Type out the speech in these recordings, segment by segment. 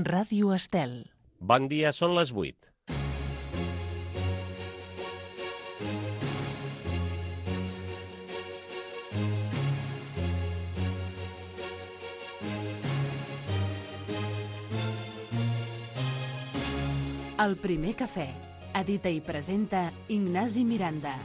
Ràdio Estel. Bon dia, són les 8. El primer cafè. Edita i presenta Ignasi Miranda.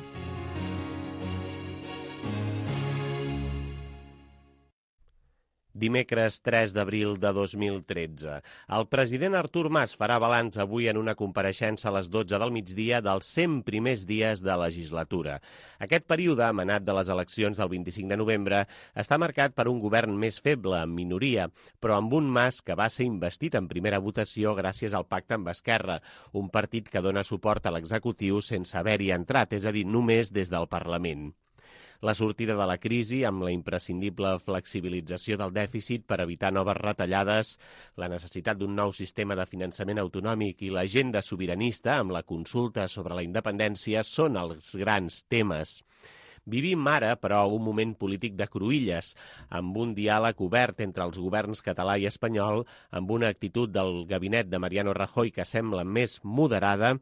Dimecres 3 d'abril de 2013. El president Artur Mas farà balanç avui en una compareixença a les 12 del migdia dels 100 primers dies de legislatura. Aquest període, emanat de les eleccions del 25 de novembre, està marcat per un govern més feble, en minoria, però amb un Mas que va ser investit en primera votació gràcies al pacte amb Esquerra, un partit que dona suport a l'executiu sense haver-hi entrat, és a dir, només des del Parlament. La sortida de la crisi, amb la imprescindible flexibilització del dèficit per evitar noves retallades, la necessitat d'un nou sistema de finançament autonòmic i l'agenda sobiranista amb la consulta sobre la independència són els grans temes. Vivim ara, però, un moment polític de cruïlles, amb un diàleg obert entre els governs català i espanyol, amb una actitud del gabinet de Mariano Rajoy que sembla més moderada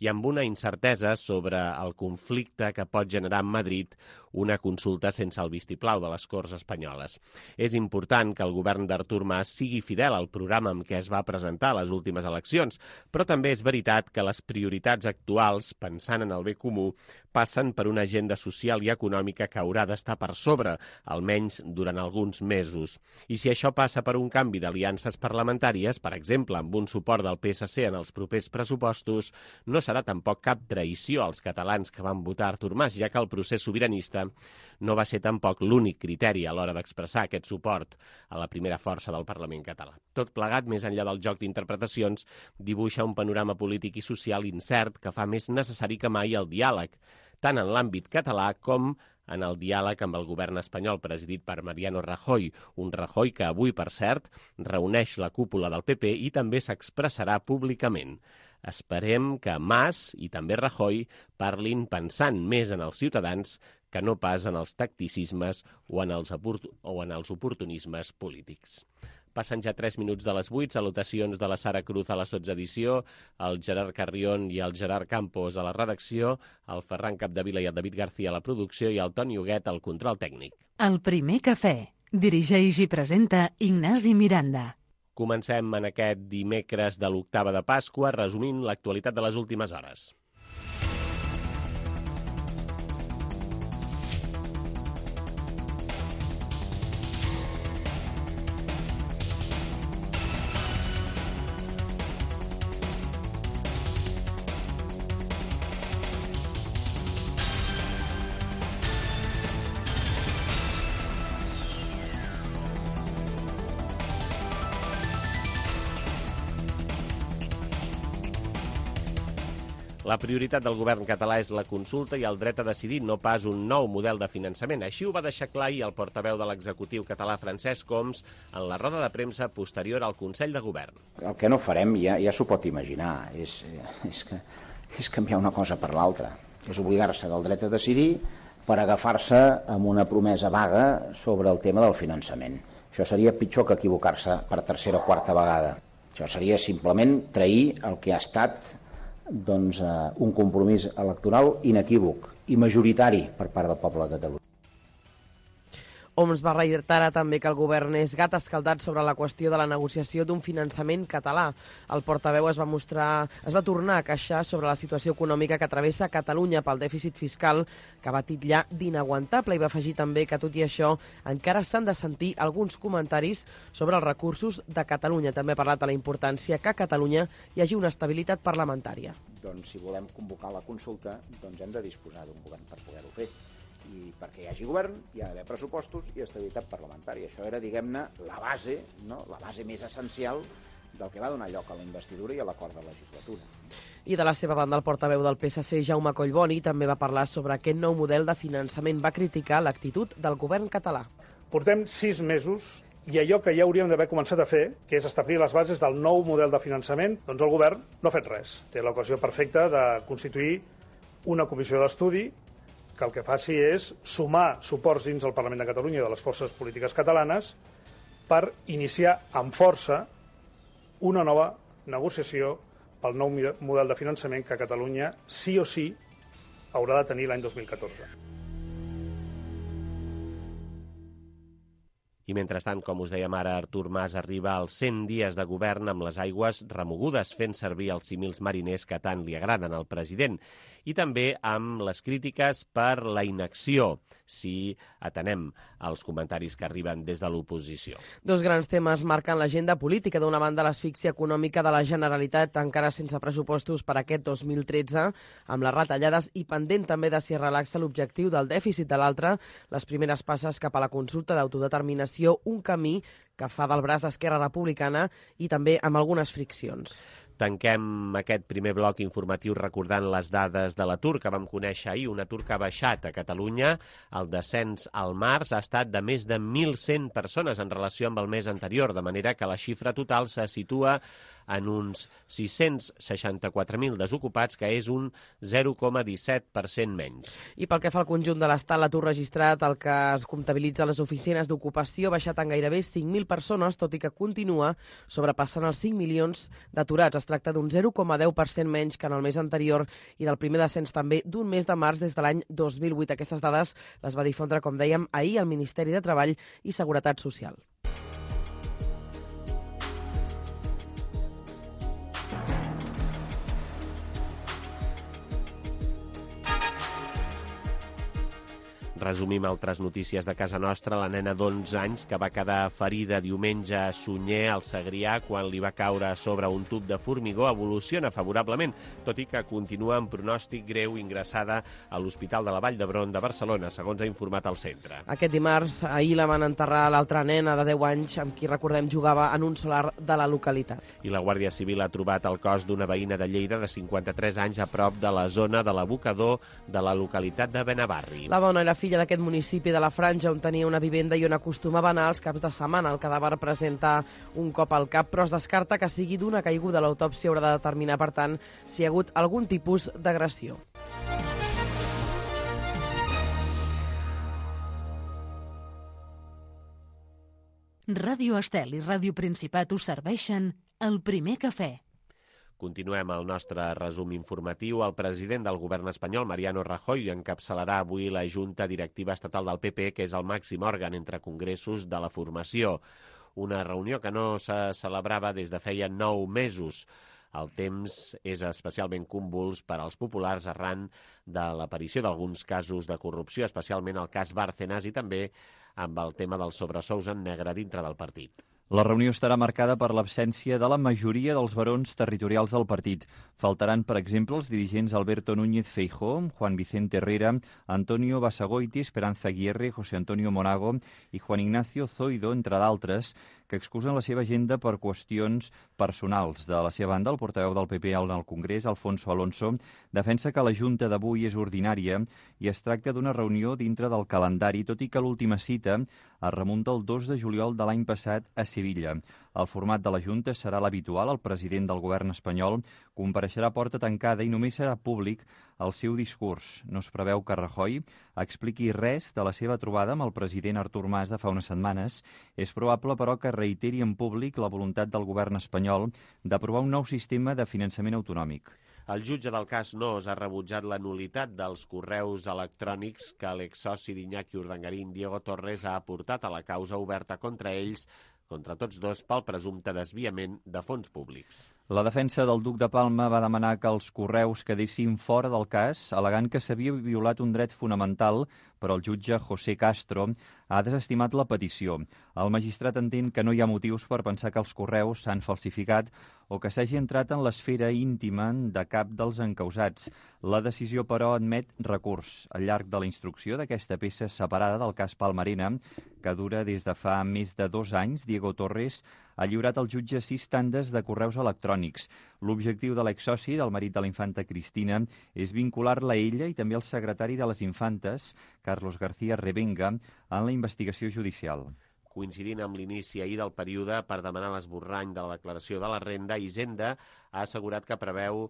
i amb una incertesa sobre el conflicte que pot generar en Madrid una consulta sense el vistiplau de les Corts espanyoles. És important que el govern d'Artur Mas sigui fidel al programa amb què es va presentar a les últimes eleccions, però també és veritat que les prioritats actuals, pensant en el bé comú, passen per una agenda social i econòmica que haurà d'estar per sobre, almenys durant alguns mesos. I si això passa per un canvi d'aliances parlamentàries, per exemple, amb un suport del PSC en els propers pressupostos, no serà tampoc cap traïció als catalans que van votar Artur Mas, ja que el procés sobiranista no va ser tampoc l'únic criteri a l'hora d'expressar aquest suport a la primera força del Parlament català. Tot plegat, més enllà del joc d'interpretacions, dibuixa un panorama polític i social incert que fa més necessari que mai el diàleg, tant en l'àmbit català com en el diàleg amb el govern espanyol presidit per Mariano Rajoy, un Rajoy que avui, per cert, reuneix la cúpula del PP i també s'expressarà públicament. Esperem que Mas i també Rajoy parlin pensant més en els ciutadans que no pas en els tacticismes o en els oportunismes polítics. Passen ja 3 minuts de les 8, salutacions de la Sara Cruz a la sotsedició, el Gerard Carrion i el Gerard Campos a la redacció, el Ferran Capdevila i el David García a la producció i el Toni Huguet al control tècnic. El primer cafè. Dirigeix i presenta Ignasi Miranda. Comencem en aquest dimecres de l'octava de Pasqua, resumint l'actualitat de les últimes hores. La prioritat del govern català és la consulta i el dret a decidir, no pas un nou model de finançament. Així ho va deixar clar ahir el portaveu de l'executiu català Francesc Homs en la roda de premsa posterior al Consell de Govern. El que no farem ja s'ho pot imaginar, és canviar una cosa per l'altra, és oblidar-se del dret a decidir per agafar-se amb una promesa vaga sobre el tema del finançament. Això seria pitjor que equivocar-se per tercera o quarta vegada. Això seria simplement trair el que ha estat un compromís electoral inequívoc i majoritari per part del poble de Catalunya. Homs va reiterar també que el govern és gat escaldat sobre la qüestió de la negociació d'un finançament català. El portaveu es va tornar a queixar sobre la situació econòmica que travessa Catalunya pel dèficit fiscal que va titllar d'inaguantable i va afegir també que, tot i això, encara s'han de sentir alguns comentaris sobre els recursos de Catalunya. També ha parlat de la importància que a Catalunya hi hagi una estabilitat parlamentària. Doncs si volem convocar la consulta, hem de disposar d'un govern per poder-ho fer. I perquè hi hagi govern hi ha d'haver pressupostos i estabilitat parlamentària. Això era, diguem-ne, la base més essencial del que va donar lloc a la investidura i a l'acord de legislatura. I de la seva banda, el portaveu del PSC, Jaume Collboni, també va parlar sobre aquest nou model de finançament. Va criticar l'actitud del govern català. Portem 6 mesos i allò que ja hauríem d'haver començat a fer, que és establir les bases del nou model de finançament, doncs el govern no ha fet res. Té l'ocasió perfecta de constituir una comissió d'estudi que el que faci és sumar suports dins del Parlament de Catalunya i de les forces polítiques catalanes per iniciar amb força una nova negociació pel nou model de finançament que Catalunya sí o sí haurà de tenir l'any 2014. I mentrestant, com us dèiem ara, Artur Mas arriba als 100 dies de govern amb les aigües remogudes, fent servir els símils mariners que tant li agraden al president. I també amb les crítiques per la inacció, si atenem els comentaris que arriben des de l'oposició. Dos grans temes marquen l'agenda política. D'una banda, l'asfíxia econòmica de la Generalitat, encara sense pressupostos per aquest 2013, amb les retallades i pendent també de si es relaxa l'objectiu del dèficit. De l'altra, les primeres passes cap a la consulta d'autodeterminació, un camí que fa del braç d'Esquerra Republicana i també amb algunes friccions. Tanquem aquest primer bloc informatiu recordant les dades de l'atur que vam conèixer ahir. Un atur que ha baixat a Catalunya. El descens al març ha estat de més de 1.100 persones en relació amb el mes anterior, de manera que la xifra total se situa en uns 664.000 desocupats, que és un 0,17% menys. I pel que fa al conjunt de l'Estat, l'atur registrat, el que es comptabilitza a les oficines d'ocupació, ha baixat en gairebé 5.000 persones, tot i que continua sobrepassant els 5 milions d'aturats. Es tracta d'un 0,10% menys que en el mes anterior i del primer descens també d'un mes de març des de l'any 2008. Aquestes dades les va difondre, com dèiem, ahir el Ministeri de Treball i Seguretat Social. Resumim altres notícies de casa nostra. La nena d'11 anys que va quedar ferida diumenge a Sunyer, al Segrià, quan li va caure a sobre un tub de formigó, evoluciona favorablement, tot i que continua amb pronòstic greu, ingressada a l'Hospital de la Vall d'Hebron de Barcelona, segons ha informat el centre. Aquest dimarts, ahir la van enterrar l'altra nena de 10 anys, amb qui, recordem, jugava en un solar de la localitat. I la Guàrdia Civil ha trobat el cos d'una veïna de Lleida de 53 anys a prop de la zona de l'abocador de la localitat de Benavarri. La dona i la filla d'aquest municipi de la Franja, on tenia una vivenda i on acostumava a anar els caps de setmana. El cadàver presenta un cop al cap, però es descarta que sigui d'una caiguda. L'autòpsia haurà de determinar, per tant, si hi ha hagut algun tipus d'agressió. Ràdio Estel i Ràdio Principat us serveixen el primer cafè. Continuem el nostre resum informatiu. El president del govern espanyol, Mariano Rajoy, encapçalarà avui la Junta Directiva Estatal del PP, que és el màxim òrgan entre congressos de la formació. Una reunió que no se celebrava des de feia 9 mesos. El temps és especialment convuls per als populars arran de l'aparició d'alguns casos de corrupció, especialment el cas Bárcenas i també amb el tema dels sobresous en negre dintre del partit. La reunió estarà marcada per l'absència de la majoria dels barons territorials del partit. Faltaran, per exemple, els dirigents Alberto Núñez Feijóo, Juan Vicente Herrera, Antonio Basagoiti, Esperanza Aguirre, José Antonio Monago i Juan Ignacio Zoido, entre d'altres, que excusen la seva agenda per qüestions personals. De la seva banda, el portaveu del PP al Congrés, Alfonso Alonso, defensa que la Junta d'avui és ordinària i es tracta d'una reunió dintre del calendari, tot i que l'última cita es remunta el 2 de juliol de l'any passat a Sevilla. El format de la Junta serà l'habitual. El president del govern espanyol compareixerà a porta tancada i només serà públic el seu discurs. No es preveu que Rajoy expliqui res de la seva trobada amb el president Artur Mas de fa unes setmanes. És probable, però, que reiteri en públic la voluntat del govern espanyol d'aprovar un nou sistema de finançament autonòmic. El jutge del cas Nos ha rebutjat la nul·litat dels correus electrònics que l'exsoci d'Iñaki Urdangarín, Diego Torres, ha aportat a la causa oberta contra ells, contra tots dos, pel presumpte desviament de fons públics. La defensa del duc de Palma va demanar que els correus quedessin fora del cas, al·legant que s'havia violat un dret fonamental, però el jutge José Castro ha desestimat la petició. El magistrat entén que no hi ha motius per pensar que els correus s'han falsificat o que s'hagi entrat en l'esfera íntima de cap dels encausats. La decisió, però, admet recurs. Al llarg de la instrucció d'aquesta peça separada del cas Palmarena, que dura des de fa més de 2 anys, Diego Torres ha lliurat al jutge 6 tandes de correus electrònics. L'objectiu de l'exsoci, del marit de la infanta Cristina, és vincular-la a ella i també al secretari de les infantes, Carlos García Revenga, en la investigació judicial. Coincidint amb l'inici ahir del període per demanar l'esborrany de la declaració de la renda, Hisenda ha assegurat que preveu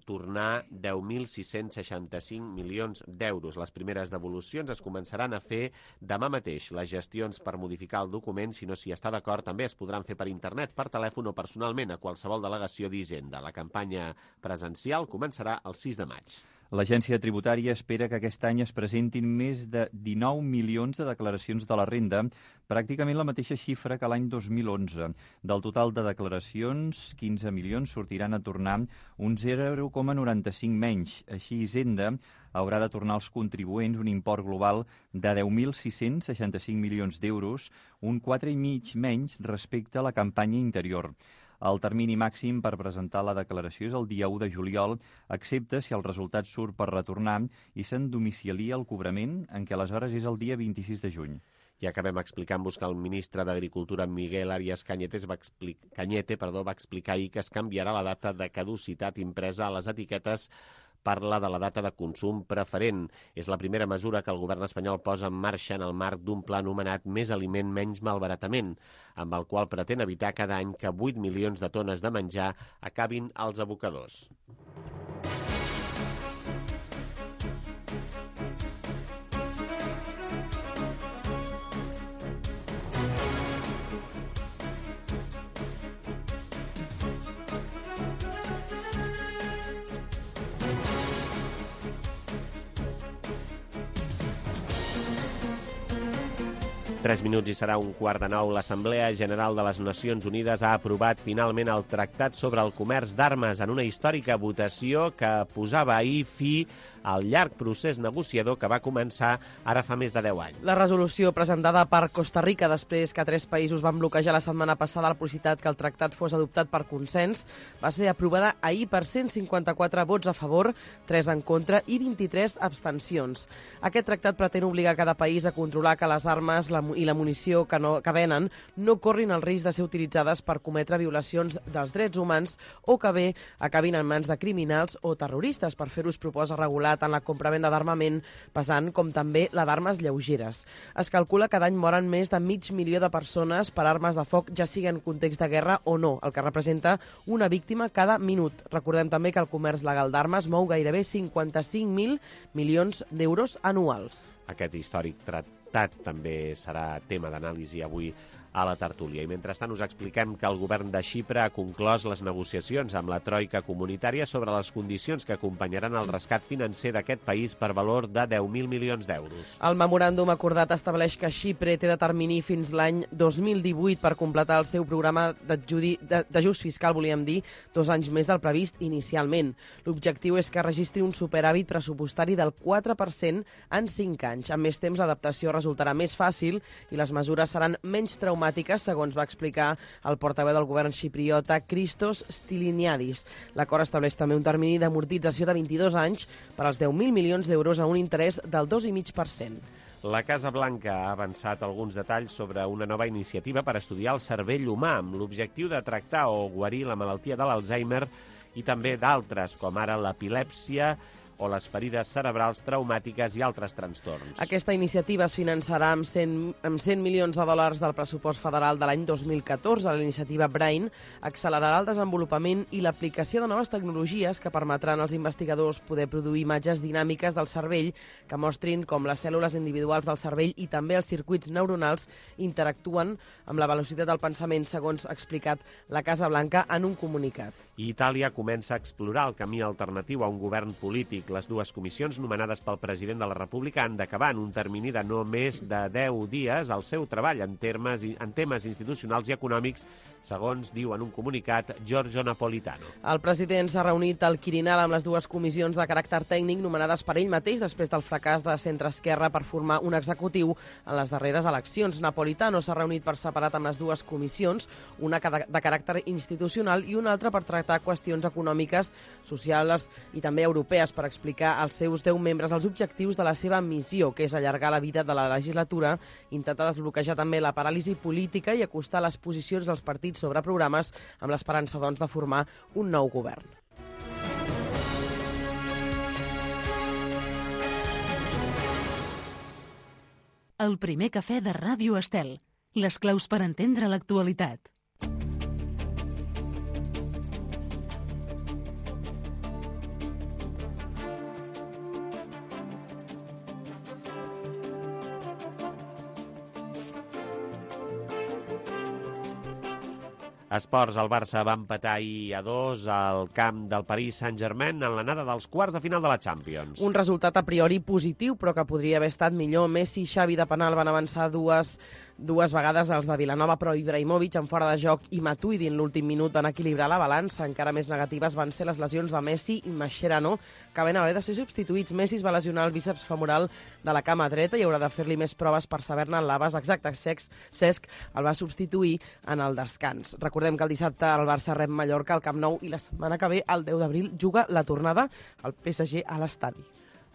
tornar 10.665 milions d'euros. Les primeres devolucions es començaran a fer demà mateix. Les gestions per modificar el document, si no s'hi està d'acord, també es podran fer per internet, per telèfon o personalment a qualsevol delegació d'Hisenda. La campanya presencial començarà el 6 de maig. L'Agència Tributària espera que aquest any es presentin més de 19 milions de declaracions de la renda, pràcticament la mateixa xifra que l'any 2011. Del total de declaracions, 15 milions sortiran a tornar un 0,95 menys. Així, Hisenda haurà de tornar als contribuents un import global de 10.665 milions d'euros, un 4,5 menys respecte a la campanya interior. El termini màxim per presentar la declaració és el dia 1 de juliol, excepte si el resultat surt per retornar i se'n domicilia el cobrament, en què aleshores és el dia 26 de juny. I acabem explicant-vos que el ministre d'Agricultura, Miguel Arias Cañete, va explicar ahir que es canviarà la data de caducitat impresa a les etiquetes. Parla de la data de consum preferent. És la primera mesura que el govern espanyol posa en marxa en el marc d'un pla anomenat Més aliment, menys malbaratament, amb el qual pretén evitar cada any que 8 milions de tones de menjar acabin als abocadors. Tres minuts i serà 8:45. L'Assemblea General de les Nacions Unides ha aprovat finalment el Tractat sobre el Comerç d'Armes en una històrica votació que posava ahir fi al llarg procés negociador que va començar ara fa més de 10 anys. La resolució presentada per Costa Rica després que 3 països van bloquejar la setmana passada la possibilitat que el tractat fos adoptat per consens va ser aprovada ahir per 154 vots a favor, 3 en contra i 23 abstencions. Aquest tractat pretén obligar cada país a controlar que les armes i la munició que venen no corrin el risc de ser utilitzades per cometre violacions dels drets humans o que bé acabin en mans de criminals o terroristes. Per fer-ho es proposa regular tant la compra-venda d'armament pesant com també la d'armes lleugeres. Es calcula que cada any moren més de 500.000 de persones per armes de foc, ja sigui en context de guerra o no, el que representa una víctima cada minut. Recordem també que el comerç legal d'armes mou gairebé 55.000 milions d'euros anuals. Aquest històric tractat també serà tema d'anàlisi avui a la tertúlia. I mentrestant us expliquem que el govern de Xipre ha conclòs les negociacions amb la troika comunitària sobre les condicions que acompanyaran el rescat financer d'aquest país per valor de 10.000 milions d'euros. El memoràndum acordat estableix que Xipre té de termini fins l'any 2018 per completar el seu programa d'ajust fiscal, volíem dir, 2 anys més del previst inicialment. L'objectiu és que registri un superàvit pressupostari del 4% en 5 anys. Amb més temps, l'adaptació resultarà més fàcil i les mesures seran menys traumàtiques, segons va explicar el portaveu del govern xipriota, Christos Stylianiadis. L'acord estableix també un termini d'amortització de 22 anys per als 10.000 milions d'euros a un interès del 2,5%. La Casa Blanca ha avançat alguns detalls sobre una nova iniciativa per estudiar el cervell humà amb l'objectiu de tractar o guarir la malaltia de l'Alzheimer i també d'altres, com ara l'epilèpsia o les ferides cerebrals traumàtiques i altres trastorns. Aquesta iniciativa es finançarà amb 100 milions de dòlars del pressupost federal de l'any 2014. La iniciativa Brain accelerarà el desenvolupament i l'aplicació de noves tecnologies que permetran als investigadors poder produir imatges dinàmiques del cervell que mostrin com les cèl·lules individuals del cervell i també els circuits neuronals interactuen amb la velocitat del pensament, segons ha explicat la Casa Blanca en un comunicat. Itàlia comença a explorar el camí alternatiu a un govern polític. Les dues comissions nomenades pel president de la República han d'acabar en un termini de no més de 10 dies el seu treball en temes institucionals i econòmics, segons diu en un comunicat Giorgio Napolitano. El president s'ha reunit al Quirinal amb les dues comissions de caràcter tècnic nomenades per ell mateix després del fracàs de centre-esquerra per formar un executiu en les darreres eleccions. Napolitano s'ha reunit per separat amb les dues comissions, una de caràcter institucional i una altra per tractar qüestions econòmiques, socials i també europees, per explicar als seus 10 membres els objectius de la seva missió, que és allargar la vida de la legislatura, intentar desbloquejar també la paràlisi política i acostar les posicions dels partits sobre programes amb l'esperança, doncs, de formar un nou govern. El primer cafè de Ràdio Estel. les claus per entendre l'actualitat. Esports, el Barça va empatar ahir a 2 al camp del Paris Saint-Germain en l'anada dels quarts de final de la Champions. Un resultat a priori positiu, però que podria haver estat millor. Messi i Xavi de penal van avançar dues vegades els de Vilanova, però Ibrahimovic en fora de joc i Matuidi en l'últim minut van equilibrar la balança. Encara més negatives van ser les lesions de Messi i Mascherano, que van haver de ser substituïts. Messi es va lesionar el bíceps femoral de la cama dreta i haurà de fer-li més proves per saber-ne l'abast exacte. Cesc el va substituir en el descans. Recordem que el dissabte el Barça rep Mallorca al Camp Nou i la setmana que ve, el 10 d'abril, juga la tornada al PSG a l'estadi.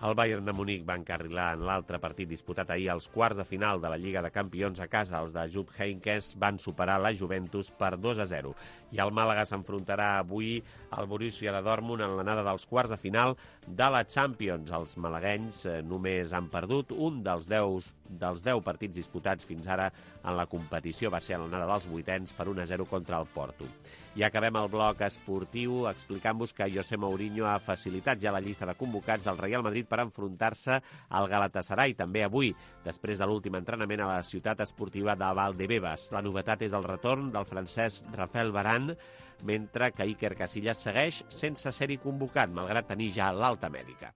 El Bayern de Munic va encarrilar en l'altre partit disputat ahir als quarts de final de la Lliga de Campions a casa. Els de Jupp Heynckes van superar la Juventus per 2-0. I el Màlaga s'enfrontarà avui al Borussia de Dortmund en l'anada dels quarts de final de la Champions. Els malaguenys només han perdut un dels 10 partits disputats fins ara en la competició. Va ser en l'anada dels vuitens per 1-0 contra el Porto. I acabem el bloc esportiu explicant-vos que José Mourinho ha facilitat ja la llista de convocats del Real Madrid per enfrontar-se al Galatasaray també avui, després de l'últim entrenament a la ciutat esportiva de Valdebebas. La novetat és el retorn del francès Rafael Varane, mentre que Iker Casillas segueix sense ser-hi convocat, malgrat tenir ja l'alta mèdica.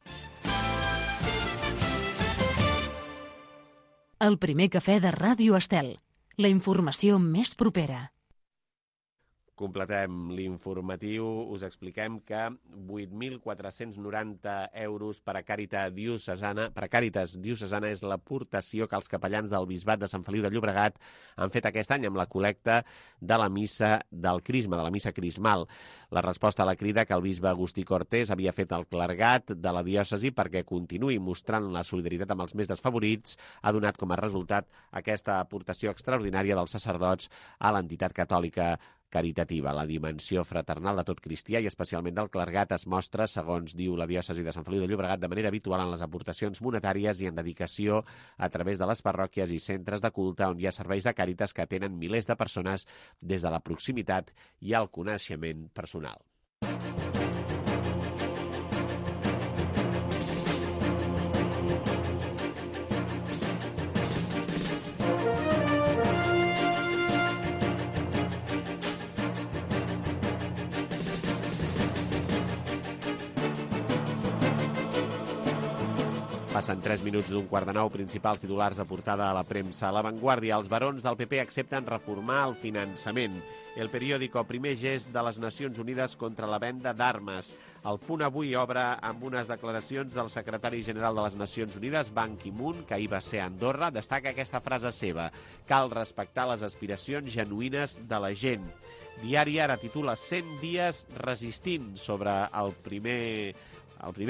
El primer cafè de Ràdio Estel. La informació més propera. Completem l'informatiu, us expliquem que 8.490 euros per a Càritas Diocesana és l'aportació que els capellans del Bisbat de Sant Feliu de Llobregat han fet aquest any amb la col·lecta de la missa del Crisma, de la missa crismal. La resposta a la crida que el bisbe Agustí Cortés havia fet al clergat de la diòcesi perquè continuï mostrant la solidaritat amb els més desfavorits ha donat com a resultat aquesta aportació extraordinària dels sacerdots a l'entitat catòlica caritativa. La dimensió fraternal de tot cristià i especialment del clergat es mostra, segons diu la diòcesi de Sant Feliu de Llobregat, de manera habitual en les aportacions monetàries i en dedicació a través de les parròquies i centres de culte on hi ha serveis de càritas que atenen milers de persones des de la proximitat i el coneixement personal. Passen 3 minuts d'un quart de 9, principals titulars de portada a la premsa. A La Vanguardia, els barons del PP accepten reformar el finançament. El periòdico, primer gest de les Nacions Unides contra la venda d'armes. El Punt avui obre amb unes declaracions del secretari general de les Nacions Unides, Ban Ki-moon, que ahir va ser a Andorra, destaca aquesta frase seva: cal respectar les aspiracions genuïnes de la gent. Diari Ara titula 100 dies resistint sobre el primer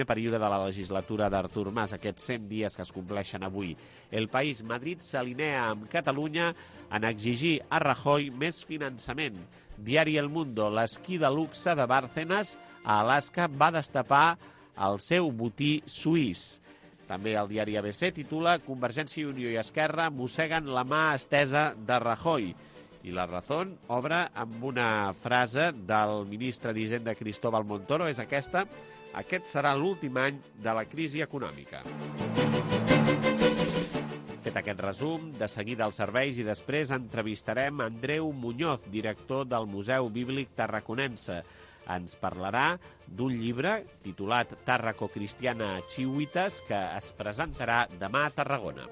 període de la legislatura d'Artur Mas, aquests 100 dies que es compleixen avui. El País, Madrid s'alinea amb Catalunya en exigir a Rajoy més finançament. Diari El Mundo, l'esquí de luxe de Bárcenas a Alaska va destapar el seu botí suís. També el diari ABC titula Convergència i Unió i Esquerra mosseguen la mà estesa de Rajoy. I La Razón obre amb una frase del ministre d'Hisenda Cristóbal Montoro, és aquesta: aquest serà l'últim any de la crisi econòmica. Fet aquest resum, de seguida als serveis i després entrevistarem Andreu Muñoz, director del Museu Bíblic Tarraconense. Ens parlarà d'un llibre titulat Tàrraco Cristiana Chihuitas que es presentarà demà a Tarragona.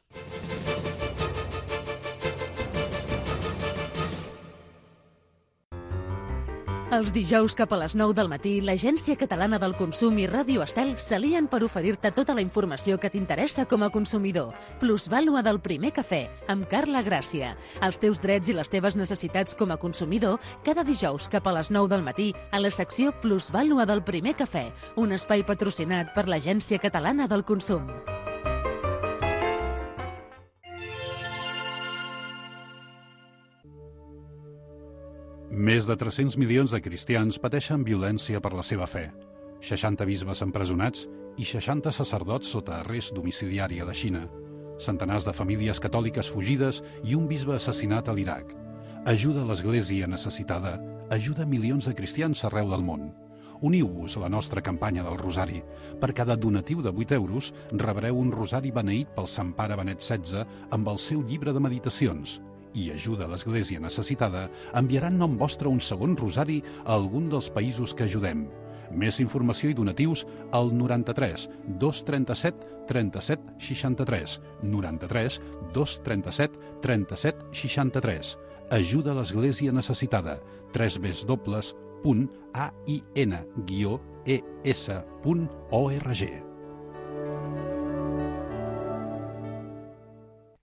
Els dijous cap a les 9 del matí, l'Agència Catalana del Consum i Ràdio Estel s'alien per oferir-te tota la informació que t'interessa com a consumidor. Plusvàlua del primer cafè, amb Carla Gràcia. Els teus drets i les teves necessitats com a consumidor, cada dijous cap a les 9 del matí, a la secció Plusvàlua del primer cafè, un espai patrocinat per l'Agència Catalana del Consum. Més de 300 milions de cristians pateixen violència per la seva fe. 60 bisbes empresonats i 60 sacerdots sota arrest domiciliari a la Xina. centenars de famílies catòliques fugides i un bisbe assassinat a l'Iraq. Ajuda l'Església necessitada, ajuda milions de cristians arreu del món. Uniu-vos a la nostra campanya del Rosari. Per cada donatiu de 8 euros rebreu un rosari beneït pel Sant Pare Benet XVI amb el seu llibre de meditacions. I Ajuda l'Església necessitada enviarà en nom vostre un segon rosari a algun dels països que ajudem. Més informació i donatius al 93 237 37 63. 93 237 37 63. Ajuda l'Església necessitada. www.ain-es.org.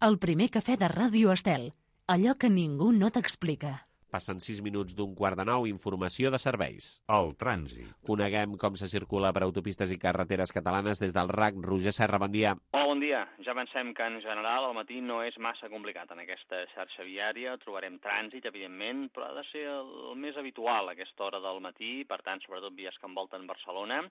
El primer cafè de Ràdio Estel. Allò que ningú no t'explica. Passen 6 minuts d'un quart de 9, informació de serveis. El trànsit. Coneguem com se circula per autopistes i carreteres catalanes des del RAC. Roger Serra, bon dia. Hola, bon dia. Ja pensem que en general el matí no és massa complicat. En aquesta xarxa viària trobarem trànsit, evidentment, però ha de ser el més habitual a aquesta hora del matí, per tant, sobretot vies que envolten Barcelona.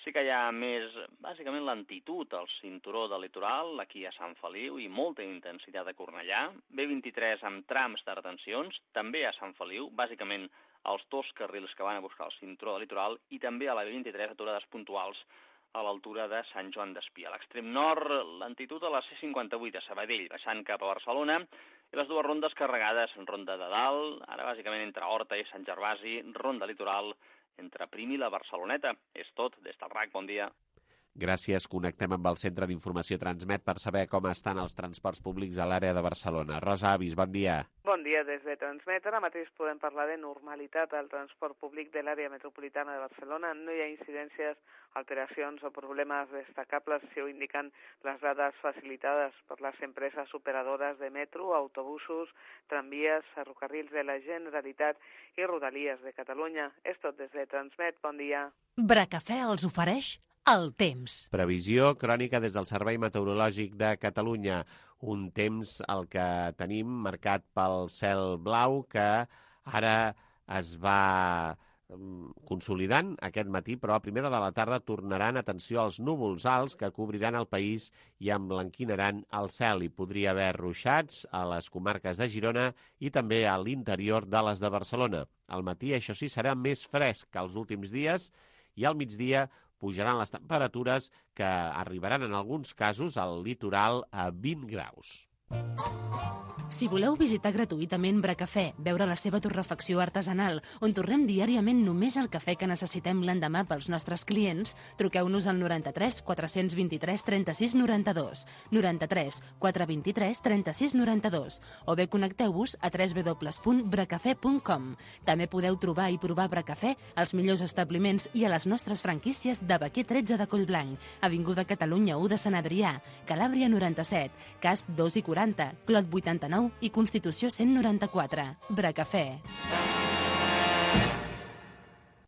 Sí que hi ha més, bàsicament, lentitud al cinturó del litoral, aquí a Sant Feliu, i molta intensitat a Cornellà. B23 amb trams de retencions, també a Sant Feliu, bàsicament els 2 carrils que van a buscar el cinturó del litoral, i també a la B23 aturades puntuals a l'altura de Sant Joan d'Espí. A l'extrem nord, lentitud a la C58 a Sabadell, baixant cap a Barcelona, i les 2 rondes carregades, ronda de dalt, ara bàsicament entre Horta i Sant Gervasi, ronda litoral, entre Prim i la Barceloneta. És tot, des del RAC, bon dia. Gràcies. Connectem amb el Centre d'Informació Transmet per saber com estan els transports públics a l'àrea de Barcelona. Rosa Avis, bon dia. Bon dia des de Transmet. Ara mateix podem parlar de normalitat al transport públic de l'àrea metropolitana de Barcelona. No hi ha incidències, alteracions o problemes destacables, si ho indiquen les dades facilitades per les empreses operadores de metro, autobusos, tramvies, ferrocarrils de la Generalitat i Rodalies de Catalunya. És tot des de Transmet. Bon dia. Bracafè els ofereix el temps. Previsió crònica des del Servei Meteorològic de Catalunya. Un temps el que tenim marcat pel cel blau que ara es va consolidant aquest matí, però a primera de la tarda tornaran, atenció, als núvols alts que cobriran el país i emblanquinaran el cel. Hi podria haver ruixats a les comarques de Girona i també a l'interior de les de Barcelona. Al matí, això sí, serà més fresc que els últims dies i al migdia pujaran les temperatures que arribaran en alguns casos al litoral a 20 graus. Si voleu visitar gratuïtament Bracafè, veure la seva torrefacció artesanal, on tornem diàriament només el cafè que necessitem l'endemà pels nostres clients, truqueu-nos al 93 423 36 92, 93 423 36 92, o bé connecteu-vos a www.bracafè.com. També podeu trobar i provar Bracafè als millors establiments i a les nostres franquícies de Baquer 13 de Collblanc, Avinguda Catalunya 1 de Sant Adrià, Calàbria 97, Casp 2 i 40, Clot 89 i Constitució 194. Bracafè.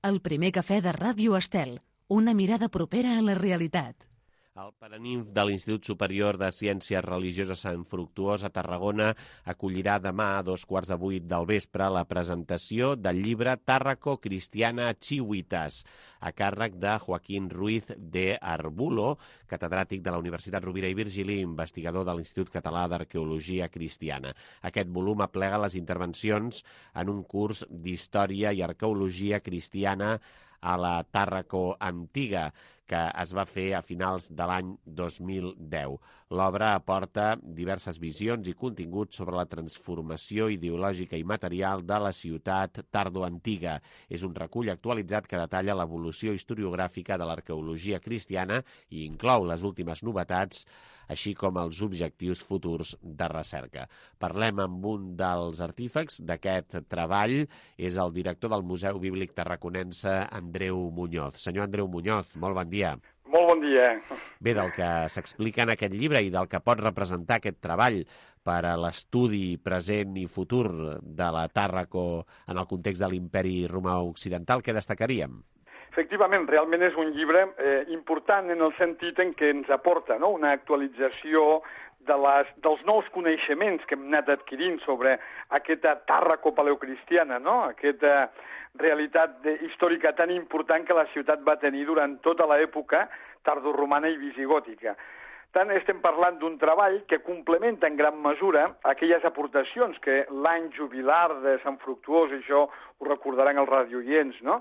El primer cafè de Ràdio Estel. Una mirada propera a la realitat. El Paraninf de l'Institut Superior de Ciències Religioses Sant Fructuós a Tarragona acollirà demà a 7:15 del vespre la presentació del llibre Tàrraco Cristiana Chihuitas, a càrrec de Joaquín Ruiz de Arbulo, catedràtic de la Universitat Rovira i Virgili i investigador de l'Institut Català d'Arqueologia Cristiana. Aquest volum aplega les intervencions en un curs d'Història i Arqueologia Cristiana a la Tàrraco Antiga, que es va fer a finals de l'any 2010. L'obra aporta diverses visions i continguts sobre la transformació ideològica i material de la ciutat tardoantiga. És un recull actualitzat que detalla l'evolució historiogràfica de l'arqueologia cristiana i inclou les últimes novetats, així com els objectius futurs de recerca. Parlem amb un dels artífecs d'aquest treball, és el director del Museu Bíblic Tarraconense, Andreu Muñoz. Senyor Andreu Muñoz, molt bon dia. Molt bon dia. Bé, del que s'explica en aquest llibre i del que pot representar aquest treball per a l'estudi present i futur de la Tàrraco en el context de l'imperi romà occidental, què destacaríem? Efectivament, realment és un llibre important en el sentit en què ens aporta una actualització dels nous coneixements que hem anat adquirint sobre aquesta Tàrraco paleocristiana, aquesta realitat històrica tan important que la ciutat va tenir durant tota l'època tardoromana i visigòtica. tant, estem parlant d'un treball que complementa en gran mesura aquelles aportacions que l'any jubilar de Sant Fructuós, això ho recordaran els radioients, no?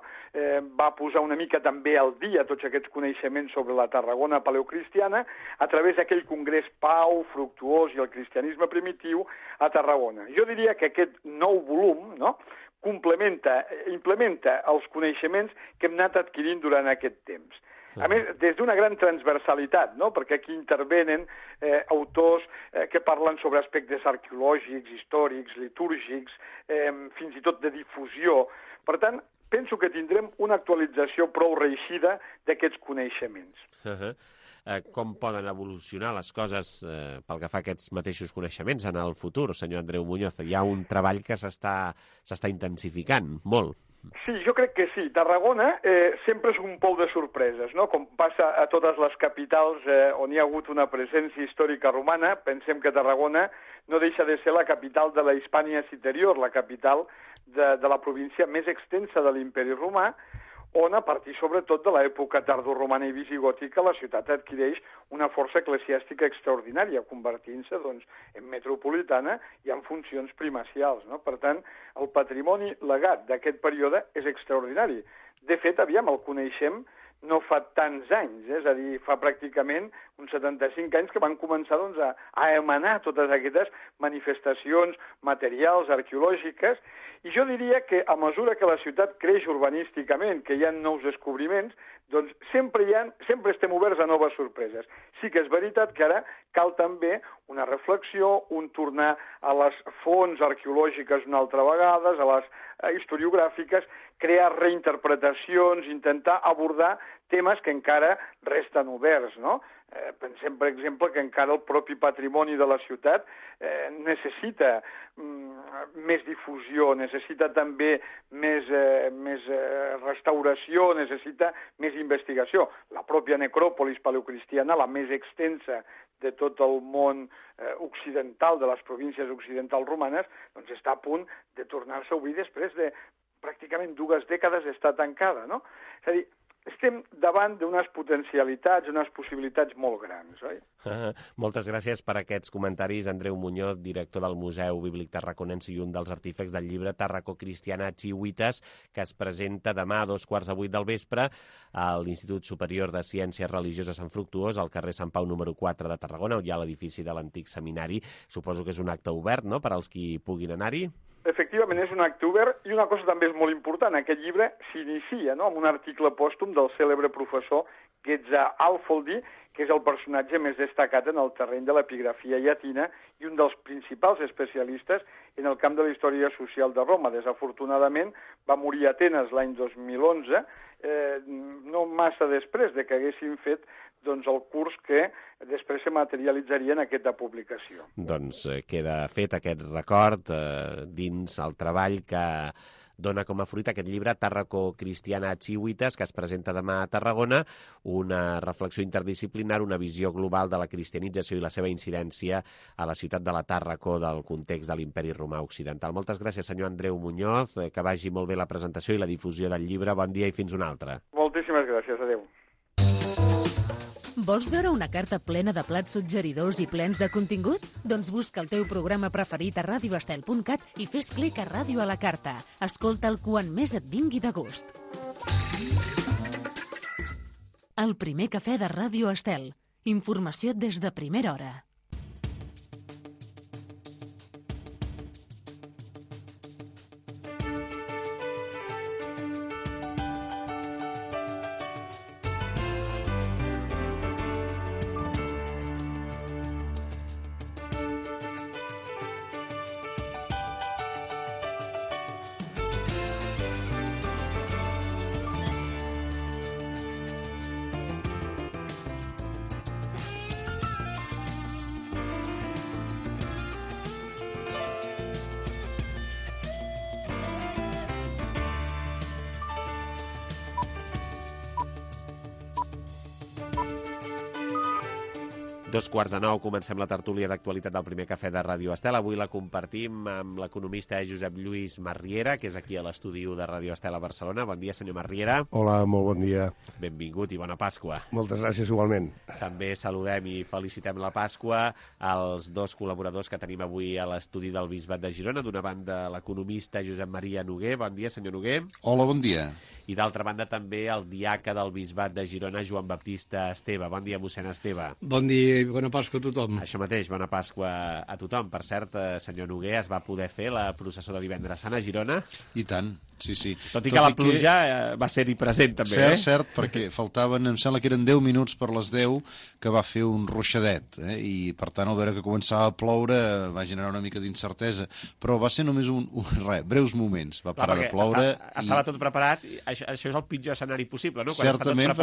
Va posar una mica també al dia tots aquests coneixements sobre la Tarragona paleocristiana a través d'aquell congrés Pau, Fructuós i el cristianisme primitiu a Tarragona. Jo diria que aquest nou volum, no?, implementa els coneixements que hem anat adquirint durant aquest temps. A més, des d'una gran transversalitat, no?, perquè aquí intervenen autors que parlen sobre aspectes arqueològics, històrics, litúrgics, fins i tot de difusió. Per tant, penso que tindrem una actualització prou reeixida d'aquests coneixements. Com poden evolucionar les coses pel que fa a aquests mateixos coneixements en el futur, senyor Andreu Muñoz? Hi ha un treball que s'està intensificant molt. Sí, jo crec que sí. Tarragona sempre és un pou de sorpreses, no? Com passa a totes les capitals on hi ha hagut una presència històrica romana. Pensem que Tarragona no deixa de ser la capital de la Hispània Citerior, la capital de la província més extensa de l'Imperi Romà, on, a partir sobretot de l'època tardoromana i visigòtica, la ciutat adquireix una força eclesiàstica extraordinària, convertint-se doncs, en metropolitana i en funcions primacials, no? Per tant, el patrimoni legat d'aquest període és extraordinari. De fet, el coneixem no fa tants anys, és a dir, fa pràcticament uns 75 anys que van començar doncs, a emanar totes aquestes manifestacions materials, arqueològiques, i jo diria que a mesura que la ciutat creix urbanísticament, que hi ha nous descobriments, doncs sempre estem oberts a noves sorpreses. Sí que és veritat que ara cal també una reflexió, un tornar a les fonts arqueològiques una altra vegada, a les historiogràfiques, crear reinterpretacions, intentar abordar temes que encara resten oberts, no? Pensem, per exemple, que encara el propi patrimoni de la ciutat necessita més difusió, necessita també més restauració, necessita més investigació. La pròpia necròpolis paleocristiana, la més extensa de tot el món occidental, de les províncies occidentals romanes, doncs està a punt de tornar-se a obrir després de pràcticament 2 dècades d'estar tancada, no? És a dir, estem davant d'unes potencialitats, unes possibilitats molt grans, oi? Moltes gràcies per aquests comentaris, Andreu Muñoz, director del Museu Bíblic Tarraconense i un dels artífecs del llibre Tarraco Cristiana Chihuitas, que es presenta demà a 7:15 del vespre a l'Institut Superior de Ciències Religioses Sant Fructuós, al carrer Sant Pau número 4 de Tarragona, on hi ha l'edifici de l'antic seminari. Suposo que és un acte obert, no?, per als qui puguin anar-hi. Efectivament, és un acte obert, i una cosa també és molt important. Aquest llibre s'inicia, no?, amb un article pòstum del cèlebre professor Ghezza Alfoldi, que és el personatge més destacat en el terreny de l'epigrafia llatina i un dels principals especialistes en el camp de la història social de Roma. Desafortunadament, va morir a Atenes l'any 2011, no massa després de que haguessin fet doncs, el curs que després se materialitzaria en aquesta publicació. Doncs queda fet aquest record dins el treball que dona com a fruit aquest llibre Tarraco Cristiana Chihuitas, que es presenta demà a Tarragona, una reflexió interdisciplinar, una visió global de la cristianització i la seva incidència a la ciutat de la Tàrraco del context de l'Imperi Romà Occidental. Moltes gràcies, senyor Andreu Muñoz, que vagi molt bé la presentació i la difusió del llibre. Bon dia i fins una altra. Moltíssimes gràcies, adeu. Vols veure una carta plena de plats suggeridors i plens de contingut? Doncs busca el teu programa preferit a radioestel.cat i fes clic a Ràdio a la Carta. Escolta'l quan més et vingui de gust. El primer cafè de Ràdio Estel. Informació des de primera hora. 2:15, comencem la tertúlia d'actualitat del primer cafè de Ràdio Estel. Avui la compartim amb l'economista Josep Lluís Marriera, que és aquí a l'estudi de Ràdio Estel a Barcelona. Bon dia, senyor Marriera. Hola, molt bon dia. Benvingut i bona Pasqua. Moltes gràcies, igualment. També saludem i felicitem la Pasqua als dos col·laboradors que tenim avui a l'estudi del Bisbat de Girona. D'una banda, l'economista Josep Maria Noguer. Bon dia, senyor Noguer. Hola, bon dia. I d'altra banda també el diaca del Bisbat de Girona, Joan Baptista Esteve. Bon dia, mossèn Esteve. Bon dia i bona Pasqua a tothom. Això mateix, bona Pasqua a tothom. Per cert, senyor Noguer, es va poder fer la processó de Divendres Sant a Girona? I tant, sí, sí. Tot i que la pluja va ser-hi present, també, Cert, perquè faltaven, em sembla que eren 10 minuts per les 10, que va fer un ruixadet, i per tant, al veure que començava a ploure, va generar una mica d'incertesa, però va ser només breus moments, va parar de ploure. Estava tot preparat, això és el pitjor escenari possible, no? Quan certament,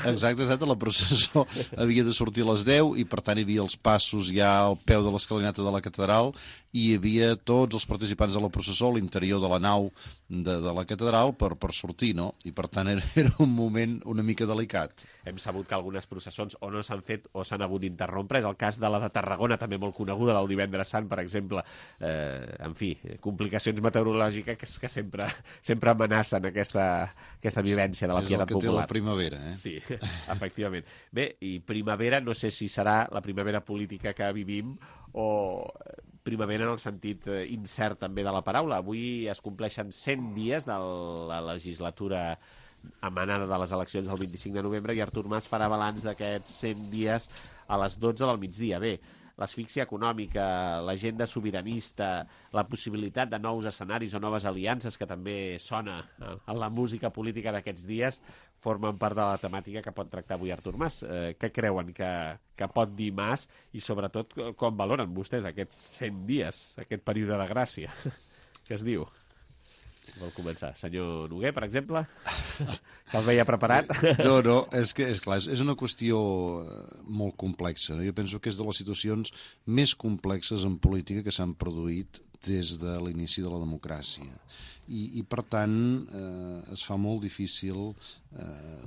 exacte, la processó havia de sortir a les 10 i per tant hi havia els passos ja al peu de l'escalinata de la catedral i hi havia tots els participants de la processó a l'interior de la nau de la catedral per sortir, no? I per tant era un moment una mica delicat. Hem sabut que algunes processons o no s'han fet o s'han hagut d'interrompre. És el cas de la de Tarragona, també molt coneguda, del Divendres Sant, per exemple. En fi, complicacions meteorològiques que sempre amenacen aquesta vivència de la pietat popular. És el que té la primavera, Sí, efectivament. Bé, i primavera, no sé si serà la primavera política que vivim o primavera en el sentit incert també de la paraula. Avui es compleixen 100 dies de la legislatura emanada de les eleccions del 25 de novembre i Artur Mas farà balanç d'aquests 100 dies a les 12 del migdia. Bé, l'asfíxia econòmica, l'agenda sobiranista, la possibilitat de nous escenaris o noves aliances, que també sona en la música política d'aquests dies, formen part de la temàtica que pot tractar avui Artur Mas. Què creuen que pot dir Mas i, sobretot, com valoren vostès aquests 100 dies, aquest període de gràcia? Què es diu? Vol començar? Senyor Noguer, per exemple? Que el veia preparat? No, és clar, és una qüestió molt complexa. Jo penso que és de les situacions més complexes en política que s'han produït des de l'inici de la democràcia. I per tant, es fa molt difícil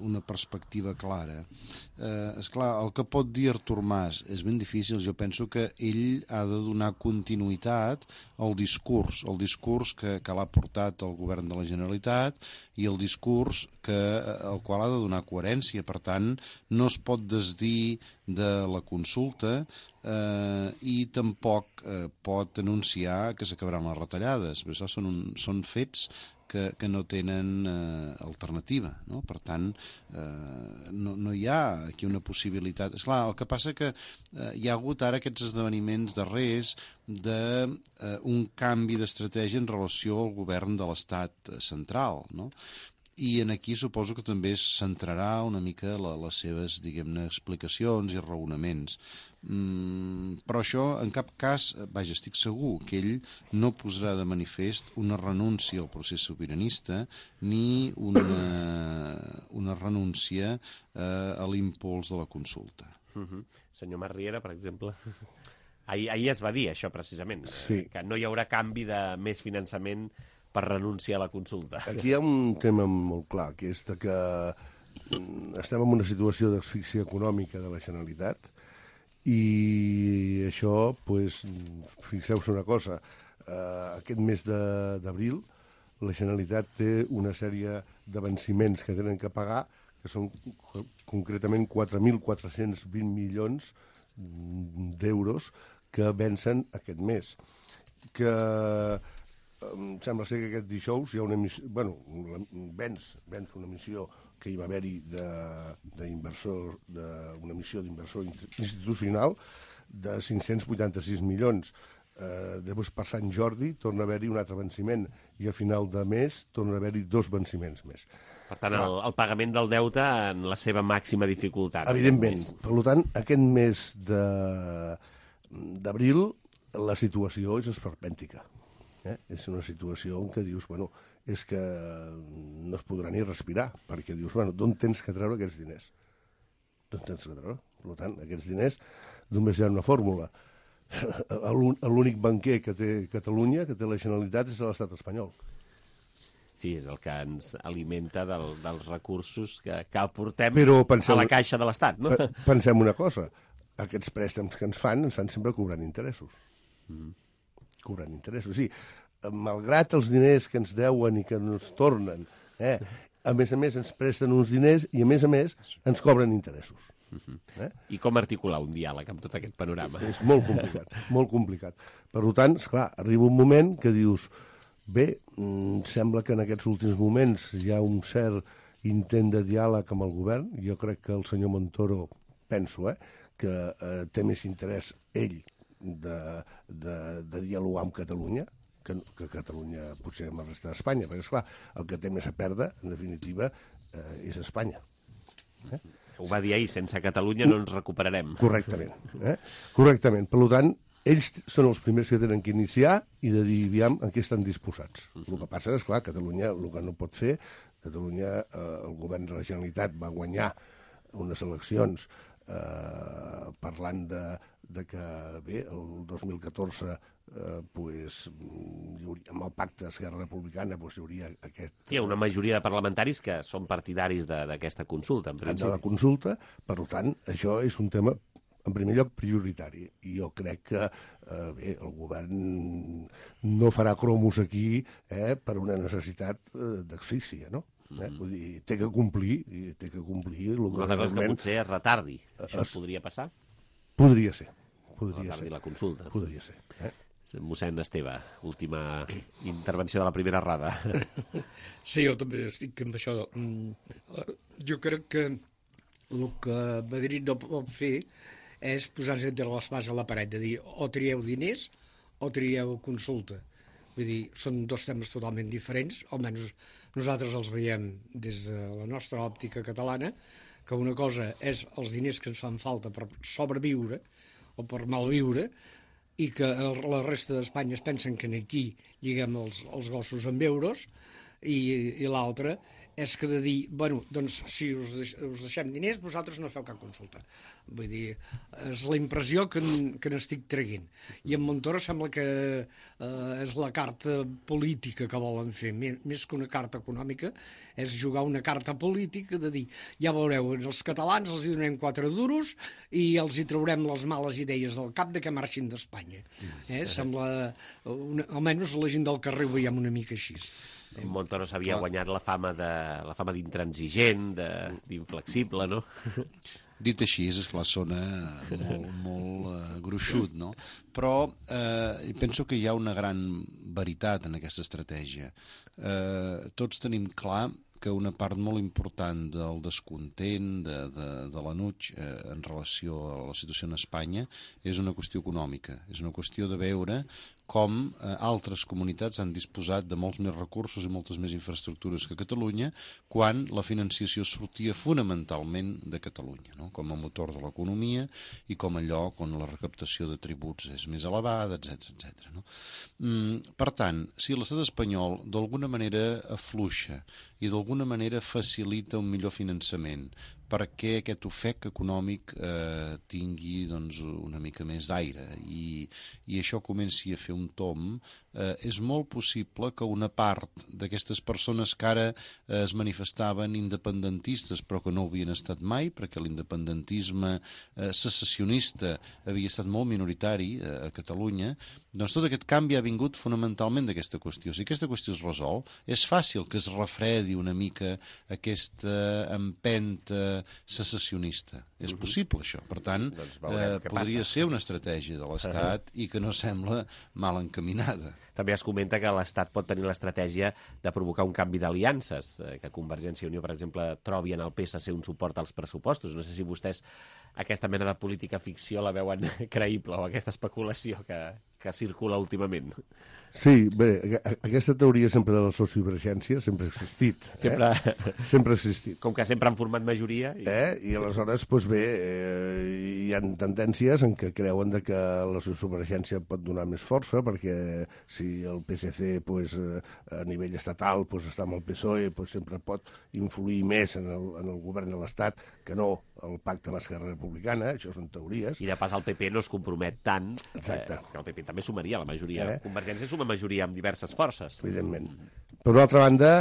una perspectiva clara. Esclar, el que pot dir Artur Mas és ben difícil. Jo penso que ell ha de donar continuïtat al discurs que l'ha portat el govern de la Generalitat i el discurs al qual ha de donar coherència. Per tant, no es pot desdir de la consulta i tampoc pot anunciar que s'acabaran les retallades. Però això són fets que no tenen alternativa, no? Per tant, no hi ha aquí una possibilitat. Esclar, el que passa que hi ha hagut ara aquests esdeveniments darrers d'un canvi d'estratègia en relació al govern de l'Estat central, no? I aquí suposo que també es centrarà una mica les seves, diguem-ne, explicacions i raonaments. Però això, en cap cas, estic segur que ell no posarà de manifest una renúncia al procés sobiranista ni una renúncia a l'impuls de la consulta. Senyor Marriera, per exemple, ahir es va dir això precisament, que no hi haurà canvi de més finançament per renunciar a la consulta. Aquí hi ha un tema molt clar, que és que estem en una situació d'asfíxia econòmica de la Generalitat i això, fixeu-se una cosa, aquest mes d'abril la Generalitat té una sèrie de venciments que tenen que pagar, que són concretament 4.420 milions d'euros que vencen aquest mes. Sembla ser que aquest dijous hi ha una emissió, venç una emissió que hi va haver-hi d'una emissió d'inversor institucional de 586 milions. Després, per Sant Jordi, torna a haver-hi un altre venciment i a final de mes torna a haver-hi 2 venciments més. Per tant, el pagament del deute en la seva màxima dificultat. Evidentment. Per tant, aquest mes d'abril la situació és esperpèntica. És una situació en què dius, és que no es podrà ni respirar, perquè dius, d'on tens que treure aquests diners? D'on tens que treure? Per tant, aquests diners només hi ha una fórmula. L'únic banquer que té Catalunya, que té la Generalitat, és l'estat espanyol. Sí, és el que ens alimenta dels recursos que aportem a la caixa de l'Estat, no? Pensem una cosa, aquests préstecs que ens fan sempre cobrant interessos. Cobrant interessos, sí. Malgrat els diners que ens deuen i que ens tornen, a més ens presten uns diners i, a més ens cobren interessos. I com articular un diàleg amb tot aquest panorama? És molt complicat, molt complicat. Per tant, esclar, arriba un moment que dius, bé, sembla que en aquests últims moments hi ha un cert intent de diàleg amb el govern. Jo crec que el senyor Montoro, penso, que té més interès ell de dialogar amb Catalunya, que Catalunya potser amb la resta d'Espanya, perquè, esclar, el que té més a perdre, en definitiva, és Espanya. Ho va dir ahir, sense Catalunya no ens recuperarem. Correctament. Correctament. Per tant, ells són els primers que tenen que iniciar i de dir, aviam, en què estan disposats. El que passa és, clar, Catalunya, el que no pot fer, Catalunya, el govern de la Generalitat va guanyar unes eleccions parlant de que, bé, el 2014 amb el pacte Esquerra Republicana hi hauria aquest... Hi ha una majoria de parlamentaris que són partidaris d'aquesta consulta, en principi. De la consulta, per tant, això és un tema, en primer lloc, prioritari. I jo crec que bé, el govern no farà cromos aquí per una necessitat d'asfíxia, no? Vull dir, té que complir. Una altra cosa que potser es retardi. Això podria passar? Podria ser. Retardi la consulta. Podria ser. Mossèn Esteve, última intervenció de la primera errada. Sí, jo també estic amb això. Jo crec que el que Madrid no pot fer és posar-se entre les mans a la paret, de dir o trieu diners o trieu consulta. Vull dir, són dos temes totalment diferents, almenys nosaltres els veiem des de la nostra òptica catalana, que una cosa és els diners que ens fan falta per sobreviure o per malviure, i que la resta d'Espanya es pensen que aquí lliguem els gossos amb euros, i l'altre és que de dir, bueno, doncs si us deixem diners, vosaltres no feu cap consulta. Vull dir, és la impressió que n'estic traient. I en Montoro sembla que és la carta política que volen fer, més que una carta econòmica, és jugar una carta política de dir, ja veureu, els catalans els hi donem 4 duros i els hi traurem les males idees del cap de que marxin d'Espanya. Sembla, almenys la gent del carrer ho veiem una mica així. Montoro s'havia guanyat la fama d'intransigent, d'inflexible, no? Dit així, esclar, sona molt gruixut, no? Però penso que hi ha una gran veritat en aquesta estratègia. Tots tenim clar que una part molt important del descontent, de l'enuig en relació a la situació en Espanya és una qüestió econòmica. És una qüestió de veure com altres comunitats han disposat de molts més recursos i moltes més infraestructures que Catalunya, quan la financiació sortia fonamentalment de Catalunya, no? Com a motor de l'economia i com a lloc on la recaptació de tributs és més elevada, etc. No? Per tant, si l'estat espanyol d'alguna manera afluixa i d'alguna manera facilita un millor finançament perquè aquest ofec econòmic tingui una mica més d'aire i això comenci a fer un tomb, és molt possible que una part d'aquestes persones que ara es manifestaven independentistes però que no ho havien estat mai, perquè l'independentisme secessionista havia estat molt minoritari a Catalunya, doncs tot aquest canvi ha vingut fonamentalment d'aquesta qüestió. Si aquesta qüestió es resol, és fàcil que es refredi una mica aquesta empenta secessionista. És possible, això. Per tant, podria ser una estratègia de l'Estat i que no sembla mal encaminada. També es comenta que l'Estat pot tenir l'estratègia de provocar un canvi d'aliances, que Convergència i Unió, per exemple, trobi en el PSC un suport als pressupostos. No sé si vostès aquesta mena de política ficció la veuen creïble o aquesta especulació que circula últimament. Sí, bé, aquesta teoria sempre de la sociovergència sempre ha existit. Sempre ha existit. Com que sempre han format majoria. I aleshores, doncs bé, hi ha tendències en què creuen que la sociovergència pot donar més força, perquè si el PSC a nivell estatal està amb el PSOE, sempre pot influir més en el govern de l'Estat que no el pacte amb Esquerra Republicana. Això són teories. I de pas el PP no es compromet tant. Exacte. Que el PP també sumaria la majoria. Convergència suma majoria amb diverses forces. Evidentment. Per una altra banda,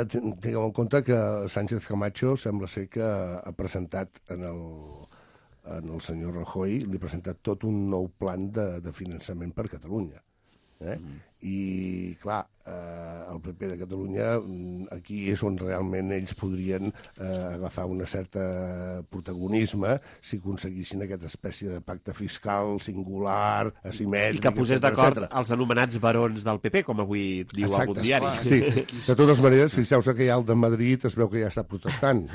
tinguem en compte que Sánchez Camacho sembla ser que ha presentat en al senyor Rajoy li ha presentat tot un nou plan de finançament per Catalunya. I, clar, el PP de Catalunya, aquí és on realment ells podrien agafar una certa protagonisme si aconseguissin aquesta espècie de pacte fiscal singular, asimètric... I que posés d'acord els anomenats barons del PP, com avui diu algun diari. Sí, de totes maneres, fixeu-se que ja el de Madrid es veu que ja està protestant.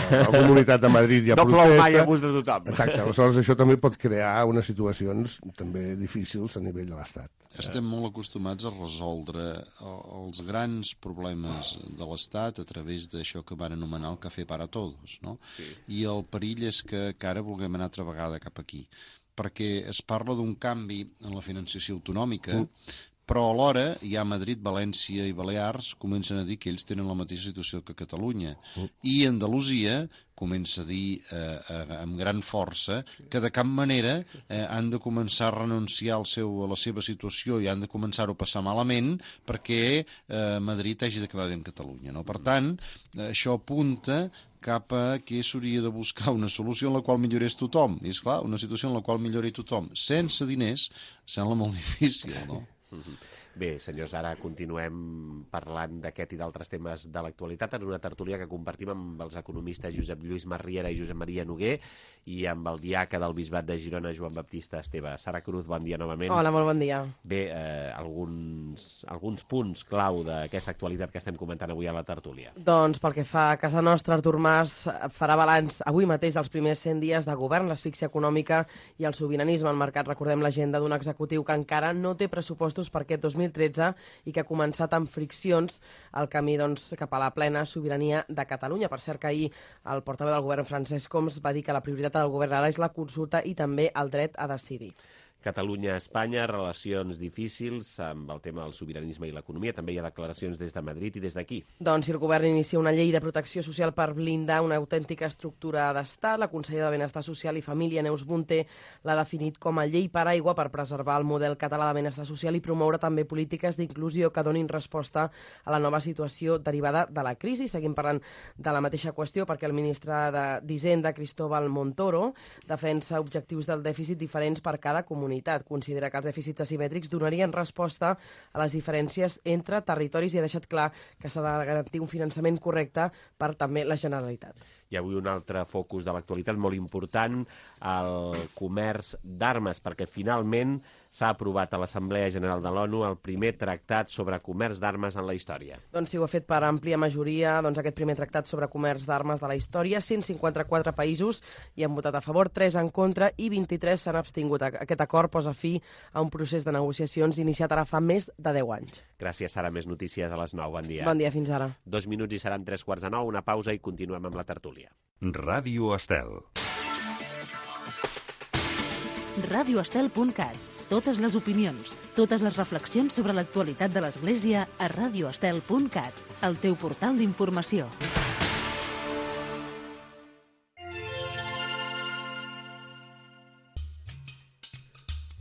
La Comunitat de Madrid ja protesta. No plou mai a gust de tothom. Exacte, aleshores això també pot crear unes situacions també difícils a nivell de l'Estat. Estem molt acostumats a resoldre els grans problemes de l'Estat a través d'això que van anomenar el café para todos, no? Sí. I el perill és que ara vulguem anar altra vegada cap aquí, perquè es parla d'un canvi en la financiació autonòmica, però alhora ja Madrid, València i Balears comencen a dir que ells tenen la mateixa situació que Catalunya. I Andalusia comença a dir amb gran força que de cap manera han de començar a renunciar a la seva situació i han de començar-ho a passar malament perquè Madrid hagi de quedar bé amb Catalunya. No? Per tant, això apunta cap a que s'hauria de buscar una solució en la qual millorés tothom. I, esclar, una situació en la qual millori tothom sense diners sembla molt difícil, no? Bé, senyors, ara continuem parlant d'aquest i d'altres temes de l'actualitat en una tertúlia que compartim amb els economistes Josep Lluís Marriera i Josep Maria Noguer i amb el diaca del Bisbat de Girona, Joan Baptista Esteve. Sara Cruz, bon dia novament. Hola, molt bon dia. Bé, alguns punts clau d'aquesta actualitat que estem comentant avui a la tertúlia. Doncs pel que fa a casa nostra, Artur Mas farà balanç avui mateix dels primers 100 dies de govern, l'asfíxia econòmica i el sobiranisme al mercat. Recordem l'agenda d'un executiu que encara no té pressupostos per aquest 2013 i que ha començat amb friccions el camí cap a la plena sobirania de Catalunya. Per cert que ahir el portaveu del govern Francesc Homs va dir que la prioritat del govern ara és la consulta i també el dret a decidir. Catalunya-Espanya, relacions difícils amb el tema del sobiranisme i l'economia. També hi ha declaracions des de Madrid i des d'aquí. Doncs si el govern inicia una llei de protecció social per blindar una autèntica estructura d'estat, la consellera de Benestar Social i Família, Neus Munté, l'ha definit com a llei paraigua per preservar el model català de benestar social i promoure també polítiques d'inclusió que donin resposta a la nova situació derivada de la crisi. Seguim parlant de la mateixa qüestió perquè el ministre d'Hisenda, Cristóbal Montoro, defensa objectius del dèficit diferents per cada comunitat. Considera que els dèficits asimètrics donarien resposta a les diferències entre territoris i ha deixat clar que s'ha de garantir un finançament correcte per també la Generalitat. I avui un altre focus de l'actualitat molt important, el comerç d'armes, perquè finalment s'ha aprovat a l'Assemblea General de l'ONU el primer tractat sobre comerç d'armes en la història. Doncs sí, ho ha fet per àmplia majoria aquest primer tractat sobre comerç d'armes de la història. 154 països hi han votat a favor, 3 en contra i 23 s'han abstingut. Aquest acord posa fi a un procés de negociacions iniciat ara fa més de 10 anys. Gràcies, Sara. Més notícies a les 9. Bon dia. Bon dia, fins ara. 2 minuts i seran 3:45, una pausa i continuem amb la tertúlia. Ràdio Estel. radioestel.cat. Totes les opinions, totes les reflexions sobre l'actualitat de l'Església a radioestel.cat, el teu portal d'informació.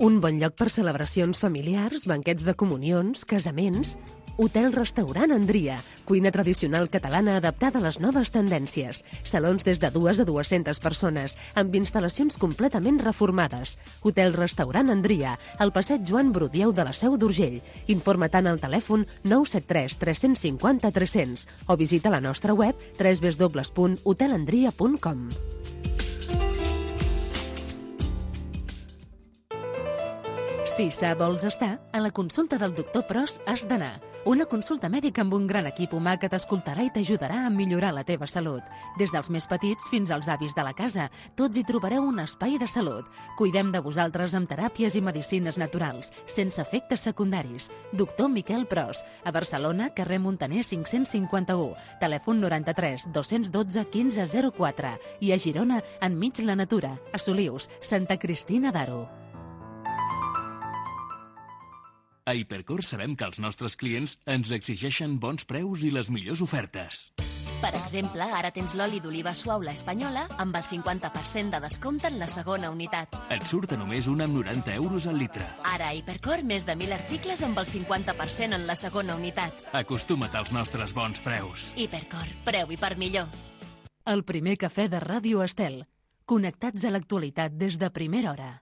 Un bon lloc per celebracions familiars, banquets de comunions, casaments... Hotel-restaurant Andria, cuina tradicional catalana adaptada a les noves tendències. Salons des de 2 a 200 persones, amb instal·lacions completament reformades. Hotel-restaurant Andria, al passeig Joan Brudieu de la Seu d'Urgell. Informa tant al telèfon 973 350 300 o visita la nostra web www.hotelandria.com. Si vols estar, a la consulta del doctor Pros has d'anar. Una consulta mèdica amb un gran equip humà que t'escoltarà i t'ajudarà a millorar la teva salut. Des dels més petits fins als avis de la casa, tots hi trobareu un espai de salut. Cuidem de vosaltres amb teràpies i medicines naturals, sense efectes secundaris. Doctor Miquel Pros, a Barcelona, carrer Montaner 551, telèfon 93 212 1504 i a Girona, enmig la natura, a Solius, Santa Cristina d'Aro. A Hipercor sabem que els nostres clients ens exigeixen bons preus i les millors ofertes. Per exemple, ara tens l'oli d'oliva suau La Espanyola amb el 50% de descompte en la segona unitat. Et surt a només 1,90 € al litre. Ara a Hipercor més de 1.000 articles amb el 50% en la segona unitat. Acostuma't als nostres bons preus. Hipercor, preu i per millor. El primer cafè de Ràdio Estel. Connectats a l'actualitat des de primera hora.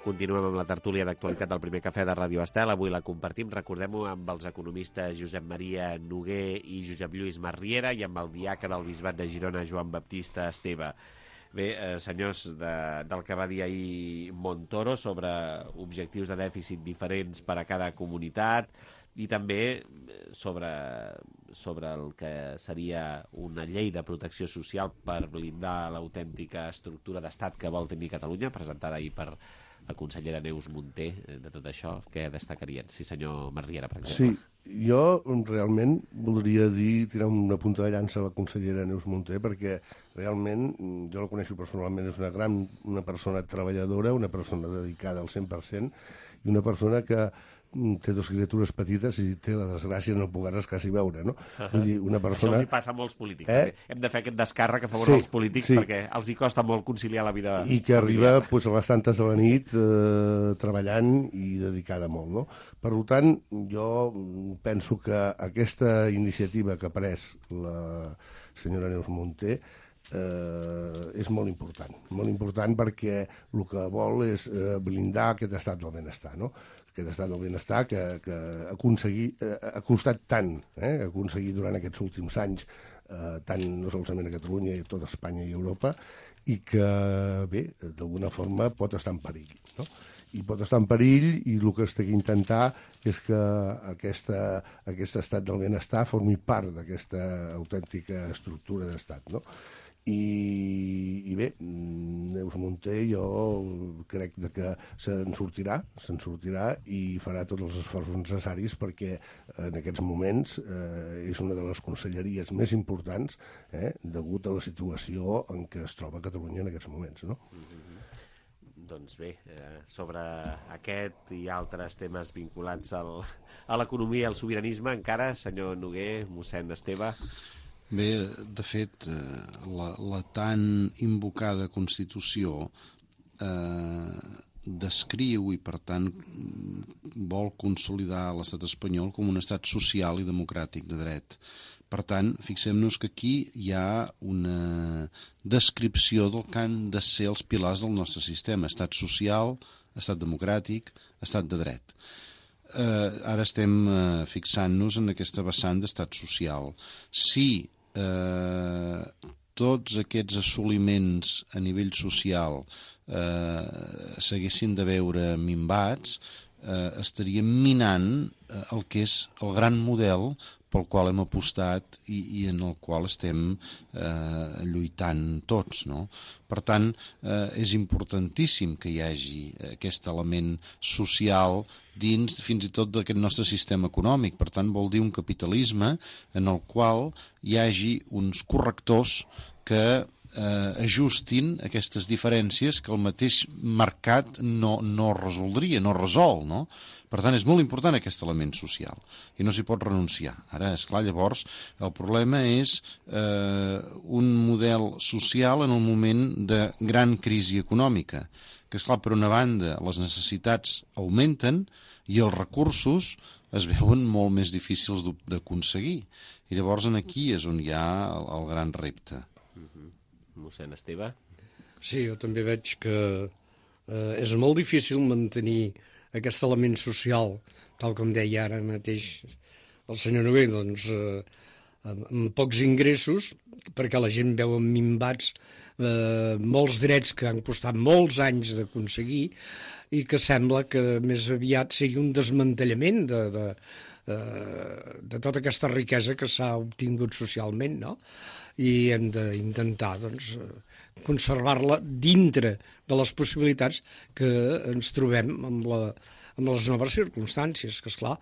Continuem amb la tertúlia d'actualitat del primer cafè de Ràdio Estel. Avui la compartim, recordem-ho, amb els economistes Josep Maria Noguer i Josep Lluís Marriera i amb el diaca del Bisbat de Girona, Joan Baptista Esteve. Bé, senyors, del que va dir ahir Montoro sobre objectius de dèficit diferents per a cada comunitat i també sobre el que seria una llei de protecció social per blindar l'autèntica estructura d'estat que vol tenir Catalunya, presentada ahir per la consellera Neus Munté. De tot això, què destacarien? Sí, senyor Marriera, per exemple. Sí, jo realment voldria tirar una punta de llança a la consellera Neus Munté, perquè realment, jo la coneixo personalment, és una persona treballadora, una persona dedicada al 100% i una persona que té dues criatures petites i té la desgràcia de no poder-les quasi veure, no? Vull dir, una persona... Això els hi passa a molts polítics. Hem de fer aquest descàrrec a favor dels polítics perquè els hi costa molt conciliar la vida i que arriba a les tantes de la nit treballant i dedicada molt, no? Per tant, jo penso que aquesta iniciativa que ha pres la senyora Neus Munté és molt important perquè el que vol és blindar aquest estat del benestar, no? Aquest estat del benestar que ha costat tant, aconseguir durant aquests últims anys, tant no solament a Catalunya, i a tota Espanya i Europa, i que, bé, d'alguna forma pot estar en perill, no? I pot estar en perill i el que es té que intentar és que aquest estat del benestar formi part d'aquesta autèntica estructura d'estat, no? I bé, Neus Munté jo crec que se'n sortirà i farà tots els esforços necessaris perquè en aquests moments és una de les conselleries més importants degut a la situació en què es troba Catalunya en aquests moments, no? Doncs bé, sobre aquest i altres temes vinculats a l'economia i al sobiranisme, encara, senyor Noguer, mossèn Esteve... Bé, de fet, la tan invocada Constitució descriu i, per tant, vol consolidar l'estat espanyol com un estat social i democràtic de dret. Per tant, fixem-nos que aquí hi ha una descripció del que han de ser els pilars del nostre sistema: estat social, estat democràtic, estat de dret. Ara estem fixant-nos en aquesta vessant d'estat social. Si tots aquests assoliments a nivell social s'haguessin de veure minvats, estaríem minant el que és el gran model pel qual hem apostat i en el qual estem lluitant tots, no? Per tant, és importantíssim que hi hagi aquest element social dins fins i tot d'aquest nostre sistema econòmic. Per tant, vol dir un capitalisme en el qual hi hagi uns correctors que ajustin aquestes diferències que el mateix mercat no resoldria, no resol, no? Per tant, és molt important aquest element social i no s'hi pot renunciar. Ara, esclar, llavors, el problema és un model social en un moment de gran crisi econòmica, que, esclar, per una banda, les necessitats augmenten i els recursos es veuen molt més difícils d'aconseguir. I llavors aquí és on hi ha el gran repte. Mossèn Esteve? Sí, jo també veig que és molt difícil mantenir aquest element social, tal com deia ara mateix el senyor Noguer, doncs, amb pocs ingressos, perquè la gent veu minvats molts drets que han costat molts anys d'aconseguir i que sembla que més aviat sigui un desmantellament de tota aquesta riquesa que s'ha obtingut socialment, no? I hem d'intentar, doncs, conservar-la dintre de les possibilitats que ens trobem amb les noves circumstàncies, que, esclar,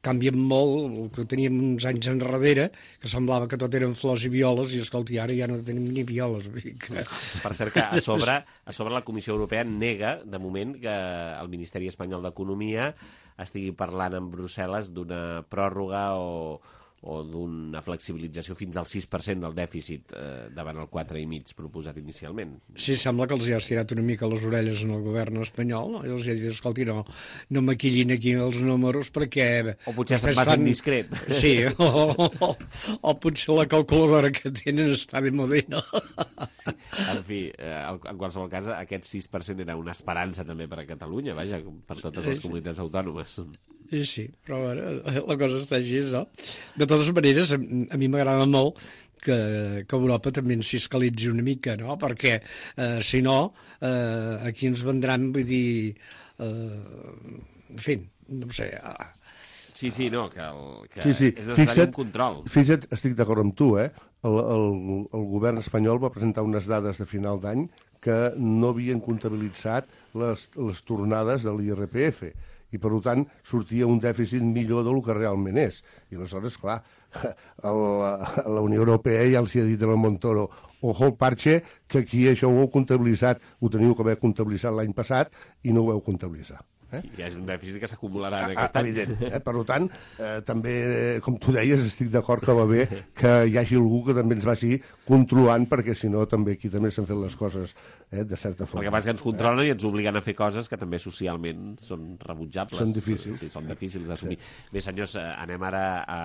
canvien molt el que teníem uns anys enrere, que semblava que tot eren flors i violes, i, escolti, ara ja no tenim ni violes. Per cert, que a sobre la Comissió Europea nega, de moment, que el Ministeri Espanyol d'Economia estigui parlant amb Brussel·les d'una pròrroga o o d'una flexibilització fins al 6% del dèficit davant el 4,5% proposat inicialment. Sí, sembla que els ha estirat una mica les orelles en el govern espanyol, no? I els ha dit, escolti, no maquillin aquí els números perquè... O potser se'n va ser indiscret. Sí, o potser la calculadora que tenen està de modina. Sí. En fi, en qualsevol cas, aquest 6% era una esperança també per a Catalunya, vaja, per totes les comunitats autònomes. Sí, però la cosa està així, no? De totes maneres, a mi m'agrada molt que Europa també ens fiscalitzi una mica, no? Perquè, si no, aquí ens vendran, vull dir... en fi, no sé... Sí, no, que sí. És necessari un control. Fixa't, estic d'acord amb tu, el govern espanyol va presentar unes dades de final d'any que no havien comptabilitzat les tornades de l'IRPF, i per tant sortia un dèficit millor del que realment és. I aleshores, clar, la Unió Europea ja els hi ha dit a Montoro, ojo el parche, que aquí això ho heu comptabilitzat, ho teniu que haver comptabilitzat l'any passat i no ho heu comptabilitzat. Hi ha un dèficit que s'acumularà en aquest any. Evident. Per tant, també, com tu deies, estic d'acord que va bé que hi hagi algú que també ens vagi controlant, perquè si no també aquí també s'han fet les coses de certa forma. El que passa que ens controlen i ens obliguen a fer coses que també socialment són rebutjables. Són difícils. Sí, són difícils d'assumir. Sí. Bé, senyors, anem ara a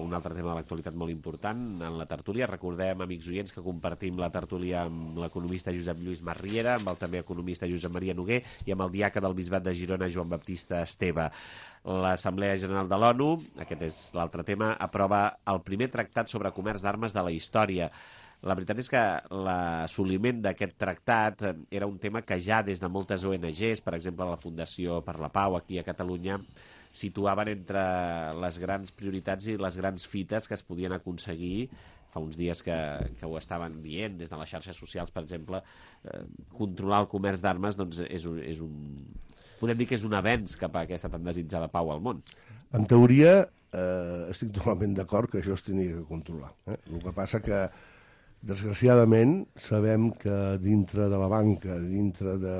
un altre tema de l'actualitat molt important en la tertúlia. Recordem, amics oients, que compartim la tertúlia amb l'economista Josep Lluís Masriera, amb el també economista Josep Maria Noguer i amb el diaca del Bisbat de Girona, Joan Baptista Esteve. L'Assemblea General de l'ONU, aquest és l'altre tema, aprova el primer tractat sobre comerç d'armes de la història. La veritat és que l'assoliment d'aquest tractat era un tema que ja des de moltes ONGs, per exemple la Fundació per la Pau aquí a Catalunya, situaven entre les grans prioritats i les grans fites que es podien aconseguir. Fa uns dies que ho estaven dient des de les xarxes socials, per exemple, controlar el comerç d'armes doncs és un podem dir que és un avenç cap a aquesta tan desitjada pau al món. En teoria, estic totalment d'acord que això es tenia que controlar. El que passa que, desgraciadament, sabem que dintre de la banca, dintre de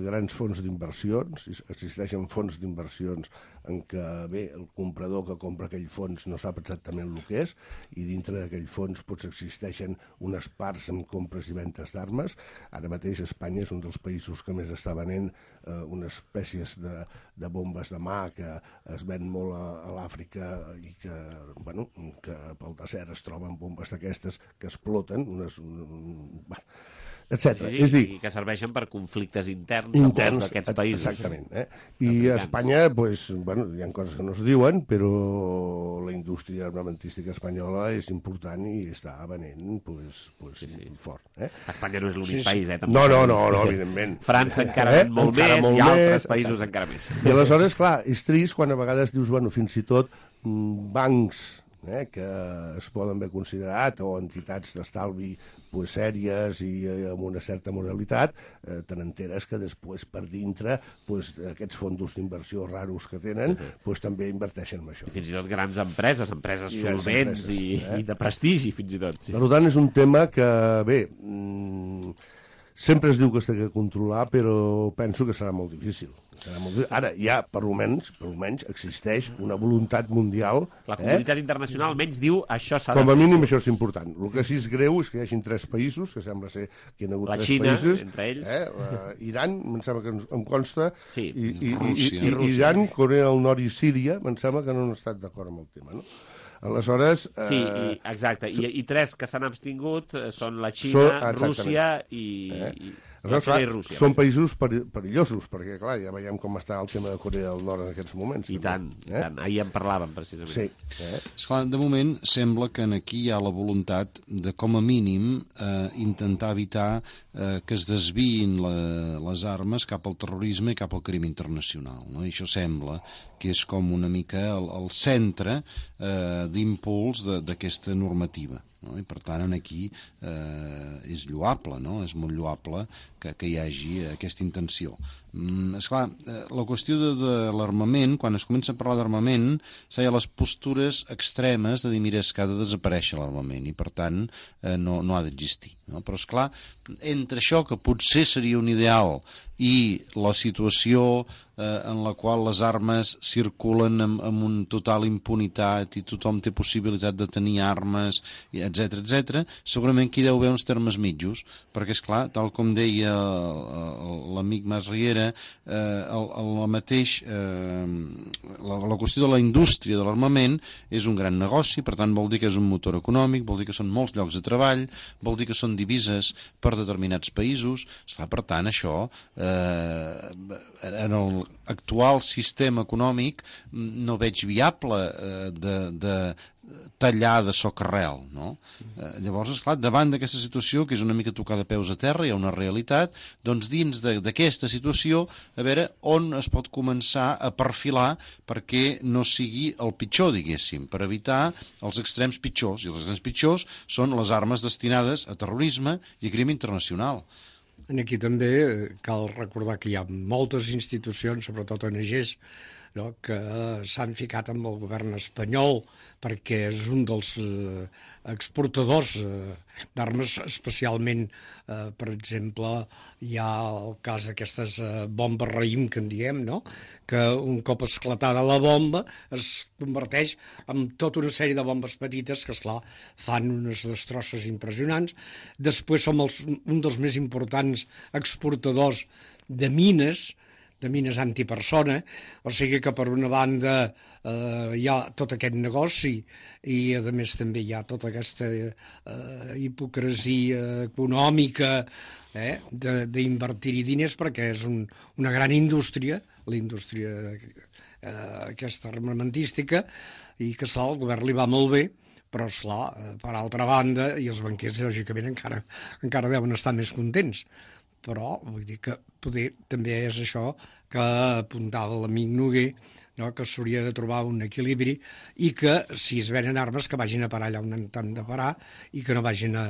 grans fons d'inversions, existeixen fons d'inversions en què, bé, el comprador que compra aquell fons no sap exactament el que és, i dintre d'aquell fons potser existeixen unes parts amb compres i ventes d'armes. Ara mateix Espanya és un dels països que més està venent unes espècies de bombes de mà que es ven molt a l'Àfrica i que, bueno, que pel desert es troben bombes d'aquestes que exploten, etc. Sí, i que serveixen per conflictes interns d'aquests països. Exactament. I a Espanya, doncs, bueno, hi ha coses que no es diuen, però la indústria armamentística espanyola és important i està venent fort. Espanya no és l'únic país, No, evidentment. França encara ven molt més i altres països encara més. I aleshores, clar, és trist quan a vegades dius, bueno, fins i tot bancs que es poden haver considerat, o entitats d'estalvi sèries i amb una certa moralitat, te n'enteres que després per dintre aquests fons d'inversió raros que tenen també inverteixen en això. I fins i tot grans empreses solvents i de prestigi, fins i tot. Per tant, és un tema que, bé, sempre es diu que s'ha de controlar, però penso que serà molt difícil. Ara, ja, per almenys, existeix una voluntat mundial. La comunitat internacional almenys diu això s'ha de fer. Com a mínim això és important. El que sí és greu és que hi hagi 3 països, que sembla ser que hi ha hagut 3 països. La Xina, entre ells. Iran, em sembla que em consta, i Rússia. Iran, Corea del Nord i Síria, em sembla que no han estat d'acord amb el tema, no? Aleshores... Sí, exacte. I 3 que s'han abstingut són la Xina, Rússia i Rússia. Són països perillosos, perquè, clar, ja veiem com està el tema de Corea del Nord en aquests moments. I tant. Ahir en parlàvem, precisament. Sí. Esclar, de moment sembla que aquí hi ha la voluntat de, com a mínim, intentar evitar que es desviïn les armes cap al terrorisme i cap al crim internacional. No? I això sembla que és com una mica el centre d'impuls d'aquesta normativa. No? I per tant, aquí és lloable, no? És molt lloable que hi hagi aquesta intenció. Esclar, la qüestió de l'armament, quan es comença a parlar d'armament, hi ha les postures extremes de dir, mira, és que ha de desaparèixer l'armament i per tant no ha d'existir. No? Però esclar, entre això, que potser seria un ideal i la situació en la qual les armes circulen amb un total impunitat i tothom té possibilitat de tenir armes, etc etc, segurament aquí deu haver uns termes mitjos, perquè és clar, tal com deia l'amic Mas Riera, la qüestió de la indústria de l'armament és un gran negoci, per tant vol dir que és un motor econòmic, vol dir que són molts llocs de treball, vol dir que són divises per determinats països. Esclar, per tant, això en l'actual sistema econòmic no veig viable de tallar de socarrel, no? Llavors, esclar, davant d'aquesta situació, que és una mica tocar de peus a terra, hi ha una realitat, doncs dins d'aquesta situació, a veure on es pot començar a perfilar perquè no sigui el pitjor, diguéssim, per evitar els extrems pitjors, i els extrems pitjors són les armes destinades a terrorisme i a crim internacional. Aquí també cal recordar que hi ha moltes institucions, sobretot ONGs, no, que s'han ficat amb el govern espanyol perquè és un dels exportadors d'armes, especialment, per exemple, hi ha el cas d'aquestes bombes raïm, que en diem, no? Que un cop esclatada la bomba es converteix en tota una sèrie de bombes petites que, esclar, fan unes destrosses impressionants. Després som un dels més importants exportadors de mines antipersona, o sigui que per una banda hi ha tot aquest negoci i a més també hi ha tota aquesta hipocresia econòmica d'invertir-hi diners, perquè és una gran indústria, la indústria aquesta armamentística, i que esclar, el govern li va molt bé, però esclar, per altra banda, i els banquers lògicament encara deuen estar més contents. Però vull dir que poder també és això que apuntava l'amic Noguer, no? Que s'hauria de trobar un equilibri i que si es venen armes que vagin a parar allà on han de parar i que no vagin a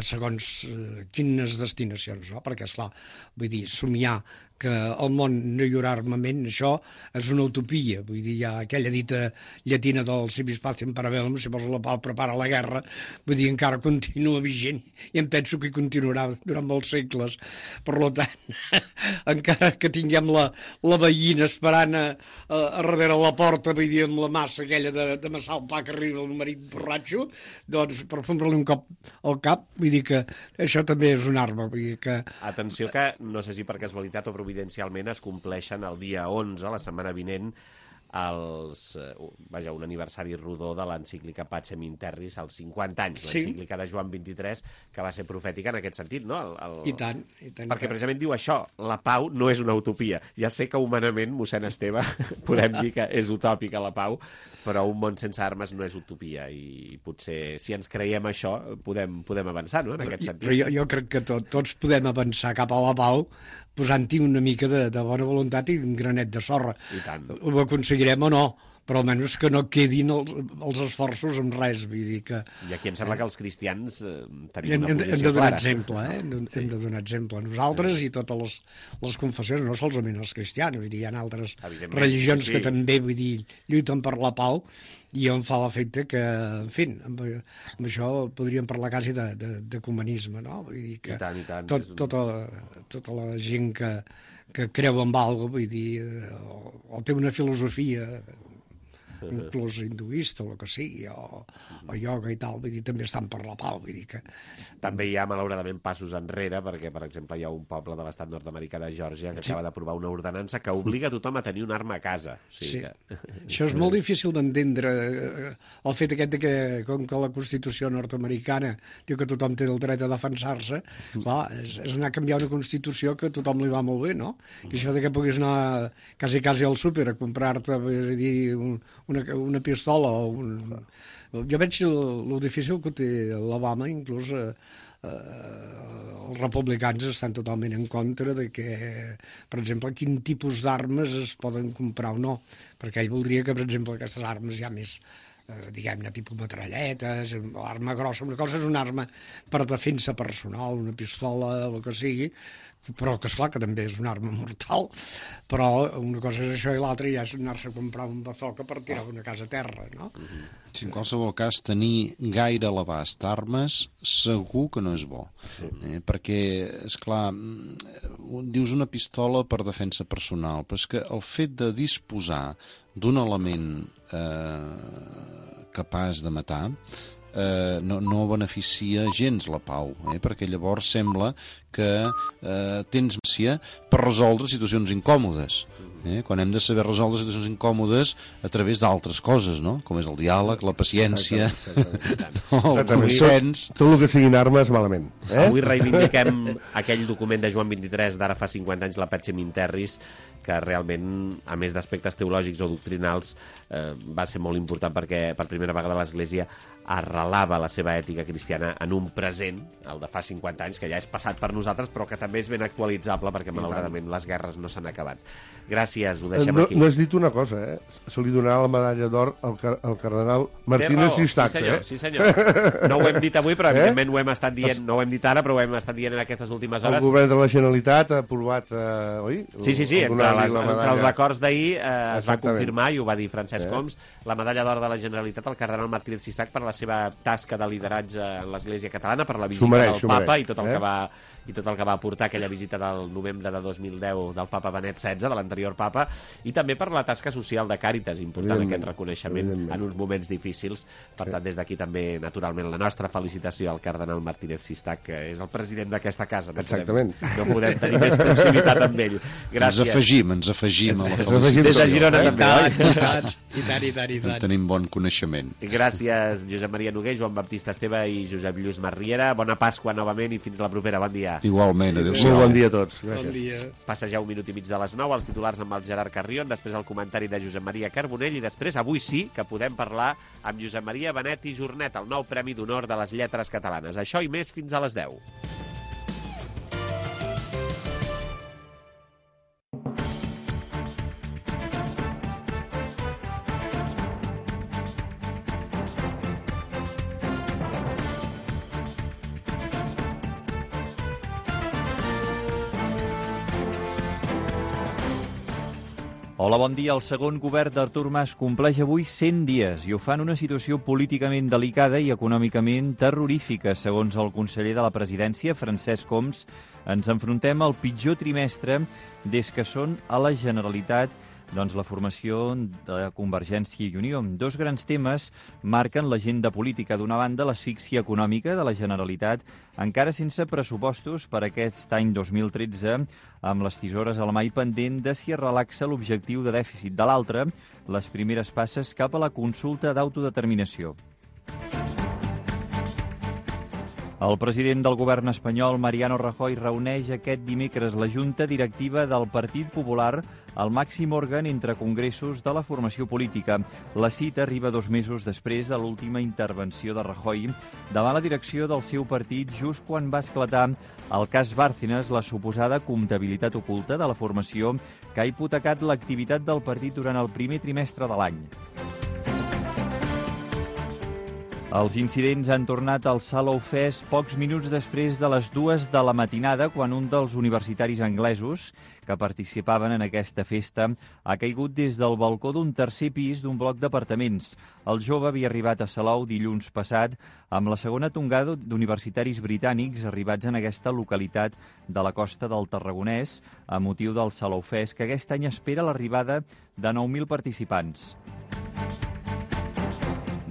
segons quines destinacions, no? Perquè, esclar, vull dir, somiar que al món no hi haurà armament, això és una utopia. Vull dir, hi ha aquella dita llatina del si vis pacem para bellum, si vols la pau prepara la guerra, vull dir, encara continua vigent i em penso que continuarà durant molts segles. Per tant, encara que tinguem la veïna esperant a darrere la porta, vull dir, amb la massa aquella de massar el pa que arriba el marit borratxo, doncs per fondre-li un cop al cap, vull dir que això també és una arma. Vull dir que... Atenció que, no sé si per casualitat o providencialment, es compleixen el dia 11, la setmana vinent, un aniversari rodó de l'encíclica Pacem in Terris, als 50 anys, l'encíclica de Joan XXIII, que va ser profètica en aquest sentit, no? I tant. Perquè precisament diu això, la pau no és una utopia. Ja sé que humanament, mossèn Esteve, podem dir que és utòpica la pau, però un món sense armes no és utopia, i potser, si ens creiem això, podem avançar, no?, en aquest sentit. Però jo crec que tots podem avançar cap a la pau posant-hi una mica de bona voluntat i un granet de sorra. I tant. Ho aconseguirem o no, però almenys que no quedin els esforços en res. Vull dir que... I aquí em sembla que els cristians tenim una posició clara. Hem de donar exemple. Nosaltres i totes les confessions, no solament els cristians, vull dir, hi ha altres religions que també, vull dir, lluiten per la pau, i em fa l'efecte que, en fi, amb això podríem parlar quasi d'ecumenisme, no? Vull dir que I tant. tota la gent que creu en alguna cosa, vull dir, o té una filosofia inclús hinduista o el que sigui, o ioga i tal, vull dir, també estan per la pau, vull dir que... També hi ha, malauradament, passos enrere, perquè, per exemple, hi ha un poble de l'estat nord-americà de Geòrgia que acaba d'aprovar una ordenança que obliga tothom a tenir una arma a casa. Això és molt difícil d'entendre, el fet aquest que, com que la Constitució nord-americana diu que tothom té el dret a defensar-se, clar, és anar a canviar una Constitució que a tothom li va molt bé, no? I això que puguis anar quasi al súper a comprar-te, vull dir, una pistola o jo veig el difícil que té l'Obama, inclús els republicans estan totalment en contra de que, per exemple, quin tipus d'armes es poden comprar o no, perquè ell voldria que, per exemple, aquestes armes ja més diguem-ne, tipus metralletes, arma grossa, una cosa és una arma per defensa personal, una pistola, el que sigui, però que esclar que també és una arma mortal, però una cosa és això i l'altra ja és anar-se a comprar un bazooka per tirar una casa a terra, no? Sí, en qualsevol cas, tenir gaire a l'abast armes segur que no és bo, perquè, esclar, dius una pistola per defensa personal, però és que el fet de disposar d'un element capaç de matar no beneficia gens la pau, perquè llavors sembla que tens màcia per resoldre situacions incòmodes, quan hem de saber resoldre situacions incòmodes a través d'altres coses, no? Com és el diàleg, la paciència, el consens. Tot el que siguin armes, malament. Avui reivindiquem aquell document de Joan XXIII d'ara fa 50 anys, la Pacem in Terris, que realment, a més d'aspectes teològics o doctrinals, va ser molt important perquè per primera vegada l'Església arrelava la seva ètica cristiana en un present, el de fa 50 anys, que ja és passat per nosaltres, però que també és ben actualitzable perquè, malauradament, les guerres no s'han acabat. Gràcies, ho deixem aquí. No has dit una cosa, Se li donarà la medalla d'or al cardenal Martínez Sistax, Sí, senyor. No ho hem dit avui, però evidentment ho hem estat dient, no ho hem dit ara, però ho hem estat dient en aquestes últimes hores. El govern de la Generalitat ha aprovat, oi? Sí, entre els acords d'ahir es va confirmar, i ho va dir Francesc Homs, la medalla d'or de la Generalitat al cardenal Martínez Sistax per la seva tasca de lideratge en l'Església catalana, per la visita del Papa i tot el que va aportar aquella visita del novembre de 2010 del Papa Benet XVI, de l'anterior Papa, i també per la tasca social de Càritas, important aquest reconeixement en uns moments difícils. Per tant, des d'aquí també, naturalment, la nostra felicitació al cardenal Martínez Sistax, que és el president d'aquesta casa. Exactament. No podem tenir més proximitat amb ell. Gràcies. Ens afegim a la felicitació. Des de Girona també. I tant. Tenim bon coneixement. Gràcies, Josep Maria Noguer, Joan Baptista Esteve i Josep Lluís Marriera. Bona Pasqua novament i fins la propera. Bon dia. Igualment, adéu-siau. Molt bon dia a tots. Gràcies. Bon dia. Passa ja 1 minut i mig de les 9, els titulars amb el Gerard Carrion, després el comentari de Josep Maria Carbonell i després, avui sí, que podem parlar amb Josep Maria Benet i Jornet, el nou Premi d'Honor de les Lletres Catalanes. Això i més fins a les 10. Hola, bon dia. El segon govern d'Artur Mas compleix avui 100 dies i ho fa en una situació políticament delicada i econòmicament terrorífica. Segons el conseller de la presidència, Francesc Homs, ens enfrontem al pitjor trimestre des que són a la Generalitat la formació de Convergència i Unió. Dos grans temes marquen l'agenda política. D'una banda, l'asfíxia econòmica de la Generalitat, encara sense pressupostos per aquest any 2013, amb les tisores a la mà i pendent de si es relaxa l'objectiu de dèficit. De l'altra, les primeres passes cap a la consulta d'autodeterminació. El president del govern espanyol, Mariano Rajoy, reuneix aquest dimecres la Junta Directiva del Partit Popular, el màxim òrgan entre congressos de la formació política. La cita arriba 2 mesos després de l'última intervenció de Rajoy davant la direcció del seu partit just quan va esclatar el cas Bárcenas, la suposada comptabilitat oculta de la formació que ha hipotecat l'activitat del partit durant el primer trimestre de l'any. Els incidents han tornat al Salou Fest pocs minuts després de les 2 de la matinada, quan un dels universitaris anglesos que participaven en aquesta festa ha caigut des del balcó d'un tercer pis d'un bloc d'apartaments. El jove havia arribat a Salou dilluns passat amb la segona tongada d'universitaris britànics arribats en aquesta localitat de la costa del Tarragonès a motiu del Salou Fest, que aquest any espera l'arribada de 9.000 participants.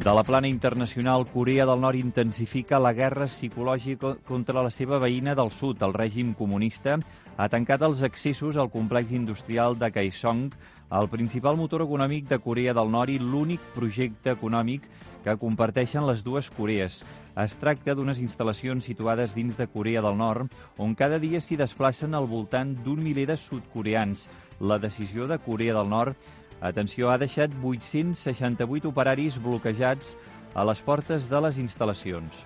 De la plana internacional, Corea del Nord intensifica la guerra psicològica contra la seva veïna del sud. El règim comunista ha tancat els accessos al complex industrial de Kaesong, el principal motor econòmic de Corea del Nord i l'únic projecte econòmic que comparteixen les dues Corees. Es tracta d'unes instal·lacions situades dins de Corea del Nord, on cada dia s'hi desplacen al voltant d'1 miler de sud-coreans. La decisió de Corea del Nord, atenció, ha deixat 868 operaris bloquejats a les portes de les instal·lacions.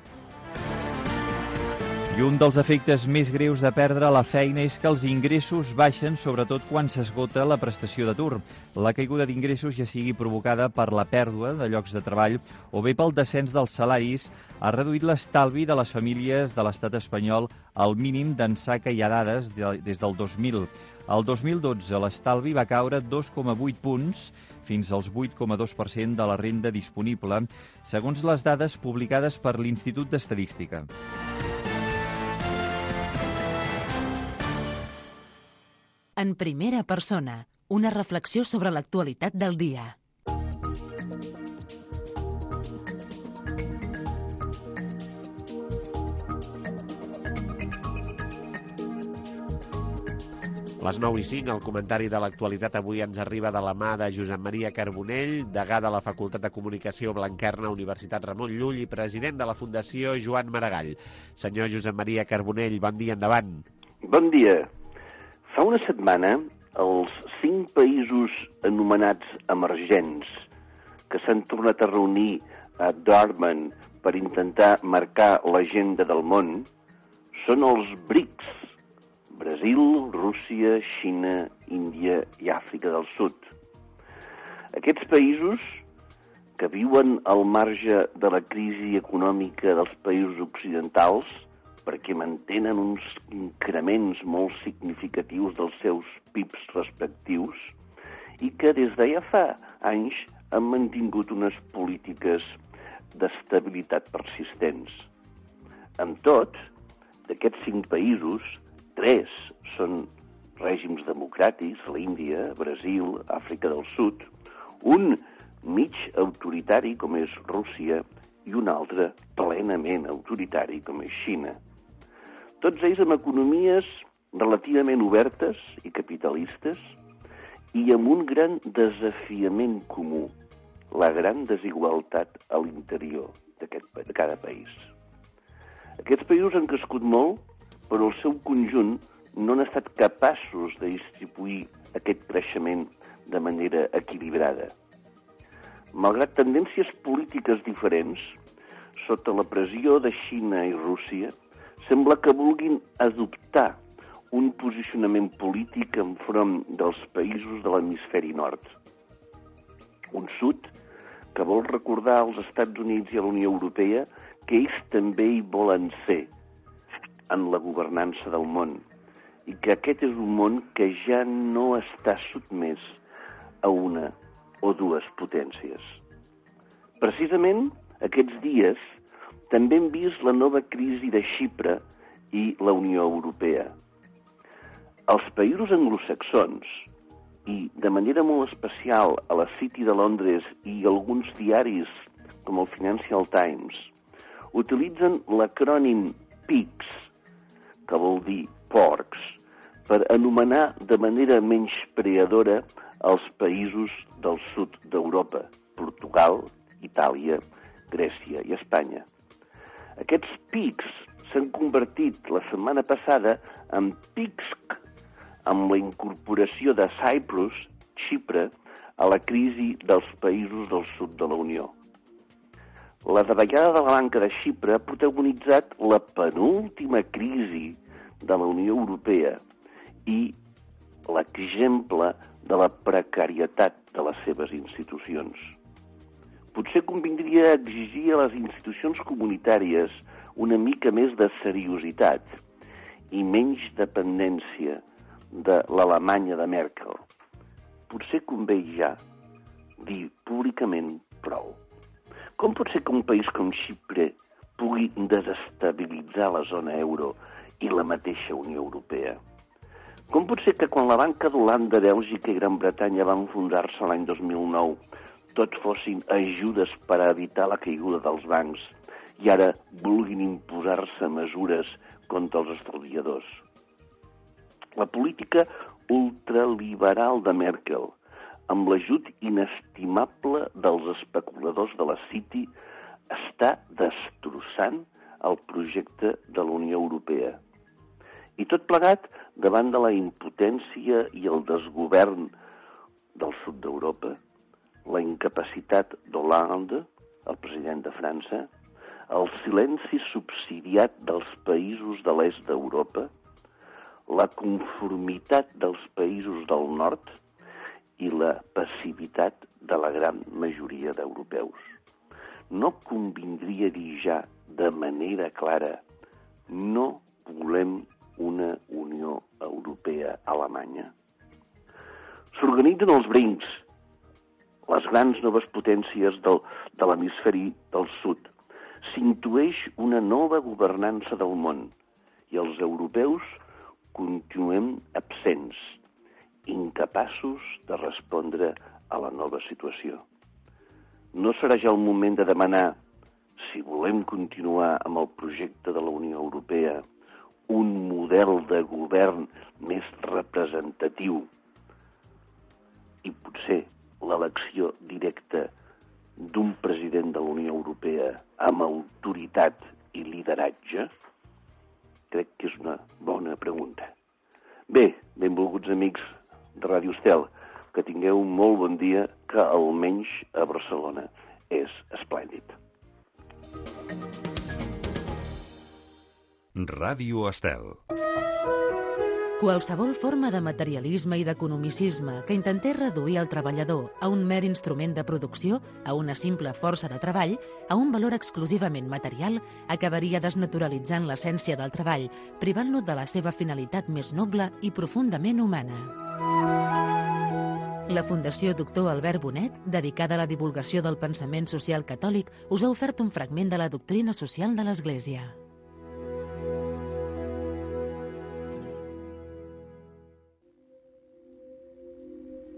I un dels efectes més greus de perdre la feina és que els ingressos baixen, sobretot quan s'esgota la prestació d'atur. La caiguda d'ingressos, ja sigui provocada per la pèrdua de llocs de treball o bé pel descens dels salaris, ha reduït l'estalvi de les famílies de l'estat espanyol al mínim d'ençà que hi ha dades des del 2000. El 2012 l'estalvi va caure 2,8 punts, fins als 8,2% de la renda disponible, segons les dades publicades per l'Institut d'Estadística. En primera persona, una reflexió sobre l'actualitat del dia. Les 9:05, el comentari de l'actualitat avui ens arriba de la mà de Josep Maria Carbonell, degà de la Facultat de Comunicació Blanquerna, Universitat Ramon Llull i president de la Fundació Joan Maragall. Senyor Josep Maria Carbonell, bon dia, endavant. Bon dia. Fa una setmana, els 5 països anomenats emergents que s'han tornat a reunir a Durban per intentar marcar l'agenda del món són els BRICS: Brasil, Rússia, Xina, Índia i Àfrica del Sud. Aquests països, que viuen al marge de la crisi econòmica dels països occidentals, perquè mantenen uns increments molt significatius dels seus PIBs respectius i que des de ja fa anys han mantingut unes polítiques d'estabilitat persistents. Amb tot, d'aquests 5 països, 3 són règims democràtics, l'Índia, Brasil, Àfrica del Sud, un mig autoritari, com és Rússia, i un altre plenament autoritari, com és Xina. Tots ells amb economies relativament obertes i capitalistes i amb un gran desafiament comú, la gran desigualtat a l'interior de cada país. Aquests països han crescut molt, però el seu conjunt no han estat capaços de distribuir aquest creixement de manera equilibrada. Malgrat tendències polítiques diferents, sota la pressió de Xina i Rússia, sembla que vulguin adoptar un posicionament polític enfront dels països de l'hemisferi nord. Un sud que vol recordar als Estats Units i a la Unió Europea que ells també hi volen ser en la governança del món i que aquest és un món que ja no està sotmès a una o 2 potències. Precisament aquests dies també hem vist la nova crisi de Xipre i la Unió Europea. Els països anglosaxons i de manera molt especial a la City de Londres i alguns diaris com el Financial Times utilitzen l'acrònim PIGS, que vol dir porcs, per anomenar de manera menyspreadora els països del sud d'Europa, Portugal, Itàlia, Grècia i Espanya. Aquests pics s'han convertit la setmana passada en PIGSC, amb la incorporació de Cyprus, Xipre, a la crisi dels països del sud de la Unió. La davallada de la banca de Xipre ha protagonitzat la penúltima crisi de la Unió Europea i l'exemple de la precarietat de les seves institucions. Potser convindria exigir a les institucions comunitàries una mica més de seriositat i menys dependència de l'Alemanya de Merkel. Potser convé ja dir públicament prou. Com pot ser que un país com Xipre pugui desestabilitzar la zona euro i la mateixa Unió Europea? Com pot ser que quan la banca d'Holanda, Bèlgica i Gran Bretanya van fundar-se l'any 2009, tot fossin ajudes per a evitar la caiguda dels bancs i ara vulguin imposar-se mesures contra els estalviadors? La política ultraliberal de Merkel, amb l'ajut inestimable dels especuladors de la City, està destrossant el projecte de la Unió Europea. I tot plegat davant de la impotència i el desgovern del sud d'Europa, la incapacitat d'Hollande, el president de França, el silenci subsidiat dels països de l'est d'Europa, la conformitat dels països del nord i la passivitat de la gran majoria d'europeus. No convindria dir ja de manera clara no volem una Unió Europea Alemanya. S'organitzen els brincs, les grans noves potències de l'hemisferi del sud. S'intueix una nova governança del món i els europeus continuem absents, incapaços de respondre a la nova situació. No serà ja el moment de demanar, si volem continuar amb el projecte de la Unió Europea, un model de govern més representatiu i potser l'elecció directa d'un president de la Unió Europea amb autoritat i lideratge? Crec que és una bona pregunta. Bé, benvolguts amics de Ràdio Estel, que tingueu un molt bon dia, que almenys a Barcelona és esplèndid. Ràdio Estel. Qualsevol forma de materialisme i d'economicisme que intentés reduir el treballador a un mer instrument de producció, a una simple força de treball, a un valor exclusivament material, acabaria desnaturalitzant l'essència del treball, privant-lo de la seva finalitat més noble i profundament humana. La Fundació Doctor Albert Bonet, dedicada a la divulgació del pensament social catòlic, us ha ofert un fragment de la doctrina social de l'Església.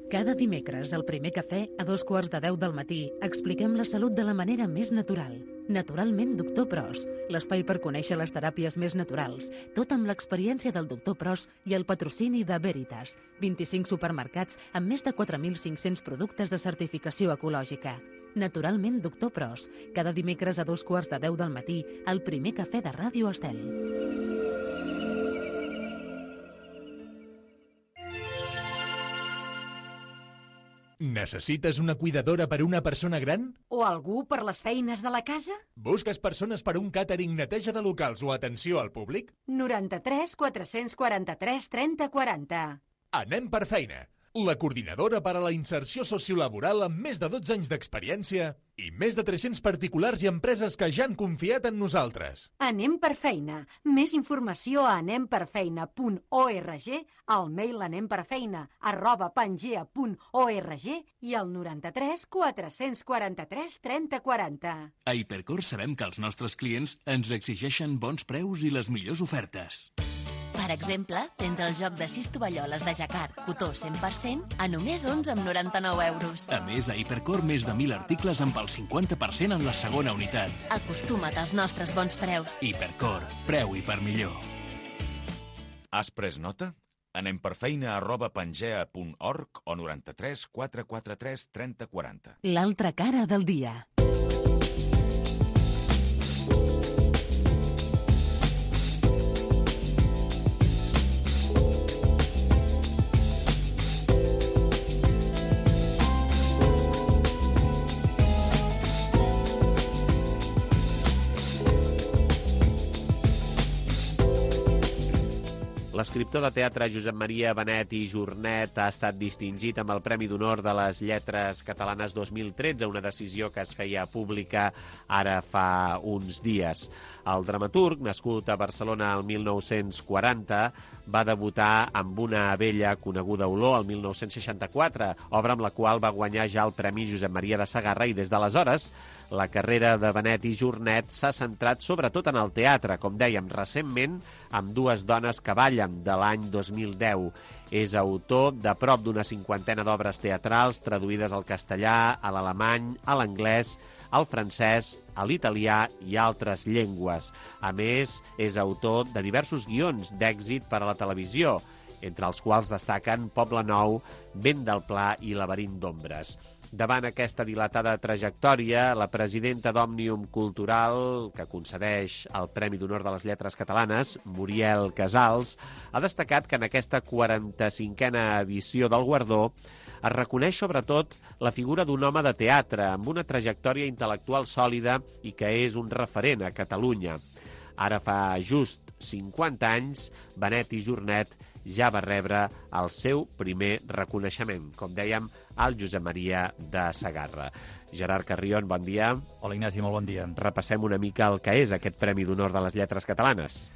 Cada dimecres, al primer cafè, a 2:15 del matí, expliquem la salut de la manera més natural. Naturalment, Doctor Pros, l'espai per conèixer les teràpies més naturals, tot amb l'experiència del Doctor Pros i el patrocini de Veritas, 25 supermercats amb més de 4.500 productes de certificació ecològica. Naturalment, Doctor Pros, cada dimecres a 2:15 del matí, al primer cafè de Ràdio Estel. Necessites una cuidadora per a una persona gran? O algú per les feines de la casa? Busques persones per a un càtering, neteja de locals o atenció al públic? 93 443 30 40. Anem per feina. La coordinadora per a la inserció sociolaboral amb més de 12 anys d'experiència i més de 300 particulars i empreses que ja han confiat en nosaltres. Anem per feina. Més informació a anemperfeina.org, al mail anemperfeina@pangea.org i al 93 443 30 40. A Hipercor sabem que els nostres clients ens exigeixen bons preus i les millors ofertes. Per exemple, tens el joc de 6 tovalloles de jacquard, cotó 100%, a només 11,99 €. A més, a Hipercor més de 1.000 articles amb el 50% en la segona unitat. Acostuma't als nostres bons preus. Hipercor, preu i per millor. Has pres nota? Anem per feina@pangea.org o 93 443 30 40. L'altra cara del dia. L'escriptor de teatre Josep Maria Benet i Jornet ha estat distingit amb el Premi d'Honor de les Lletres Catalanes 2013, una decisió que es feia pública ara fa uns dies. El dramaturg, nascut a Barcelona el 1940, va debutar amb Una vella coneguda olor el 1964, obra amb la qual va guanyar ja el Premi Josep Maria de Sagarra, i des d'aleshores la carrera de Benet i Jornet s'ha centrat sobretot en el teatre, com dèiem recentment, amb Dues dones que ballen, de l'any 2010. És autor de prop d'una 50ena d'obres teatrals traduïdes al castellà, a l'alemany, a l'anglès, al francès, a l'italià i altres llengües. A més, és autor de diversos guions d'èxit per a la televisió, entre els quals destaquen Poble Nou, Vent del Pla i Laberint d'ombres. Davant aquesta dilatada trajectòria, la presidenta d'Òmnium Cultural, que concedeix el Premi d'Honor de les Lletres Catalanes, Muriel Casals, ha destacat que en aquesta 45a edició del guardó es reconeix sobretot la figura d'un home de teatre amb una trajectòria intel·lectual sòlida i que és un referent a Catalunya. Ara fa just 50 anys, Benet i Jornet ja va rebre el seu primer reconeixement, com dèiem, al Josep Maria de Segarra. Gerard Carrion, bon dia. Hola, Ignasi, molt bon dia. Repassem una mica el que és aquest Premi d'Honor de les Lletres Catalanes.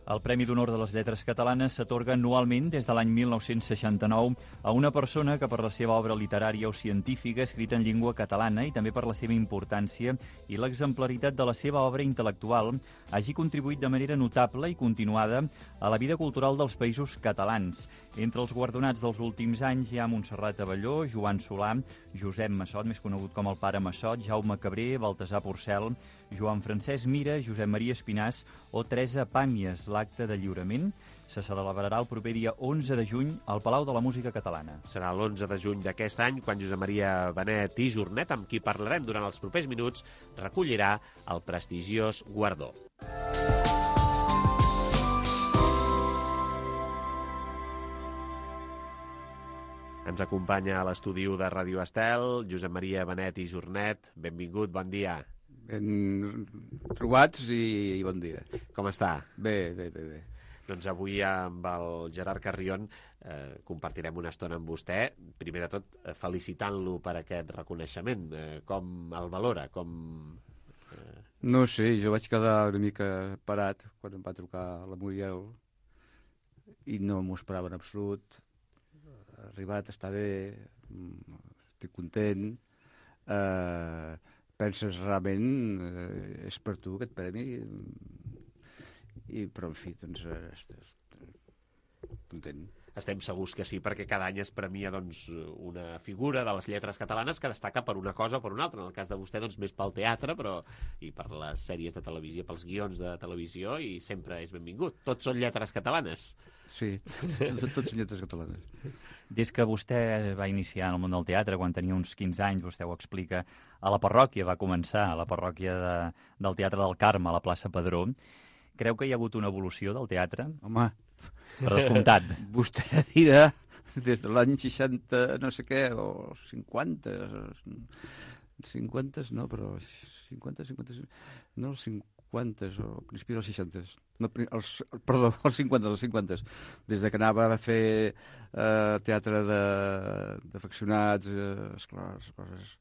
El Premi d'Honor de les Lletres Catalanes s'atorga anualment des de l'any 1969 a una persona que per la seva obra literària o científica escrita en llengua catalana i també per la seva importància i l'exemplaritat de la seva obra intel·lectual hagi contribuït de manera notable i continuada a la vida cultural dels països catalans. Entre els guardonats dels últims anys hi ha Montserrat Abelló, Joan Solà, Josep Massot, més conegut com el pare Massot, Jaume Cabré, Baltasar Porcel, Joan Francesc Mira, Josep Maria Espinàs o Teresa Pàmies. L'acte de lliurament se celebrarà el proper dia 11 de juny al Palau de la Música Catalana. Serà l'11 de juny d'aquest any quan Josep Maria Benet i Jornet, amb qui parlarem durant els propers minuts, recollirà el prestigiós guardó. Ens acompanya a l'estudi de Ràdio Estel, Josep Maria Benet i Jornet. Benvingut, bon dia. Ben trobats i bon dia. Com està? Bé. Doncs avui amb el Gerard Carrion compartirem una estona amb vostè. Primer de tot, felicitant-lo per aquest reconeixement. Com el valora? No sé, jo vaig quedar una mica parat quan em va trucar la Muriel i no m'ho esperava en absolut. Ha arribat, està bé, estic content. Penses realment és per tu aquest premi? Però, en fi, doncs, content. Estem segurs que sí, perquè cada any es premia una figura de les lletres catalanes que destaca per una cosa o per una altra. En el cas de vostè, més pel teatre, i per les sèries de televisió, pels guions de televisió, i sempre és benvingut. Tots són lletres catalanes. Sí, tots són lletres catalanes. Des que vostè va iniciar en el món del teatre, quan tenia uns 15 anys, vostè ho explica, a la parròquia, va començar a la parròquia del Teatre del Carme, a la plaça Padró. Creu que hi ha hagut una evolució del teatre? Home, per descomptat. Vostè dirà des de l'any 60, no sé què, o 50 no, però 50, no, els 50, o principi dels 60. No, perdó, els 50. Des de que anava a fer teatre d'afeccionats, esclar, coses.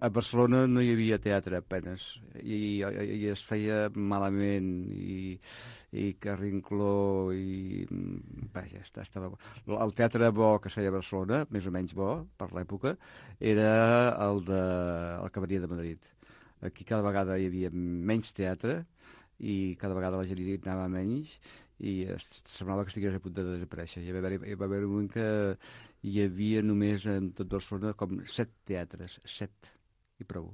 A Barcelona no hi havia teatre, apenes, i es feia malament, i Carrincló, i... Vaja, estava bo. El teatre bo que es feia a Barcelona, més o menys bo, per l'època, era el que venia de Madrid. Aquí cada vegada hi havia menys teatre, i cada vegada la gent hi anava menys i semblava que estigués a punt de desaparèixer. Hi va haver un moment que hi havia només en tot Barcelona com 7 teatres, 7, i prou.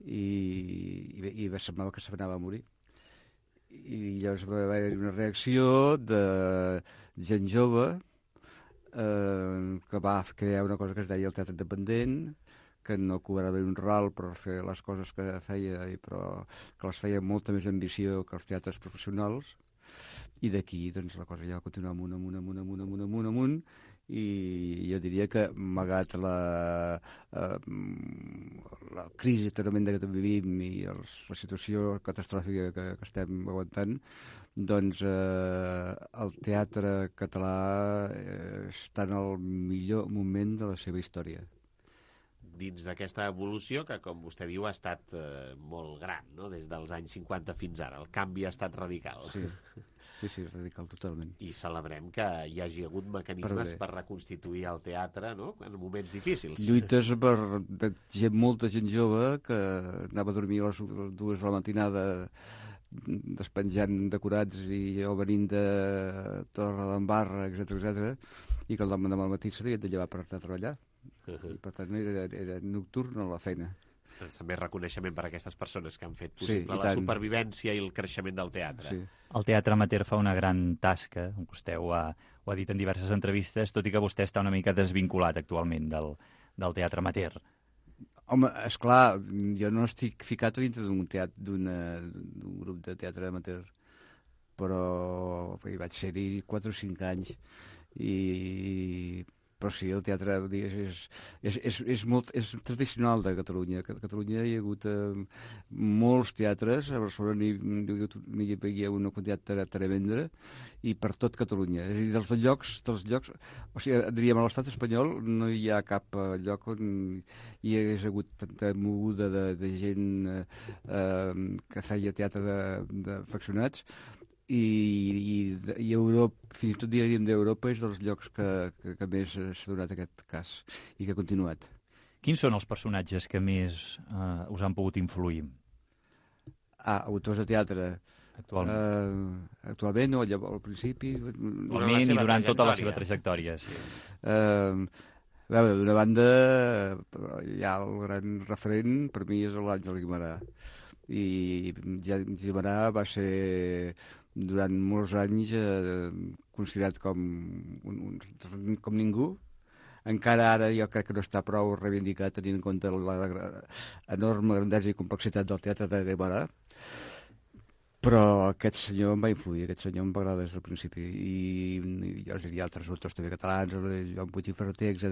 I semblava que s'anava a morir. I llavors va haver una reacció de gent jove que va crear una cosa que es deia el teatre independent, que no cobrava un ral per fer les coses que feia, però que les feia amb molta més ambició que els teatres professionals, i d'aquí doncs, la cosa ja va continuar amunt, i jo diria que, malgrat la crisi tremenda que vivim i la situació catastròfica que estem aguantant, doncs el teatre català està en el millor moment de la seva història. Dins d'aquesta evolució que, com vostè diu, ha estat molt gran, no? Des dels anys 50 fins ara. El canvi ha estat radical. Sí, radical, totalment. I celebrem que hi hagi hagut mecanismes per reconstituir el teatre, no?, en moments difícils. Lluites per molta gent jove que anava a dormir a les 2 de la matinada despenjant decorats o venint de Torredembarra, etc., i que el demà al matí s'havia de llevar per anar a treballar. I, per tant, era nocturn a la feina. També reconeixement per a aquestes persones que han fet possible la supervivència i el creixement del teatre. Sí. El teatre amateur fa una gran tasca, vostè ho ha dit en diverses entrevistes, tot i que vostè està una mica desvinculat actualment del teatre amateur. Home, esclar, jo no estic ficat dintre d'un grup de teatre amateur, però hi vaig ser-hi 4 o 5 anys, però sí, el teatre és tradicional de Catalunya. A Catalunya hi ha hagut molts teatres, a Barcelona n'hi havia una quantitat tremenda, i per tot Catalunya. És a dir, dels llocs, o sigui, diríem, a l'estat espanyol no hi ha cap lloc on hi hagués hagut tanta moguda de gent que feia teatre d'afeccionats, i Europa, fins i tot diríem d'Europa, és dels llocs que més s'ha donat aquest cas i que ha continuat. Quins són els personatges que més us han pogut influir? Autors de teatre. Actualment no, al principi... Actualment i durant tota la seva trajectòria, sí. A veure, d'una banda, ja el gran referent per mi és l'Àngel Guimerà. I Guimerà va ser durant molts anys considerat com ningú. Encara ara jo crec que no està prou reivindicat tenint en compte l'enorme grandesa i complexitat del teatre de Guimerà, però aquest senyor em va influir, aquest senyor em va agradar des del principi, i jo diria altres autors també catalans, Joan Puig i Ferreter, etc.,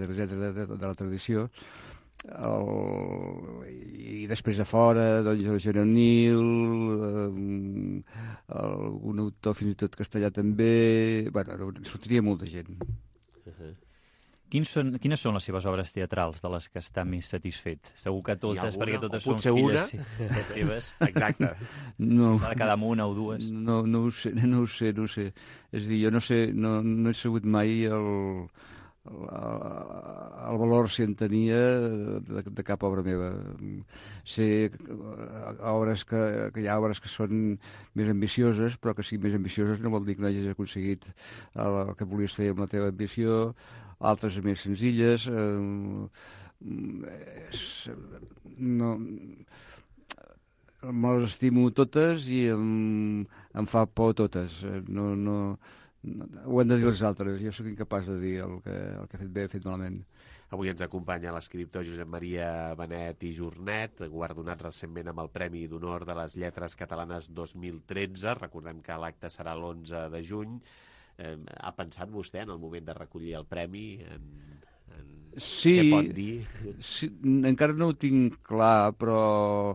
de la tradició. I després de fora, doncs, el Joan Nil, un autor fins i tot castellà també... Bueno, sortiria molta gent. Quines són les seves obres teatrals de les que està més satisfet? Segur que totes, perquè totes són filles seves. Exacte. No. S'ha de quedar amb una o dues. No ho sé. És a dir, jo no he sabut mai el valor si en tenia de cap obra meva. Sé que hi ha obres que són més ambicioses, però que siguin més ambicioses no vol dir que no hagis aconseguit el que volies fer amb la teva ambició, altres més senzilles. Me les estimo totes i em fa por totes. Ho han de dir els altres, jo sóc incapaç de dir el que he fet bé, he fet malament. Avui ens acompanya l'escriptor Josep Maria Benet i Jornet, guardonat recentment amb el Premi d'Honor de les Lletres Catalanes 2013. Recordem que l'acte serà l'11 de juny. Ha pensat vostè en el moment de recollir el premi? Sí, què pot dir? Sí, encara no ho tinc clar, però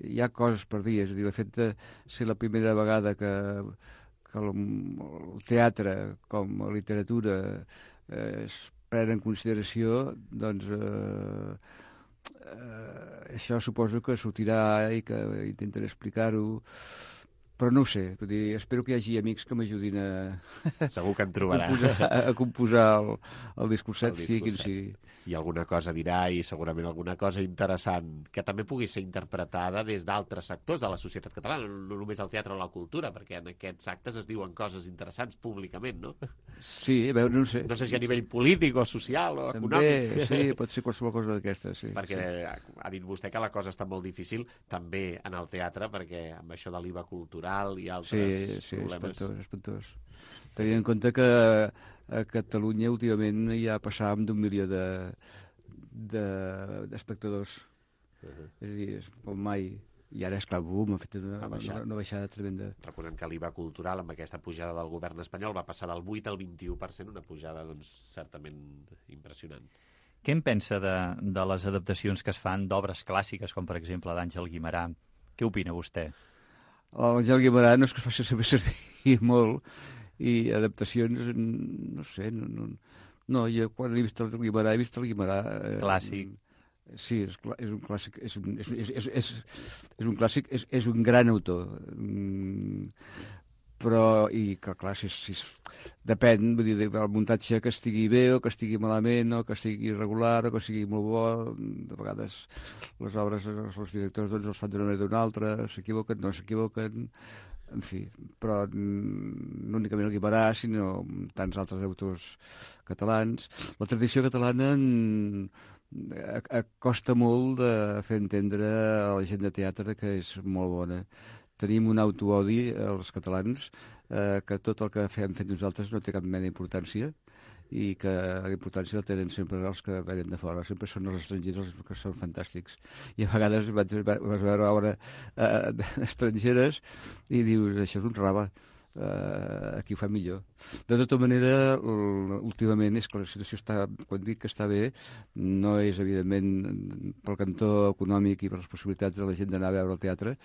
hi ha coses per dir. És a dir, el fet de ser la primera vegada que el teatre com a literatura es pren en consideració, doncs això suposo que sortirà i que intentaré explicar-ho, però no ho sé. Vull dir, espero que hi hagi amics que m'ajudin Segur que en trobarà. a composar el discurset, sigui quin sigui. I alguna cosa dirà, i segurament alguna cosa interessant, que també pugui ser interpretada des d'altres sectors de la societat catalana, no només el teatre o la cultura, perquè en aquests actes es diuen coses interessants públicament, no? Sí, a veure, no ho sé. No sé si a nivell polític o social o també, econòmic. Sí, pot ser qualsevol cosa d'aquesta, sí. Perquè ha dit vostè que la cosa està molt difícil també en el teatre, perquè amb això de l'IVA cultural i altres problemes... Sí, espantós. Tenint en compte que a Catalunya últimament ja passàvem d'1 milió d'espectadors. És a dir, com mai. I ara, esclar, boom, ha fet una baixada tremenda. Recordem que l'IVA cultural, amb aquesta pujada del govern espanyol, va passar del 8 al 21%, una pujada doncs, certament impressionant. Què en pensa de les adaptacions que es fan d'obres clàssiques, com per exemple d'Àngel Guimerà? Què opina vostè? L'Àngel Guimerà no és que es faci saber servir molt, i adaptacions, no sé, no, jo quan he vist el Guimerà, he vist el Guimerà... Clàssic. Sí, és un clàssic, és un clàssic, és un gran autor, però, i que clar, depèn, vull dir, del muntatge que estigui bé o que estigui malament, o que estigui irregular o que sigui molt bo. De vegades les obres, els directors doncs, els fan d'una manera o d'una altra, s'equivoquen, no s'equivoquen, en fi, però no únicament el Guimerà, sinó tants altres autors catalans. La tradició catalana costa molt de fer entendre a la gent de teatre que és molt bona. Tenim un autoodi, els catalans, que tot el que hem fet nosaltres no té cap mena d'importància, i que la importància la tenen sempre els que venen de fora. Sempre són els estrangers els que són fantàstics. I a vegades vas veure obra estrangeres i dius, això és un raba, aquí ho fa millor. De tota manera, últimament és que la situació està, quan dic que està bé, no és evidentment pel cantó econòmic i per les possibilitats de la gent d'anar a veure el teatre,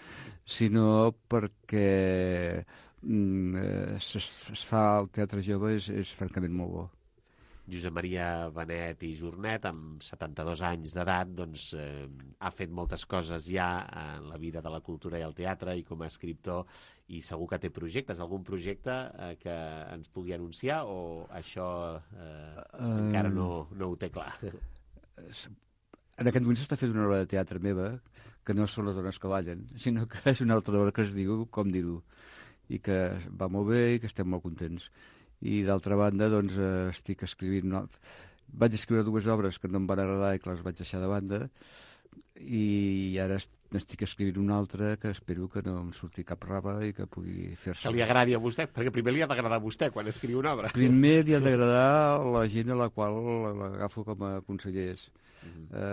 sinó perquè es fa el teatre jove és francament molt bo. Josep Maria Benet i Jornet, amb 72 anys d'edat, doncs, ha fet moltes coses ja en la vida de la cultura i el teatre i com a escriptor, i segur que té projectes. Algun projecte que ens pugui anunciar o això encara no ho té clar? En aquest moment s'està fent una obra de teatre meva que no són les dones que ballen, sinó que és una altra obra que es diu Com dir-ho, i que va molt bé i que estem molt contents. I d'altra banda, doncs, estic escrivint vaig escriure 2 obres que no em van agradar i que les vaig deixar de banda, i ara n'estic escrivint una altra que espero que no em surti cap raba i que pugui fer-se. Que li agradi a vostè, perquè primer li ha d'agradar a vostè quan escriu una obra. Primer li ha d'agradar la gent a la qual l'agafo com a consellers,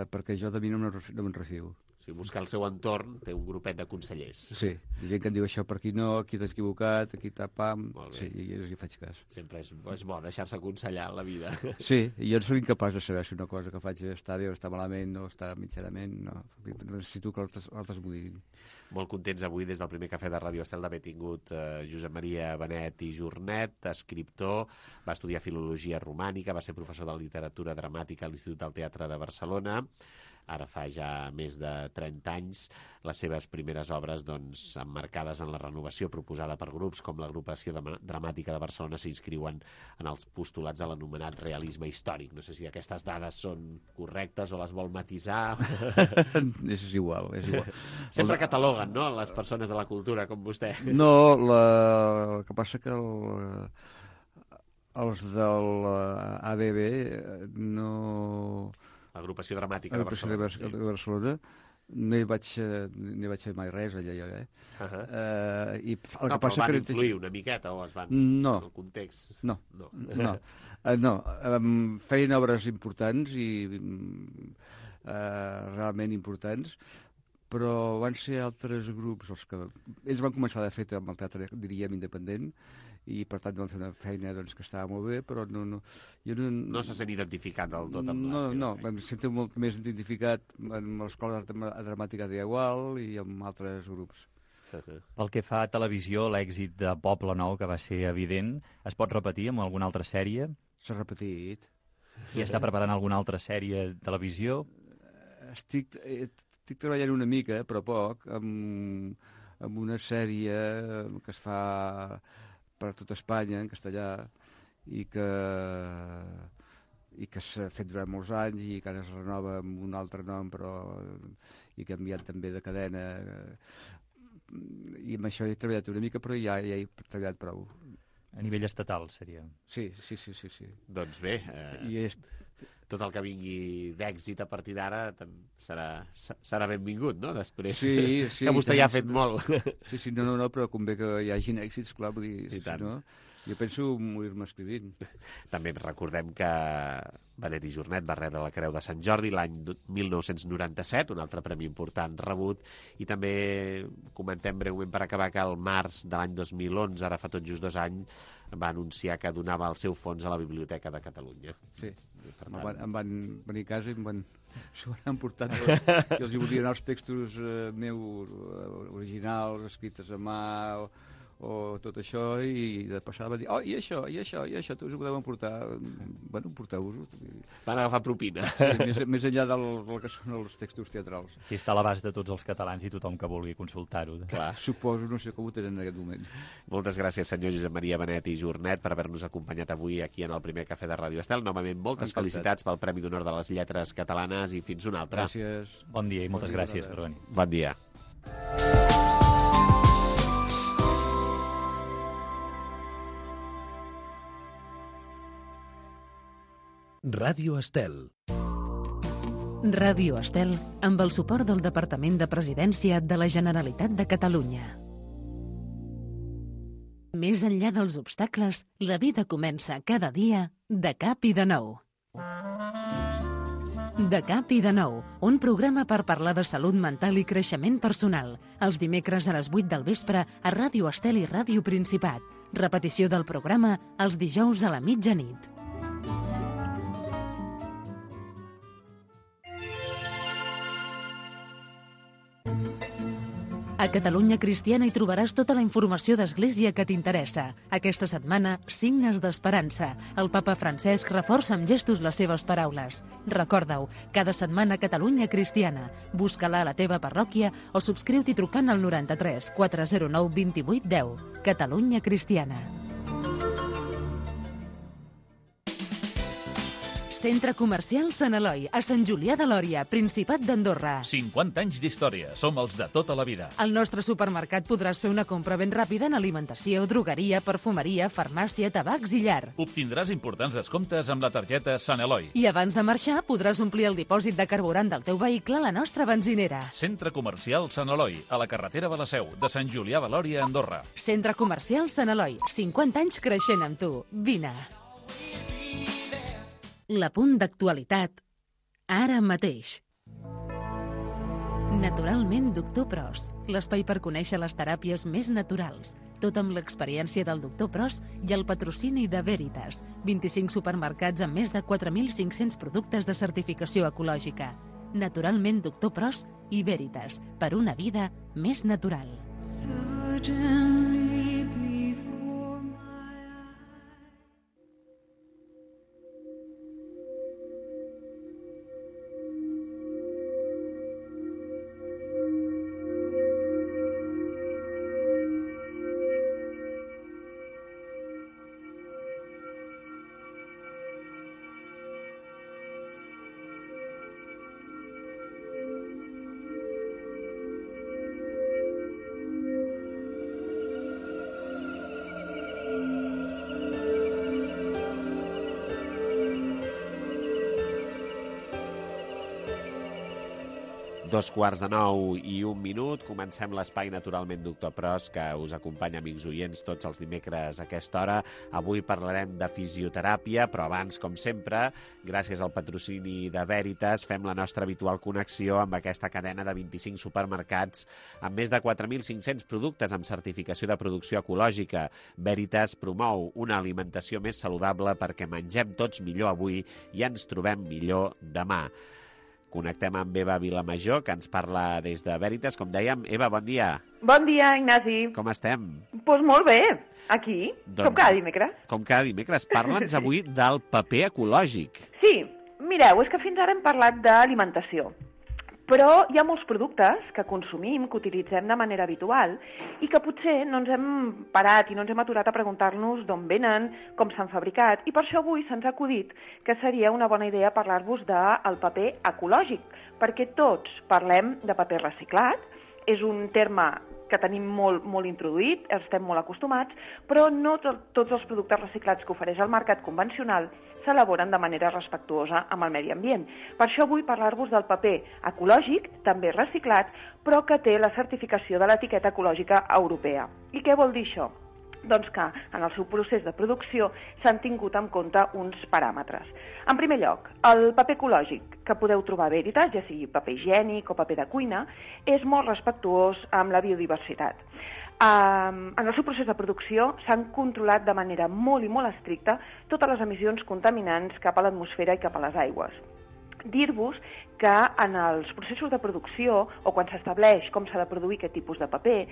perquè jo de mi no me'n refio. O sigui, buscar el seu entorn, té un grupet de consellers. Sí, gent que em diu això per aquí no, aquí t'has equivocat, aquí tapam... Sí, i jo hi faig cas. Sempre és bo deixar-se aconsellar en la vida. Sí, i jo no soc incapaç de saber si una cosa que faig està bé o està malament o està mitjanament, no. Necessito que altres m'ho diguin. Molt contents avui des del primer cafè de Ràdio Estel d'haver tingut Josep Maria Benet i Jornet, escriptor, va estudiar Filologia Romànica, va ser professor de literatura dramàtica a l'Institut del Teatre de Barcelona. Ara fa ja més de 30 anys, les seves primeres obres, doncs, emmarcades en la renovació proposada per grups com l'Agrupació Dramàtica de Barcelona, s'inscriuen en els postulats de l'anomenat realisme històric. No sé si aquestes dades són correctes o les vol matisar. És igual, és igual. Sempre cataloguen, no?, les persones de la cultura, com vostè. No, el que passa que els de l'ABB no... L'Agrupació Dramàtica de Barcelona. De Barcelona. No hi vaig fer mai res allà. I el que passa van influir una miqueta o es van... No. El context... No. Feien obres importants i realment importants, però van ser altres grups els que... Ells van començar, de fet, amb el teatre, diríem, independent, i per tant van fer una feina doncs, que estava molt bé, però jo no se sent identificat del tot amb la seva feina. Em sento molt més identificat amb l'Escola Dramàtica d'Igual i amb altres grups. Pel que fa a televisió, l'èxit de Poble Nou, que va ser evident, es pot repetir amb alguna altra sèrie? S'ha repetit. I està preparant alguna altra sèrie de televisió? Estic treballant una mica, però poc, amb una sèrie que es fa per tot Espanya, en castellà, i que s'ha fet durant molts anys i que ara es renova amb un altre nom, però i que ha enviat també de cadena. I amb això he treballat una mica, però ja he treballat prou. A nivell estatal, seria? Sí. Doncs bé, tot el que vingui d'èxit a partir d'ara serà benvingut, no? Després, que vostè ja ha fet molt. Sí, no, però convé que hi hagin èxits, clar, vull dir, no? Jo penso morir-me escrivint. També recordem que Benet i Jornet va rebre la Creu de Sant Jordi l'any 1997, un altre premi important rebut, i també comentem breument per acabar que el març de l'any 2011, ara fa tot just 2 anys, va anunciar que donava el seu fons a la Biblioteca de Catalunya. Sí, em van venir a casa i s'ho van emportar i els hi volien els textos meus originals, escrites a mà o tot això, i de passada va dir i això, tu us ho podeu emportar. Bueno, emporteu-vos-ho. Van agafar propina. Sí, més enllà del que són els textos teatrals. Aquí està a l'abast de tots els catalans i tothom que vulgui consultar-ho. Clar, suposo, no sé com ho tenen en aquest moment. Moltes gràcies, senyor Josep Maria Benet i Jornet, per haver-nos acompanyat avui aquí en el primer cafè de Ràdio Estel. Novament, moltes felicitats pel Premi d'Honor de les Lletres Catalanes i fins una altra. Gràcies. Bon dia i moltes gràcies per venir. Bon dia. Ràdio Estel. Ràdio Estel, amb el suport del Departament de Presidència de la Generalitat de Catalunya. Més enllà dels obstacles, la vida comença cada dia de cap i de nou. De cap i de nou, un programa per parlar de salut mental i creixement personal. Els dimecres a les 8 del vespre a Ràdio Estel i Ràdio Principat. Repetició del programa els dijous a la mitjanit. A Catalunya Cristiana hi trobaràs tota la informació d'Església que t'interessa. Aquesta setmana, signes d'esperança. El papa Francesc reforça amb gestos les seves paraules. Recorda-ho, cada setmana Catalunya Cristiana. Busca-la a la teva parròquia o subscriu-t'hi trucant al 93 409 28 10. Catalunya Cristiana. Centre Comercial Sant Eloi, a Sant Julià de Lòria, Principat d'Andorra. 50 anys d'història, som els de tota la vida. Al nostre supermercat podràs fer una compra ben ràpida en alimentació, drogueria, perfumeria, farmàcia, tabacs i llar. Obtindràs importants descomptes amb la targeta Sant Eloi. I abans de marxar podràs omplir el dipòsit de carburant del teu vehicle a la nostra benzinera. Centre Comercial Sant Eloi, a la carretera de la Seu, de Sant Julià de Lòria, Andorra. Centre Comercial Sant Eloi, 50 anys creixent amb tu. Vine. L'apunt d'actualitat, ara mateix. Naturalment, Doctor Pros, l'espai per conèixer les teràpies més naturals, tot amb l'experiència del Doctor Pros i el patrocini de Veritas, 25 supermercats amb més de 4.500 productes de certificació ecològica. Naturalment, Doctor Pros i Veritas, per una vida més natural. Dos quarts de 9:01. Comencem l'espai Naturalment Doctor Pros, que us acompanya, amics oients, tots els dimecres a aquesta hora. Avui parlarem de fisioteràpia, però abans, com sempre, gràcies al patrocini de Veritas, fem la nostra habitual connexió amb aquesta cadena de 25 supermercats amb més de 4.500 productes amb certificació de producció ecològica. Veritas promou una alimentació més saludable perquè mengem tots millor avui i ens trobem millor demà. Connectem amb Eva Vilamajor, que ens parla des de Veritas. Com dèiem, Eva, bon dia. Bon dia, Ignasi. Com estem? Doncs molt bé, aquí, com cada dimecres. Com cada dimecres. Parla'ns avui del paper ecològic. Sí, mireu, és que fins ara hem parlat d'alimentació, però hi ha molts productes que consumim, que utilitzem de manera habitual i que potser no ens hem parat i no ens hem aturat a preguntar-nos d'on venen, com s'han fabricat, i per això avui se'ns ha acudit que seria una bona idea parlar-vos del paper ecològic, perquè tots parlem de paper reciclat, és un terme que tenim molt introduït, estem molt acostumats, però no tots els productes reciclats que ofereix el mercat convencional s'elaboren de manera respectuosa amb el medi ambient. Per això vull parlar-vos del paper ecològic, també reciclat, però que té la certificació de l'etiqueta ecològica europea. I què vol dir això? Doncs que en el seu procés de producció s'han tingut en compte uns paràmetres. En primer lloc, el paper ecològic que podeu trobar a Veritas, ja sigui paper higiènic o paper de cuina, és molt respectuós amb la biodiversitat. En el seu procés de producció s'han controlat de manera molt i molt estricta totes les emissions contaminants cap a l'atmosfera i cap a les aigües. Dir-vos que en els processos de producció, o quan s'estableix com s'ha de produir aquest tipus de paper,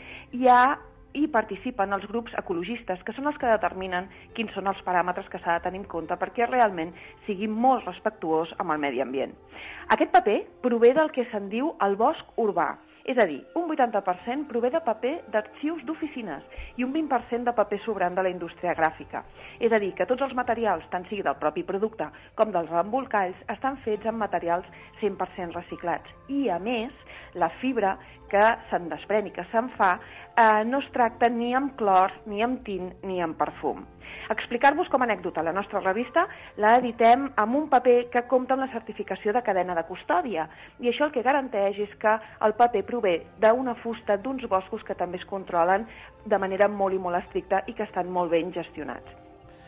hi participen els grups ecologistes, que són els que determinen quins són els paràmetres que s'ha de tenir en compte perquè realment sigui molt respectuós amb el medi ambient. Aquest paper prové del que se'n diu el bosc urbà, és a dir, un 80% prové de paper d'arxius d'oficines i un 20% de paper sobrant de la indústria gràfica. És a dir, que tots els materials, tant sigui del propi producte com dels embolcalls, estan fets amb materials 100% reciclats. I, a més, la fibra que se'n desprèn i que se'n fa no es tracta ni amb clor, ni amb tint, ni amb perfum. Explicar-vos com a anècdota, la nostra revista la editem amb un paper que compta amb la certificació de cadena de custòdia, i això el que garanteix és que el paper prové d'una fusta d'uns boscos que també es controlen de manera molt i molt estricta i que estan molt ben gestionats.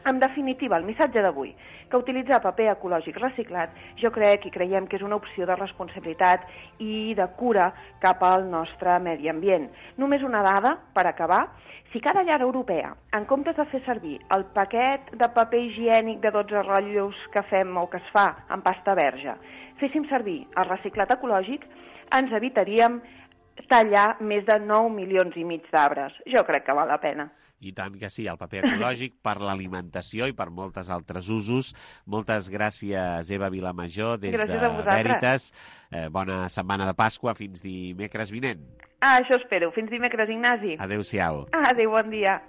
En definitiva, el missatge d'avui, que utilitzar paper ecològic reciclat jo crec i creiem que és una opció de responsabilitat i de cura cap al nostre medi ambient. Només una dada per acabar. Si cada llar europea, en comptes de fer servir el paquet de paper higiènic de 12 rotllos que fem o que es fa en pasta verge, féssim servir el reciclat ecològic, ens evitaríem tallar més de 9 milions i mig d'arbres. Jo crec que val la pena. I tant que sí, el paper ecològic per l'alimentació i per moltes altres usos. Moltes gràcies, Eva Vilamajor, des de Veritas. Bona setmana de Pasqua, fins dimecres vinent. Això espero. Fins dimecres, Ignasi. Adéu-siau. Adéu, bon dia.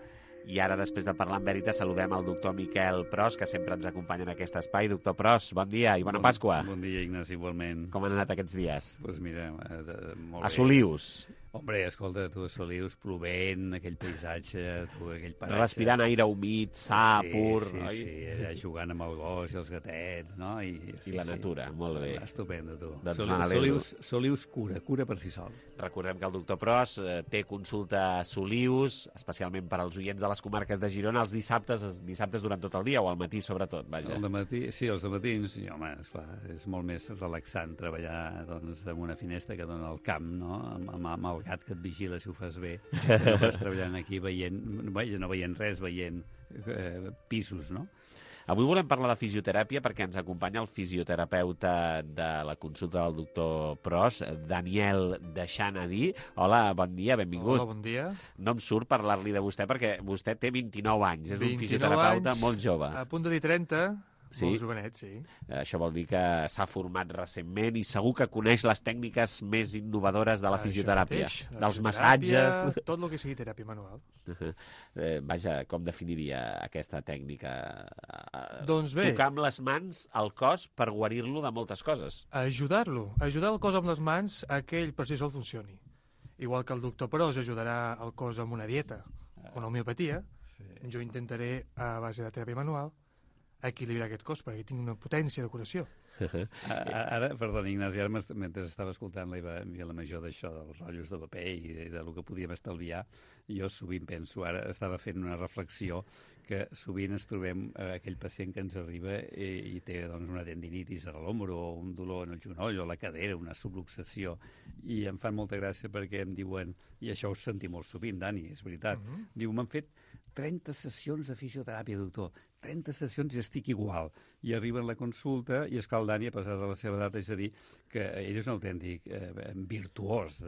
I ara, després de parlar amb Veritas, saludem el doctor Miquel Pros, que sempre ens acompanya en aquest espai. Doctor Pros, bon dia i bona Pasqua. Bon dia, Ignasi, igualment. Com han anat aquests dies? Doncs mira, molt bé. A Solius. Hombre, escolta, tu a Solius, plovent, aquell paisatge, tu aquell paratge... Respirant aire humit, sa, pur... Sí, allà jugant amb el gos i els gatets, no? I la natura, molt bé. Estupendo, tu. Doncs Solius cura per si sol. Recordem que el doctor Pros té consulta a Solius, especialment per als oients de les comarques de Girona, els dissabtes durant tot el dia, o al matí sobretot, vaja. Els de matins, i home, esclar, és molt més relaxant treballar doncs, en una finestra que dona al camp, no? Amb el gat que et vigila si ho fas bé, no vas treballant aquí no veient res, veient pisos, no? Avui volem parlar de fisioteràpia perquè ens acompanya el fisioterapeuta de la consulta del doctor Pros, Daniel Deixanadí. Hola, bon dia, benvingut. Hola, bon dia. No em surt parlar-li de vostè perquè vostè té 29 anys, és un fisioterapeuta molt jove. A punt de dir 30... Sí? Molt jovenet, sí. Això vol dir que s'ha format recentment i segur que coneix les tècniques més innovadores de la fisioteràpia. Dels massatges... Tot el que sigui teràpia manual. Vaja, com definiria aquesta tècnica? Doncs bé... Tocar amb les mans el cos per guarir-lo de moltes coses. Ajudar el cos amb les mans a que ell per si sol funcioni. Igual que el doctor Pros ajudarà el cos amb una dieta o una homeopatia, jo intentaré, a base de teràpia manual, equilibrar aquest cos, perquè tinc una potència de curació. Ara, perdona, Ignasi, ara mentre estava escoltant la Vilamajor d'això, dels rotllos de paper i del que podíem estalviar, jo sovint penso, ara estava fent una reflexió, que sovint ens trobem aquell pacient que ens arriba i té doncs, una tendinitis a l'ombro o un dolor en el genoll o la cadera, una subluxació, i em fan molta gràcia perquè em diuen, i això ho sentim molt sovint, Dani, és veritat, diu, m'han fet 30 sessions de fisioteràpia, doctor, 30 sessions i estic igual. I arriben a la consulta i és que el Dani, a pesar de la seva edat, és a dir, que ell és un autèntic virtuós,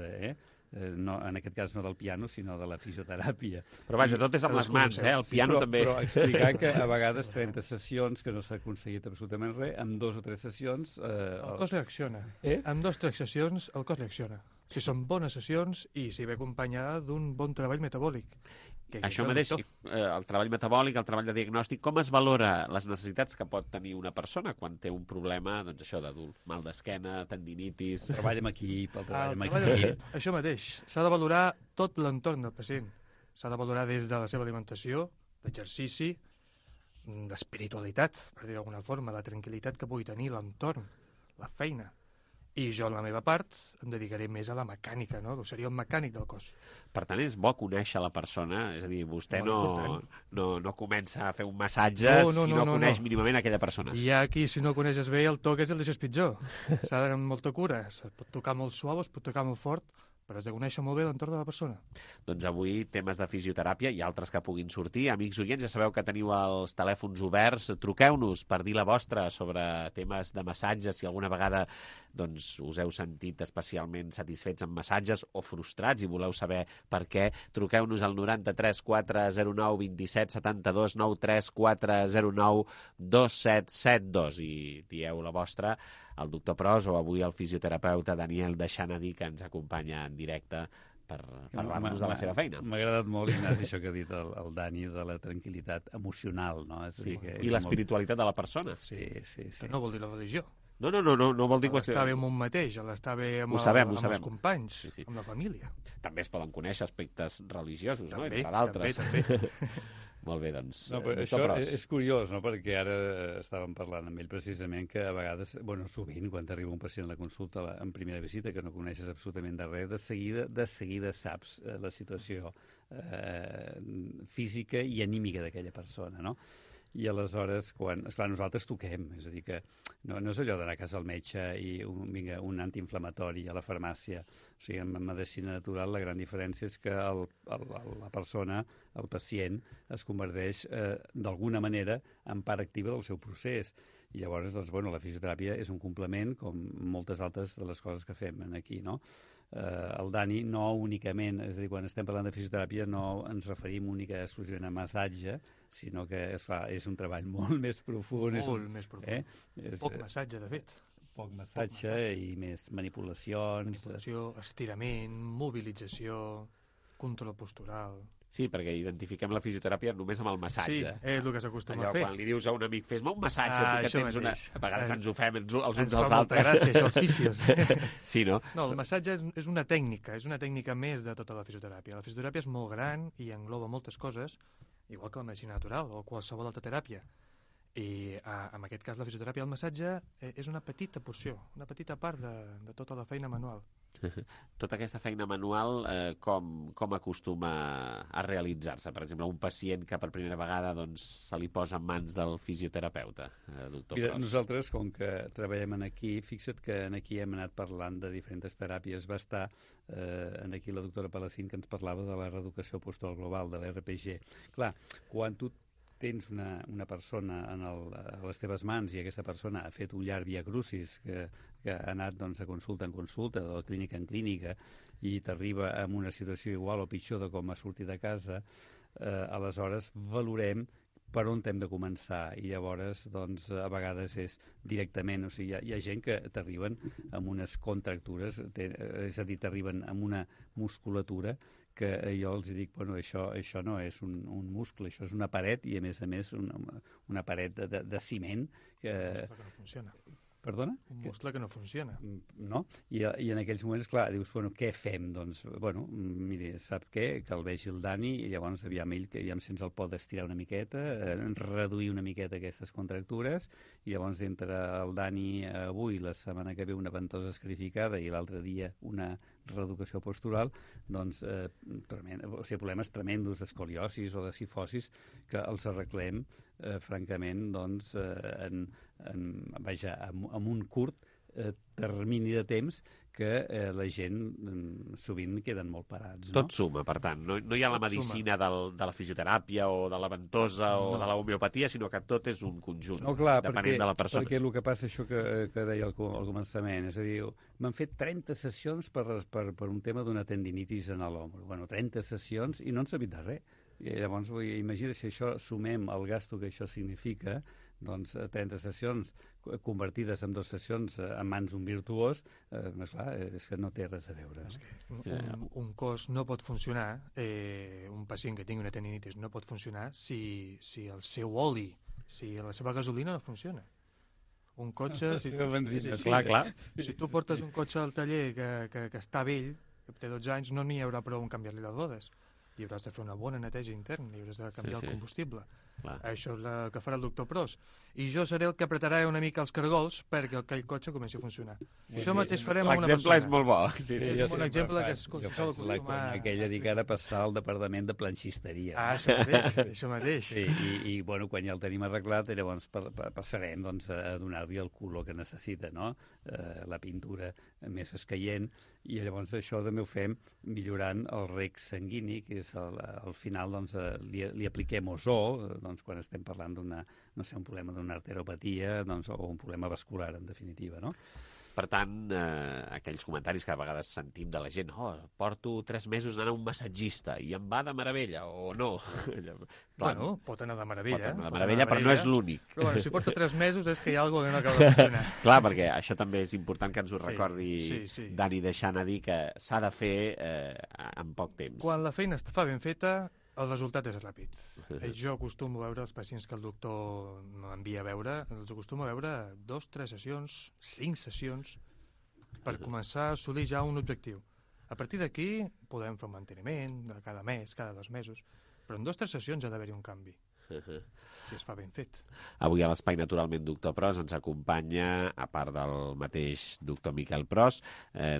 no, en aquest cas no del piano, sinó de la fisioteràpia. Però vaja, tot és amb les mans, el piano també. Però explicar que a vegades 30 sessions, que no s'ha aconseguit absolutament res, amb 2 o 3 sessions... El cos reacciona. Amb 2 o 3 sessions el cos reacciona. Si són bones sessions i si ve acompanyada d'un bon treball metabòlic. Això mateix, el treball metabòlic, el treball de diagnòstic, com es valora les necessitats que pot tenir una persona quan té un problema, doncs això, d'adult, mal d'esquena, tendinitis... Treball amb equip, el treball amb equip... Això mateix, s'ha de valorar tot l'entorn del pacient. S'ha de valorar des de la seva alimentació, l'exercici, l'espiritualitat, per dir-ho d'alguna forma, la tranquil·litat que pugui tenir l'entorn, la feina. I jo, en la meva part, em dedicaré més a la mecànica, no? Seria el mecànic del cos. Per tant, és bo conèixer la persona, és a dir, vostè no comença a fer un massatge si no coneix mínimament aquella persona. Hi ha qui, si no coneixes bé, el toques i el deixes pitjor. S'ha d'anar amb molta cura. Es pot tocar molt suau, es pot tocar molt fort, però has de conèixer molt bé l'entorn de la persona. Doncs avui temes de fisioteràpia i altres que puguin sortir. Amics oients, ja sabeu que teniu els telèfons oberts. Truqueu-nos per dir la vostra sobre temes de massatges, si alguna vegada doncs, us heu sentit especialment satisfets amb massatges o frustrats i voleu saber per què. Truqueu-nos al 93 409 27 72 93 409 2772 i dieu la vostra al doctor Pros o avui al fisioterapeuta Daniel Deixanadí, que ens acompanya en directe per parlar-nos de la seva feina. M'ha agradat molt, Ignasi, això que ha dit el Dani, de la tranquil·litat emocional, no? És i l'espiritualitat de la persona. Sí. Que no vol dir la religió. No vol dir qüestió... L'estar bé amb un mateix, l'estar bé amb els companys, amb la família. També es poden conèixer aspectes religiosos, no? També, entre d'altres. també. Molt bé, doncs... No, però això és curiós, no? Perquè ara estàvem parlant amb ell precisament que a vegades, sovint, quan t'arriba un pacient a la consulta en primera visita, que no coneixes absolutament de res, de seguida saps la situació física i anímica d'aquella persona, no? I aleshores, esclar, nosaltres toquem, és a dir que no és allò d'anar a casa al metge i un antiinflamatori a la farmàcia. O sigui, en medicina natural la gran diferència és que la persona, el pacient, es converteix d'alguna manera en part activa del seu procés. I llavors, doncs, la fisioteràpia és un complement, com moltes altres de les coses que fem aquí, no? El Dani no únicament, és a dir, quan estem parlant de fisioteràpia no ens referim únicament exclusivament a massatge, sinó que, esclar, és un treball molt més profund. Molt més profund. Poc massatge, de fet. Poc massatge i més manipulacions. Manipulació, estirament, mobilització, control postural... Sí, perquè identifiquem la fisioteràpia només amb el massatge. Sí, és el que s'acostuma a fer. Quan li dius a un amic, fes-me un massatge, tu que tens una... A vegades ens ho fem els uns als altres. Ens fa molta gràcia, això, els fisios. Sí, no? No, el massatge és una tècnica més de tota la fisioteràpia. La fisioteràpia és molt gran i engloba moltes coses, igual que la medicina natural o qualsevol altra teràpia. I en aquest cas la fisioteràpia, el massatge, és una petita porció, una petita part de tota la feina manual. Tota aquesta feina manual, com acostuma a realitzar-se? Per exemple, un pacient que per primera vegada se li posa en mans del fisioterapeuta, doctor Pros. Nosaltres, com que treballem aquí, fixa't que aquí hem anat parlant de diferents teràpies. Va estar aquí la doctora Palacín, que ens parlava de la reeducació postural global, de l'RPG. Clar, quan tu tens una persona a les teves mans i aquesta persona ha fet un llarg via crucis que ha anat de consulta en consulta o de clínica en clínica i t'arriba en una situació igual o pitjor de com ha sortit de casa, aleshores valorem per on hem de començar i llavors a vegades és directament, o sigui, hi ha gent que t'arriben amb unes contractures, és a dir, t'arriben amb una musculatura que jo els dic, això no és un muscle, això és una paret i a més una paret de ciment que... Un muscle que no funciona. Perdona? Un muscle que no funciona. No? I en aquells moments, clar, dius, què fem? Doncs, miri, sap què? Que el vegi el Dani i llavors aviam si ens el pot estirar una miqueta, reduir una miqueta aquestes contractures i llavors entre el Dani avui, la setmana que ve una ventosa escarificada i l'altre dia una reeducació postural, problemes tremendos d'escoliosis o de sifosis que els arreglem, francament, amb un curt termini de temps que la gent sovint queden molt parats. Tot suma, per tant. No hi ha la medicina de la fisioteràpia o de la ventosa o de la homeopatia, sinó que tot és un conjunt, depenent de la persona. Perquè el que passa, això que deia al començament, és a dir, m'han fet 30 sessions per un tema d'una tendinitis en l'hombro. 30 sessions i no han sabut de res. I llavors, imagina si això sumem el gasto que això significa, 30 sessions convertides en 2 sessions en mans d'un virtuós, és que no té res a veure. Un cos no pot funcionar, un pacient que tingui una tendinitis no pot funcionar si el seu oli, si la seva gasolina no funciona. Un cotxe... Clar. Si tu portes un cotxe al taller que està vell, que té 12 anys, no n'hi haurà prou en canviar-li les rodes. I hauràs de fer una bona neteja interna, i hauràs de canviar el combustible. Això és el que farà el doctor Pros. I jo seré el que apretarà una mica els cargols perquè aquell cotxe comenci a funcionar. Això mateix farem a una persona. L'exemple és molt bo. És un bon exemple que es sol acostumar... Aquella dedicada a passar al departament de planxisteria. Això mateix. I quan ja el tenim arreglat, llavors passarem a donar-li el color que necessita, no? La pintura més escaient, i llavors això també ho fem millorant el reg sanguini, que és al final li apliquem ozó, quan estem parlant un problema d'una arteropatia o un problema vascular, en definitiva, no? Per tant, aquells comentaris que a vegades sentim de la gent, porto 3 mesos anant a un massatgista i em va de meravella, o no. Pot anar de meravella. Pot anar de meravella, però no és l'únic. Però si porta 3 mesos és que hi ha alguna cosa que no acaba de funcionar. Clar, perquè això també és important que ens ho recordi Dani, deixant a dir que s'ha de fer en poc temps. Quan la feina està ben feta, El resultat és ràpid. Jo acostumo a veure els pacients que el doctor m'envia a veure, els acostumo a veure 2, 3 sessions, 5 sessions, per començar a assolir ja un objectiu. A partir d'aquí podem fer un manteniment de cada mes, cada 2 mesos, però en 2 o 3 sessions ha d'haver-hi un canvi. Si es fa ben fet. Avui a l'Espai Naturalment Doctor Pros ens acompanya, a part del mateix doctor Miquel Pros,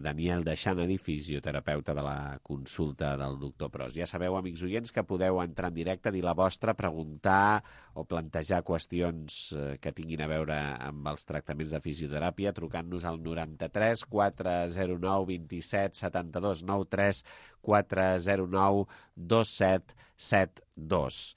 Daniel Deixanadi, fisioterapeuta de la consulta del doctor Pros. Ja sabeu, amics oients, que podeu entrar en directe, dir la vostra, preguntar o plantejar qüestions que tinguin a veure amb els tractaments de fisioteràpia, trucant-nos al 93 409 27 72 93 409 2772.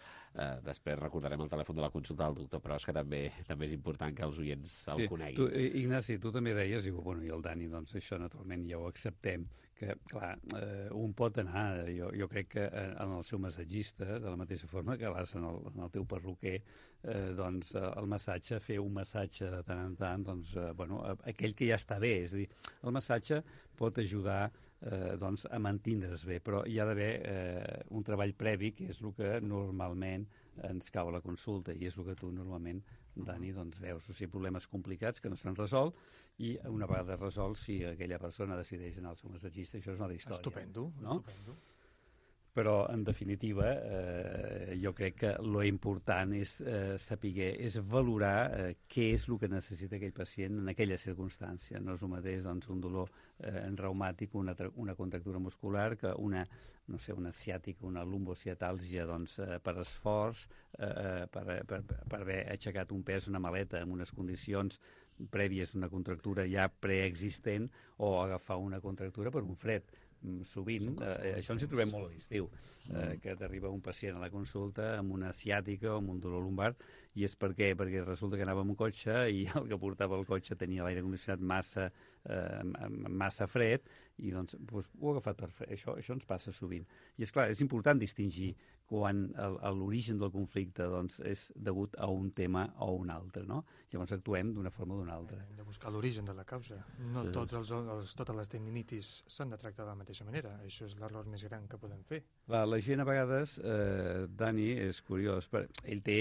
Després recordarem el telèfon de la consulta del doctor Pros, que també és important que els oients el coneguin. Ignasi, tu també deies, i el Dani, doncs això naturalment ja ho acceptem, que, clar, un pot anar, jo crec que en el seu massatgista, de la mateixa forma que vas en el teu perruquer, doncs el massatge, fer un massatge de tant en tant, doncs, aquell que ja està bé, és a dir, el massatge pot ajudar doncs, a mantindre's bé, però hi ha d'haver un treball previ, que és el que normalment ens cau a la consulta, i és el que tu normalment, Dani, doncs veus, o sigui, problemes complicats que no s'han resolt, i una vegada resolts, si aquella persona decideix anar al seu massatgista, això és una altra història. Estupendo, no? Estupendo. Però, en definitiva, jo crec que lo important és saber, és valorar què és el que necessita aquell pacient en aquella circumstància. No és el mateix doncs, un dolor reumàtic, una contractura muscular, que una ciàtica, una lumbociatàlgia doncs, per esforç, per haver aixecat un pes, una maleta, en unes condicions prèvies d'una contractura ja preexistent, o agafar una contractura per un fred. Sovint, això ens hi trobem molt a l'estiu, que t'arriba un pacient a la consulta amb una ciàtica o amb un dolor lumbar, i és per què? Perquè resulta que anava amb un cotxe i el que portava el cotxe tenia l'aire condicionat massa fred, i doncs ho ha agafat per fred. Això ens passa sovint. I és clar, és important distingir quan l'origen del conflicte doncs, és degut a un tema o un altre, no? Llavors actuem d'una forma o d'una altra. Hem de buscar l'origen de la causa. No totes les tendinitis s'han de tractar de la mateixa manera. Això és l'error més gran que podem fer. La gent a vegades, Dani, és curiós, ell té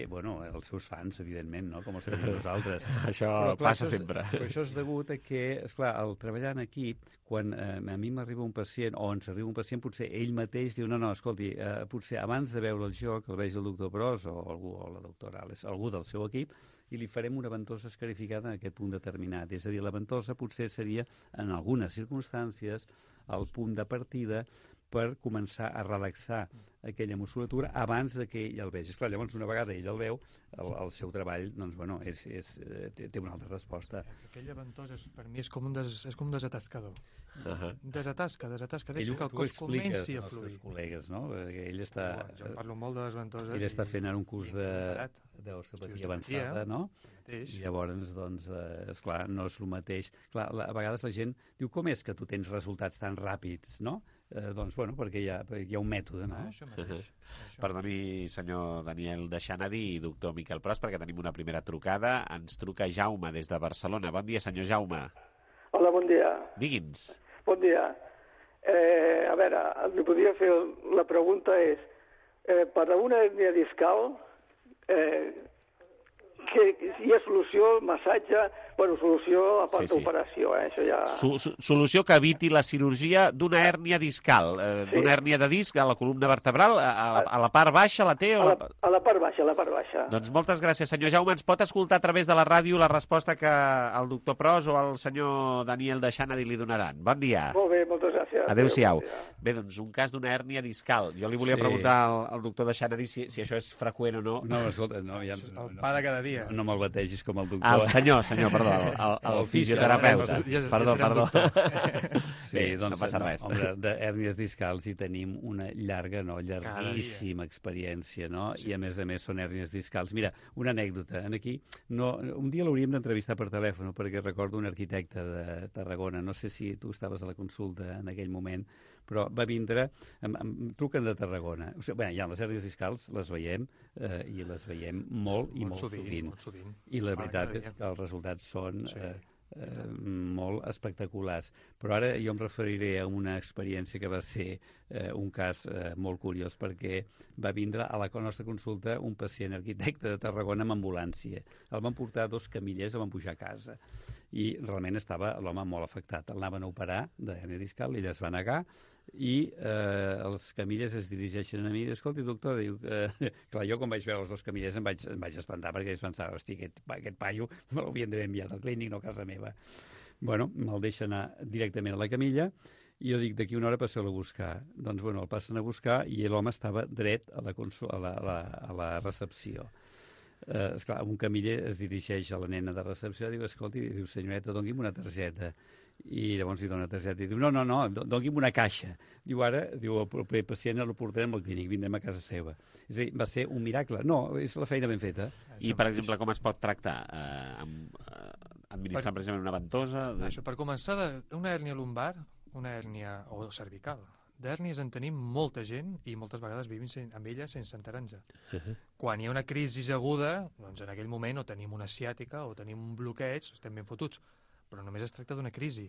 els seus fans, evidentment, no? Com els tenim nosaltres. Això passa sempre. Però això és degut a que, esclar, al treballar en equip, quan a mi m'arriba un pacient, o ens arriba un pacient, potser ell mateix diu, no, escolti, potser abans de veure el joc, el vegi el doctor Pros o la doctora Ales, algú del seu equip, i li farem una ventosa escarificada en aquest punt determinat. És a dir, la ventosa potser seria, en algunes circumstàncies, el punt de partida per començar a relaxar aquella musculatura abans de que ell el vegi. Esclar, llavors, una vegada ell el veu, el seu treball té una altra resposta. Aquella ventosa, per mi, és com un desatascador. Desatasca, deixa que el cos comenci a fluir. Els col·legues, no? Ell està... Jo parlo molt de les ventoses. Ell està fent ara un curs d'osteopatia avançada, no? I llavors, doncs, esclar, no és el mateix. Clar, a vegades la gent diu, com és que tu tens resultats tan ràpids, no? Doncs, perquè hi ha un mètode, no? Això mateix. Perdoni, senyor Daniel Deixanadi i doctor Miquel Pros, perquè tenim una primera trucada. Ens truca Jaume des de Barcelona. Bon dia, senyor Jaume. Hola, bon dia. Digui'ns. Bon dia. A veure, li podria fer... La pregunta és, per a una hernia discal, que hi ha solució, massatge... Bueno, solució a part d'operació, això ja... Solució que eviti la cirurgia d'una hèrnia discal, d'una hèrnia de disc a la columna vertebral, a la part baixa la té? A la part baixa, Doncs moltes gràcies, senyor Jaume. Ens pot escoltar a través de la ràdio la resposta que el doctor Pros o el senyor Daniel Deixanadi li donaran. Bon dia. Molt bé, moltes gràcies. Adéu-siau. Bé, doncs un cas d'una hèrnia discal. Jo li volia preguntar al doctor Deixanadi si això és freqüent o no. No, escolta, no. El pa de cada dia. No me'l bategis com el doctor. El senyor, perdó, el fisioterapeuta. Perdó. Sí, doncs, no passa res. Home, d'hèrnies discals hi tenim una llarguíssima experiència, no? I a més són hèrnies discals. Mira, una anècdota. Aquí, un dia l'hauríem d'entrevistar per telèfon, perquè recordo un arquitecte de Tarragona, no sé si tu estaves a la consulta en aquell moment, però va vindre, em truquen de Tarragona. O sigui, ja les hèrnies discals les veiem, i les veiem molt sovint. I la veritat és que els resultats són molt espectaculars. Però ara jo em referiré a una experiència que va ser un cas molt curiós, perquè va vindre a la nostra consulta un pacient arquitecte de Tarragona amb ambulància. El van portar 2 camillers, el van pujar a casa i realment estava l'home molt afectat. El anaven a operar d'hèrnia discal, ell es va negar i els camillers es dirigeixen a mi i diu, escolti, doctor, diu, clar, jo quan vaig veure els 2 camillers em vaig espantar perquè pensava, hosti, aquest paio me l'havien d'haver enviat al clínic, no a casa meva. Bueno, me'l deixa anar directament a la camilla i jo dic, d'aquí una hora passeu-lo a buscar. Doncs, bueno, el passen a buscar i l'home estava dret a la recepció. Esclar, un camiller es dirigeix a la nena de recepció i diu, escolti, diu, senyoreta, doni'm una targeta. I llavors li dona targeta i diu, no, doni'm una caixa. Diu, ara, diu, el proper pacient el portarem al clínic, vindrem a casa seva. És a dir, va ser un miracle. No, és la feina ben feta. I, per exemple, com es pot tractar? Administrar precisament una ventosa? Això, per començar, una hèrnia lumbar, una hèrnia o cervical. D'hèrnies en tenim molta gent i moltes vegades vivim amb ella sense enterar-nos. Quan hi ha una crisi aguda, doncs en aquell moment o tenim una ciàtica o tenim un bloqueig, estem ben fotuts. Però només es tracta d'una crisi.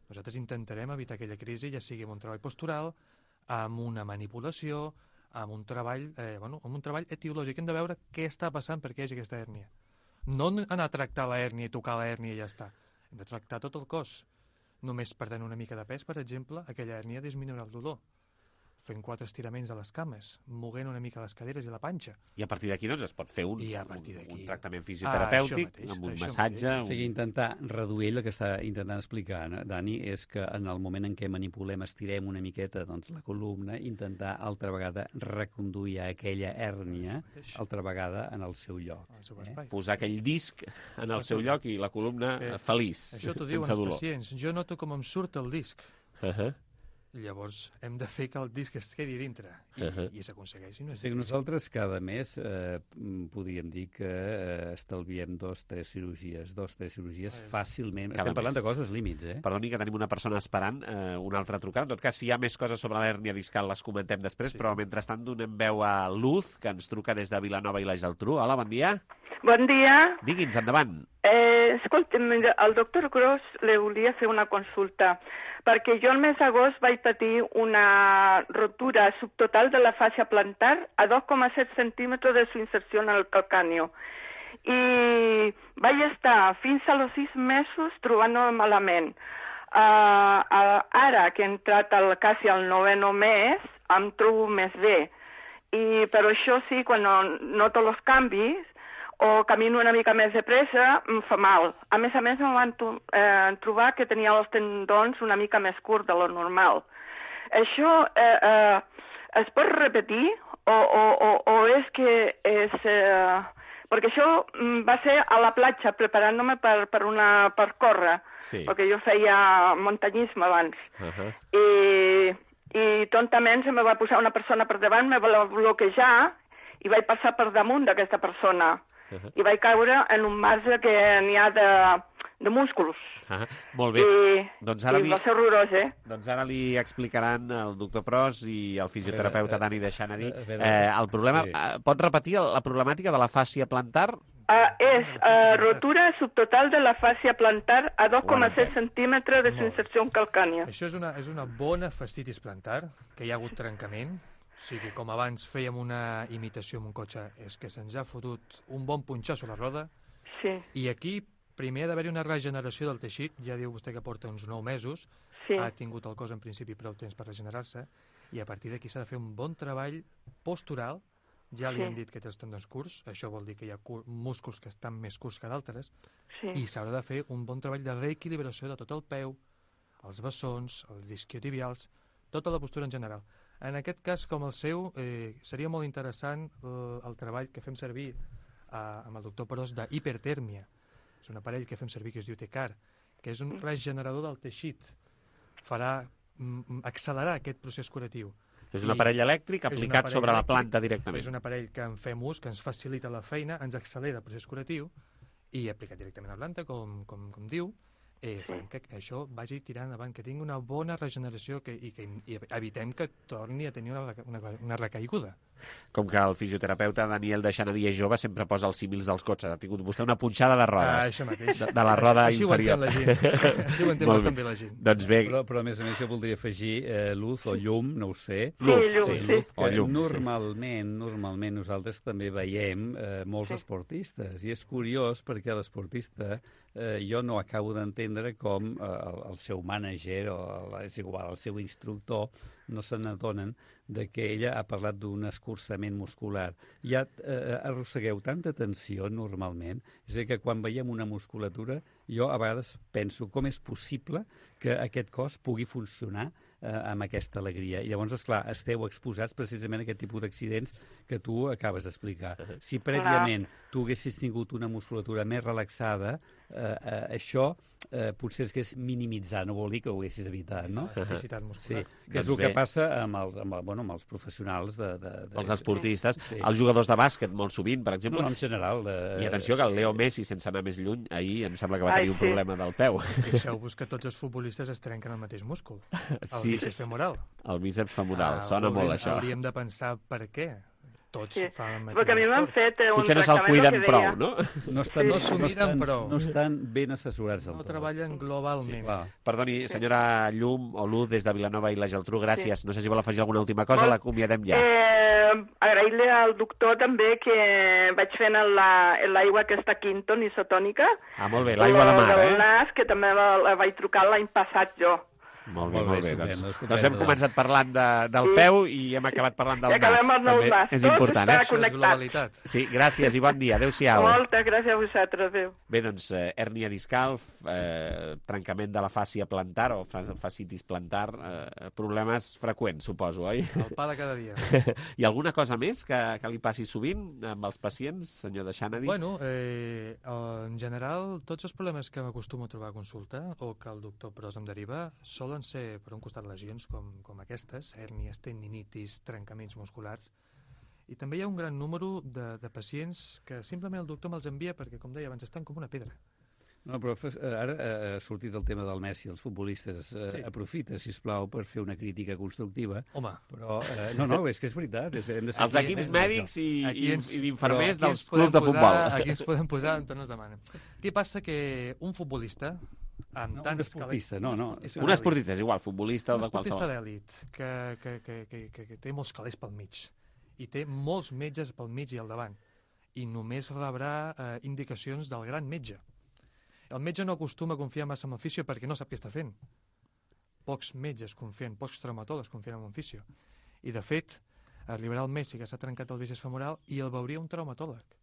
Nosaltres intentarem evitar aquella crisi, ja sigui amb un treball postural, amb una manipulació, amb un treball, amb un treball etiològic. Hem de veure què està passant perquè hi hagi aquesta hèrnia. No anar a tractar la hèrnia i tocar la hèrnia i ja està. Hem de tractar tot el cos. Només perdent una mica de pes, per exemple, aquella hèrnia disminuirà el dolor. Fent 4 estiraments a les cames, moguent una mica les caderes i la panxa. I a partir d'aquí doncs, es pot fer un tractament fisioterapèutic, amb un massatge... O sigui, intentar reduir el que està intentant explicar, Dani, és que en el moment en què manipulem, estirem una miqueta doncs, la columna, intentar altra vegada reconduir aquella hèrnia altra vegada en el seu lloc. Posar aquell disc en el seu lloc i la columna feliç, això t'ho diuen els pacients. Jo noto com em surt el disc. Llavors hem de fer que el disc es quedi dintre i s'aconsegueixi. Nosaltres cada mes podríem dir que estalviem 2-3 cirurgies fàcilment. Estem parlant de coses límits, Perdoni que tenim una persona esperant una altra trucada. En tot cas, si hi ha més coses sobre l'hèrnia discal les comentem després, però mentrestant donem veu a Luz, que ens truca des de Vilanova i la Geltrú. Hola, bon dia. Bon dia. Digui'ns, endavant. Escolti'm, el doctor Gros li volia fer una consulta, perquè jo el mes d'agost vaig patir una rotura subtotal de la fàscia plantar a 2,7 centímetres de su inserció en el calcáneo. I vaig estar fins a los 6 mesos trobant-me malament. Ara que he entrat quasi al 9è mes, em trobo més bé. Però això sí, quan noto els canvis, o camino una mica més de pressa, em fa mal. A més, em van trobar que tenia els tendons una mica més curts de lo normal. Això es pot repetir o és que és... Perquè això va ser a la platja, preparant-me per córrer, perquè jo feia muntanyisme abans. I tontament se me va posar una persona per davant, me va bloquejar i vaig passar per damunt d'aquesta persona. I vaig caure en un marge que n'hi ha de músculs. Molt bé. I va ser horrorós, Doncs ara li explicaran el doctor Pros i el fisioterapeuta Dani Deixanadi el problema. Pot repetir la problemàtica de la fàscia plantar? És rotura subtotal de la fàscia plantar a 2,7 centímetres de su inserció calcània. Això és una bona fascitis plantar, que hi ha hagut trencament. O sigui, com abans fèiem una imitació amb un cotxe, és que se'ns ha fotut un bon punxasso a la roda. Sí. I aquí primer ha d'haver-hi una regeneració del teixit. Ja diu vostè que porta uns 9 mesos. Ha tingut el cos en principi prou temps per regenerar-se. I a partir d'aquí s'ha de fer un bon treball postural. Ja li hem dit que té els tendons curts. Això vol dir que hi ha músculs que estan més curts que d'altres. I s'haurà de fer un bon treball de reequilibració de tot el peu, els bessons, els isquiotibials, tota la postura en general. En aquest cas, com el seu, seria molt interessant el treball que fem servir amb el doctor Pros d'hipertèrmia. És un aparell que fem servir que es diu TECAR, que és un regenerador del teixit. Farà accelerar aquest procés curatiu. És un aparell elèctric aplicat sobre la planta directament. És un aparell que en fem ús, que ens facilita la feina, ens accelera el procés curatiu i aplicat directament a la planta, com diu, farem que això vagi tirant endavant, que tingui una bona regeneració i evitem que torni a tenir una recaiguda. Com que el fisioterapeuta Daniel de Xanadi és jove, sempre posa els símils dels cotxes. Ha tingut vostè una punxada de rodes. Això mateix. De la roda Així inferior. Així ho entén la gent. Així ho entén bastant bé la gent. Doncs bé... Però a més a més jo voldria afegir luz o llum, no ho sé. Luz, que normalment nosaltres també veiem molts esportistes. I és curiós perquè l'esportista jo no acabo d'entendre com el seu mànager o és igual, el seu instructor no se n'adonen de que ella ha parlat d'un escurçament muscular. Ja arrossegueu tanta tensió normalment, és a dir, que quan veiem una musculatura jo a vegades penso com és possible que aquest cos pugui funcionar amb aquesta alegria. I llavors, esclar, esteu exposats precisament a aquest tipus d'accidents que tu acabes d'explicar. Si prèviament tu haguessis tingut una musculatura més relaxada, això potser es hagués minimitzat, no vol dir que ho haguessis evitat, no? Elasticitat muscular. Sí, que és el que passa amb els professionals els esportistes, els jugadors de bàsquet molt sovint, per exemple. No, en general. I atenció que el Leo Messi, sense anar més lluny, ahir em sembla que va tenir un problema del peu. Fixeu-vos que tots els futbolistes es trenquen el mateix múscul. El bíceps femoral. El bíceps femoral, sona molt això. Hauríem de pensar per què. Tots fan el mateix. Perquè a mi m'han fet un potser no se'l cuiden prou, no? No s'ho miren prou. No estan ben assessorats. No treballen globalment. Perdoni, senyora Llum o Luz, des de Vilanova i la Geltrú, gràcies. No sé si vol afegir alguna última cosa, l'acomiadem ja. Agrair-li al doctor també que vaig fent l'aigua aquesta Quinton isotònica. Ah, molt bé, l'aigua de mar, del nas, que també la vaig trucar l'any passat jo. Molt bé. Doncs hem començat parlant del peu i hem acabat parlant del nas. Acabem amb el nas. És important, connectat. Sí, gràcies i bon dia. Adéu-siau. Moltes gràcies a vosaltres. Adéu. Bé, doncs, hèrnia discal, trencament de la fàscia plantar o fascitis plantar, problemes freqüents, suposo, oi? El pa de cada dia. I alguna cosa més que li passi sovint amb els pacients, senyor de Xanadi? Bueno, en general, tots els problemes que m'acostumo a trobar a consulta o que el doctor Pros em deriva solen ser, per un costat, lesions com aquestes, hèrnies, tendinitis, trencaments musculars, i també hi ha un gran número de pacients que simplement el doctor me'ls envia perquè, com deia abans, estan com una pedra. No, però ara ha sortit el tema del Messi, els futbolistes. Aprofita, sisplau, per fer una crítica constructiva. Home. Però, no, és que és veritat. Els equips mèdics i d'infermers dels clubs de futbol. Aquí ens podem posar on ens demanen. Què passa? Que un futbolista amb un esportista, un esportista, és igual, futbolista o de qualsevol. Un esportista d'èlit que té molts calés pel mig i té molts metges pel mig i al davant i només rebrà indicacions del gran metge. El metge no acostuma a confiar massa en el fisio perquè no sap què està fent. Pocs metges confien, pocs traumatòlegs confien en un fisio. I, de fet, arribarà el Messi que s'ha trencat el bíceps femoral i el veuria un traumatòleg.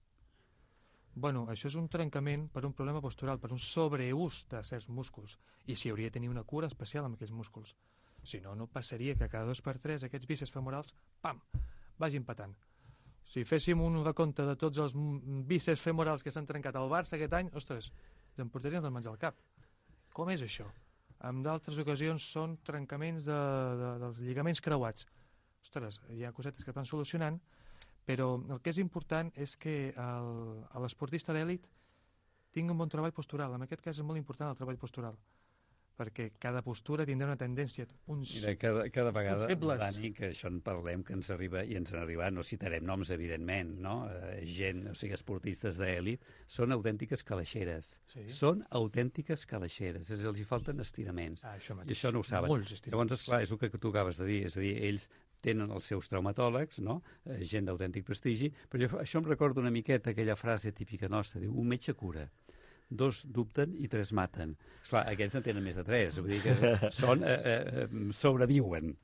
Bueno, això és un trencament per un problema postural, per un sobreús de certs músculs, i s'hi hauria de tenir una cura especial amb aquells músculs. Si no, no passaria que cada 2x3 aquests bíceps femorals, pam, vagin patant. Si féssim un recompte de tots els bíceps femorals que s'han trencat al Barça aquest any, ostres, ens en portaríem del menjar al cap. Com és això? En d'altres ocasions són trencaments dels lligaments creuats. Ostres, hi ha cosetes que es van solucionant, però el que és important és que l'esportista d'èlit tingui un bon treball postural. En aquest cas és molt important el treball postural, perquè cada postura tindrà una tendència. Mira, cada vegada, Dani, que això en parlem, que ens arriba, i ens han arribat, no citarem noms, evidentment, no? Gent, o sigui, esportistes d'èlit, són autèntiques calaixeres. Sí. Són autèntiques calaixeres, és a dir, els hi falten estiraments. I això no ho saben. Llavors, esclar, és el que tu acabes de dir, és a dir, ells tenen els seus traumatòlegs, no? Gent d'autèntic prestigi, però això em recorda una miqueta aquella frase típica nostra, diu, un metge cura, 2 dubten i 3 maten. Esclar, aquests en tenen més de 3, vull dir que sobreviuen.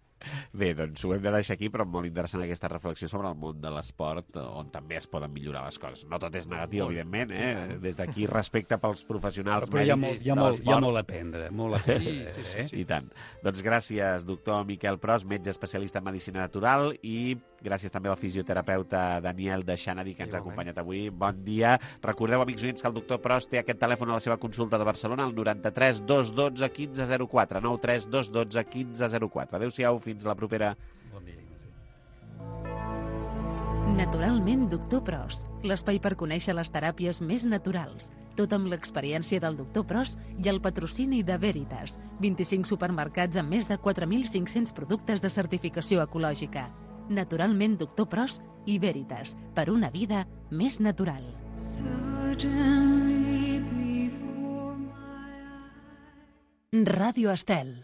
Bé, doncs ho hem de deixar aquí, però molt interessant aquesta reflexió sobre el món de l'esport, on també es poden millorar les coses. No tot és negatiu, evidentment, des d'aquí respecte pels professionals mèdics. Hi ha molt a aprendre, molt a aprendre. I tant. Doncs gràcies, doctor Miquel Pros, metge especialista en medicina natural, i gràcies també al fisioterapeuta Daniel de Xanadi, que ens ha acompanyat avui. Bon dia. Recordeu, amics oients, que el doctor Pros té aquest telèfon a la seva consulta de Barcelona, el 93 212 1504, 93 212 1504. Adéu-siau, fins la propera. Bon dia, Ignasi. Naturalment, doctor Pros, l'espai per conèixer les teràpies més naturals. Tot amb l'experiència del doctor Pros i el patrocini de Veritas. 25 supermercats amb més de 4.500 productes de certificació ecològica. Naturalment Doctor Pros i Veritas, per una vida més natural. Ràdio Estel.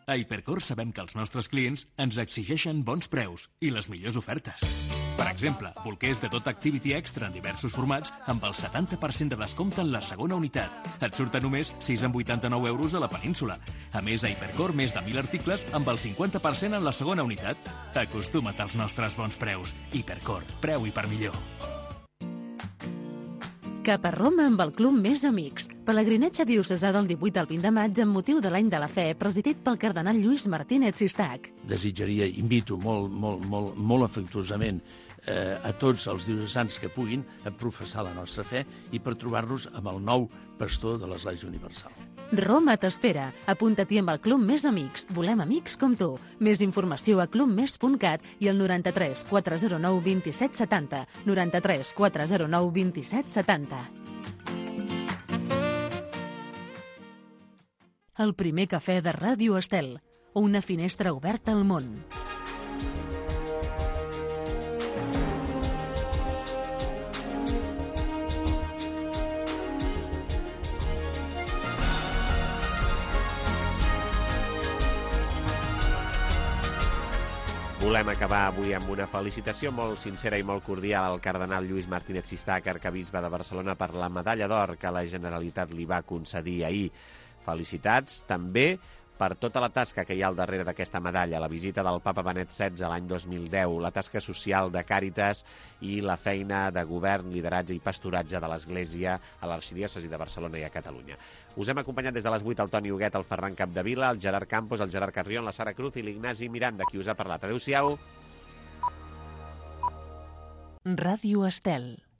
A Hipercor sabem que els nostres clients ens exigeixen bons preus i les millors ofertes. Per exemple, bolquers de tot Activity Extra en diversos formats amb el 70% de descompte en la segona unitat. Et surten només 6,89 euros a la península. A més, a Hipercor, més de 1.000 articles amb el 50% en la segona unitat. Acostuma't als nostres bons preus. Hipercor, preu i per millor. Cap a Roma amb el Club Més Amics. Pelegrinatge diocesà del 18 al 20 de maig amb motiu de l'Any de la Fe, presidit pel cardenal Lluís Martínez Sistac. Desitjaria, invito molt afectuosament a tots els diocesans que puguin a professar la nostra fe i per trobar-nos amb el nou pastor de l'Església Universal. Roma t'espera. Apunta-t'hi amb el Club Més Amics. Volem amics com tu. Més informació a clubmes.cat i al 93 409 27 70. 93 409 27 70. El primer cafè de Ràdio Estel. Una finestra oberta al món. Volem acabar avui amb una felicitació molt sincera i molt cordial al cardenal Lluís Martínez Sistac, arcabisbe de Barcelona, per la medalla d'or que la Generalitat li va concedir ahir. Felicitats també per tota la tasca que hi ha al darrere d'aquesta medalla, la visita del papa Benet XVI l'any 2010, la tasca social de Càritas i la feina de govern, lideratge i pastoratge de l'Església a l'Arxidiòcesi de Barcelona i a Catalunya. Us hem acompanyat des de les 8 el Toni Huguet, el Ferran Capdevila, el Gerard Campos, el Gerard Carrion, la Sara Cruz i l'Ignasi Miranda, qui us ha parlat. Adéu-siau. Ràdio Estel.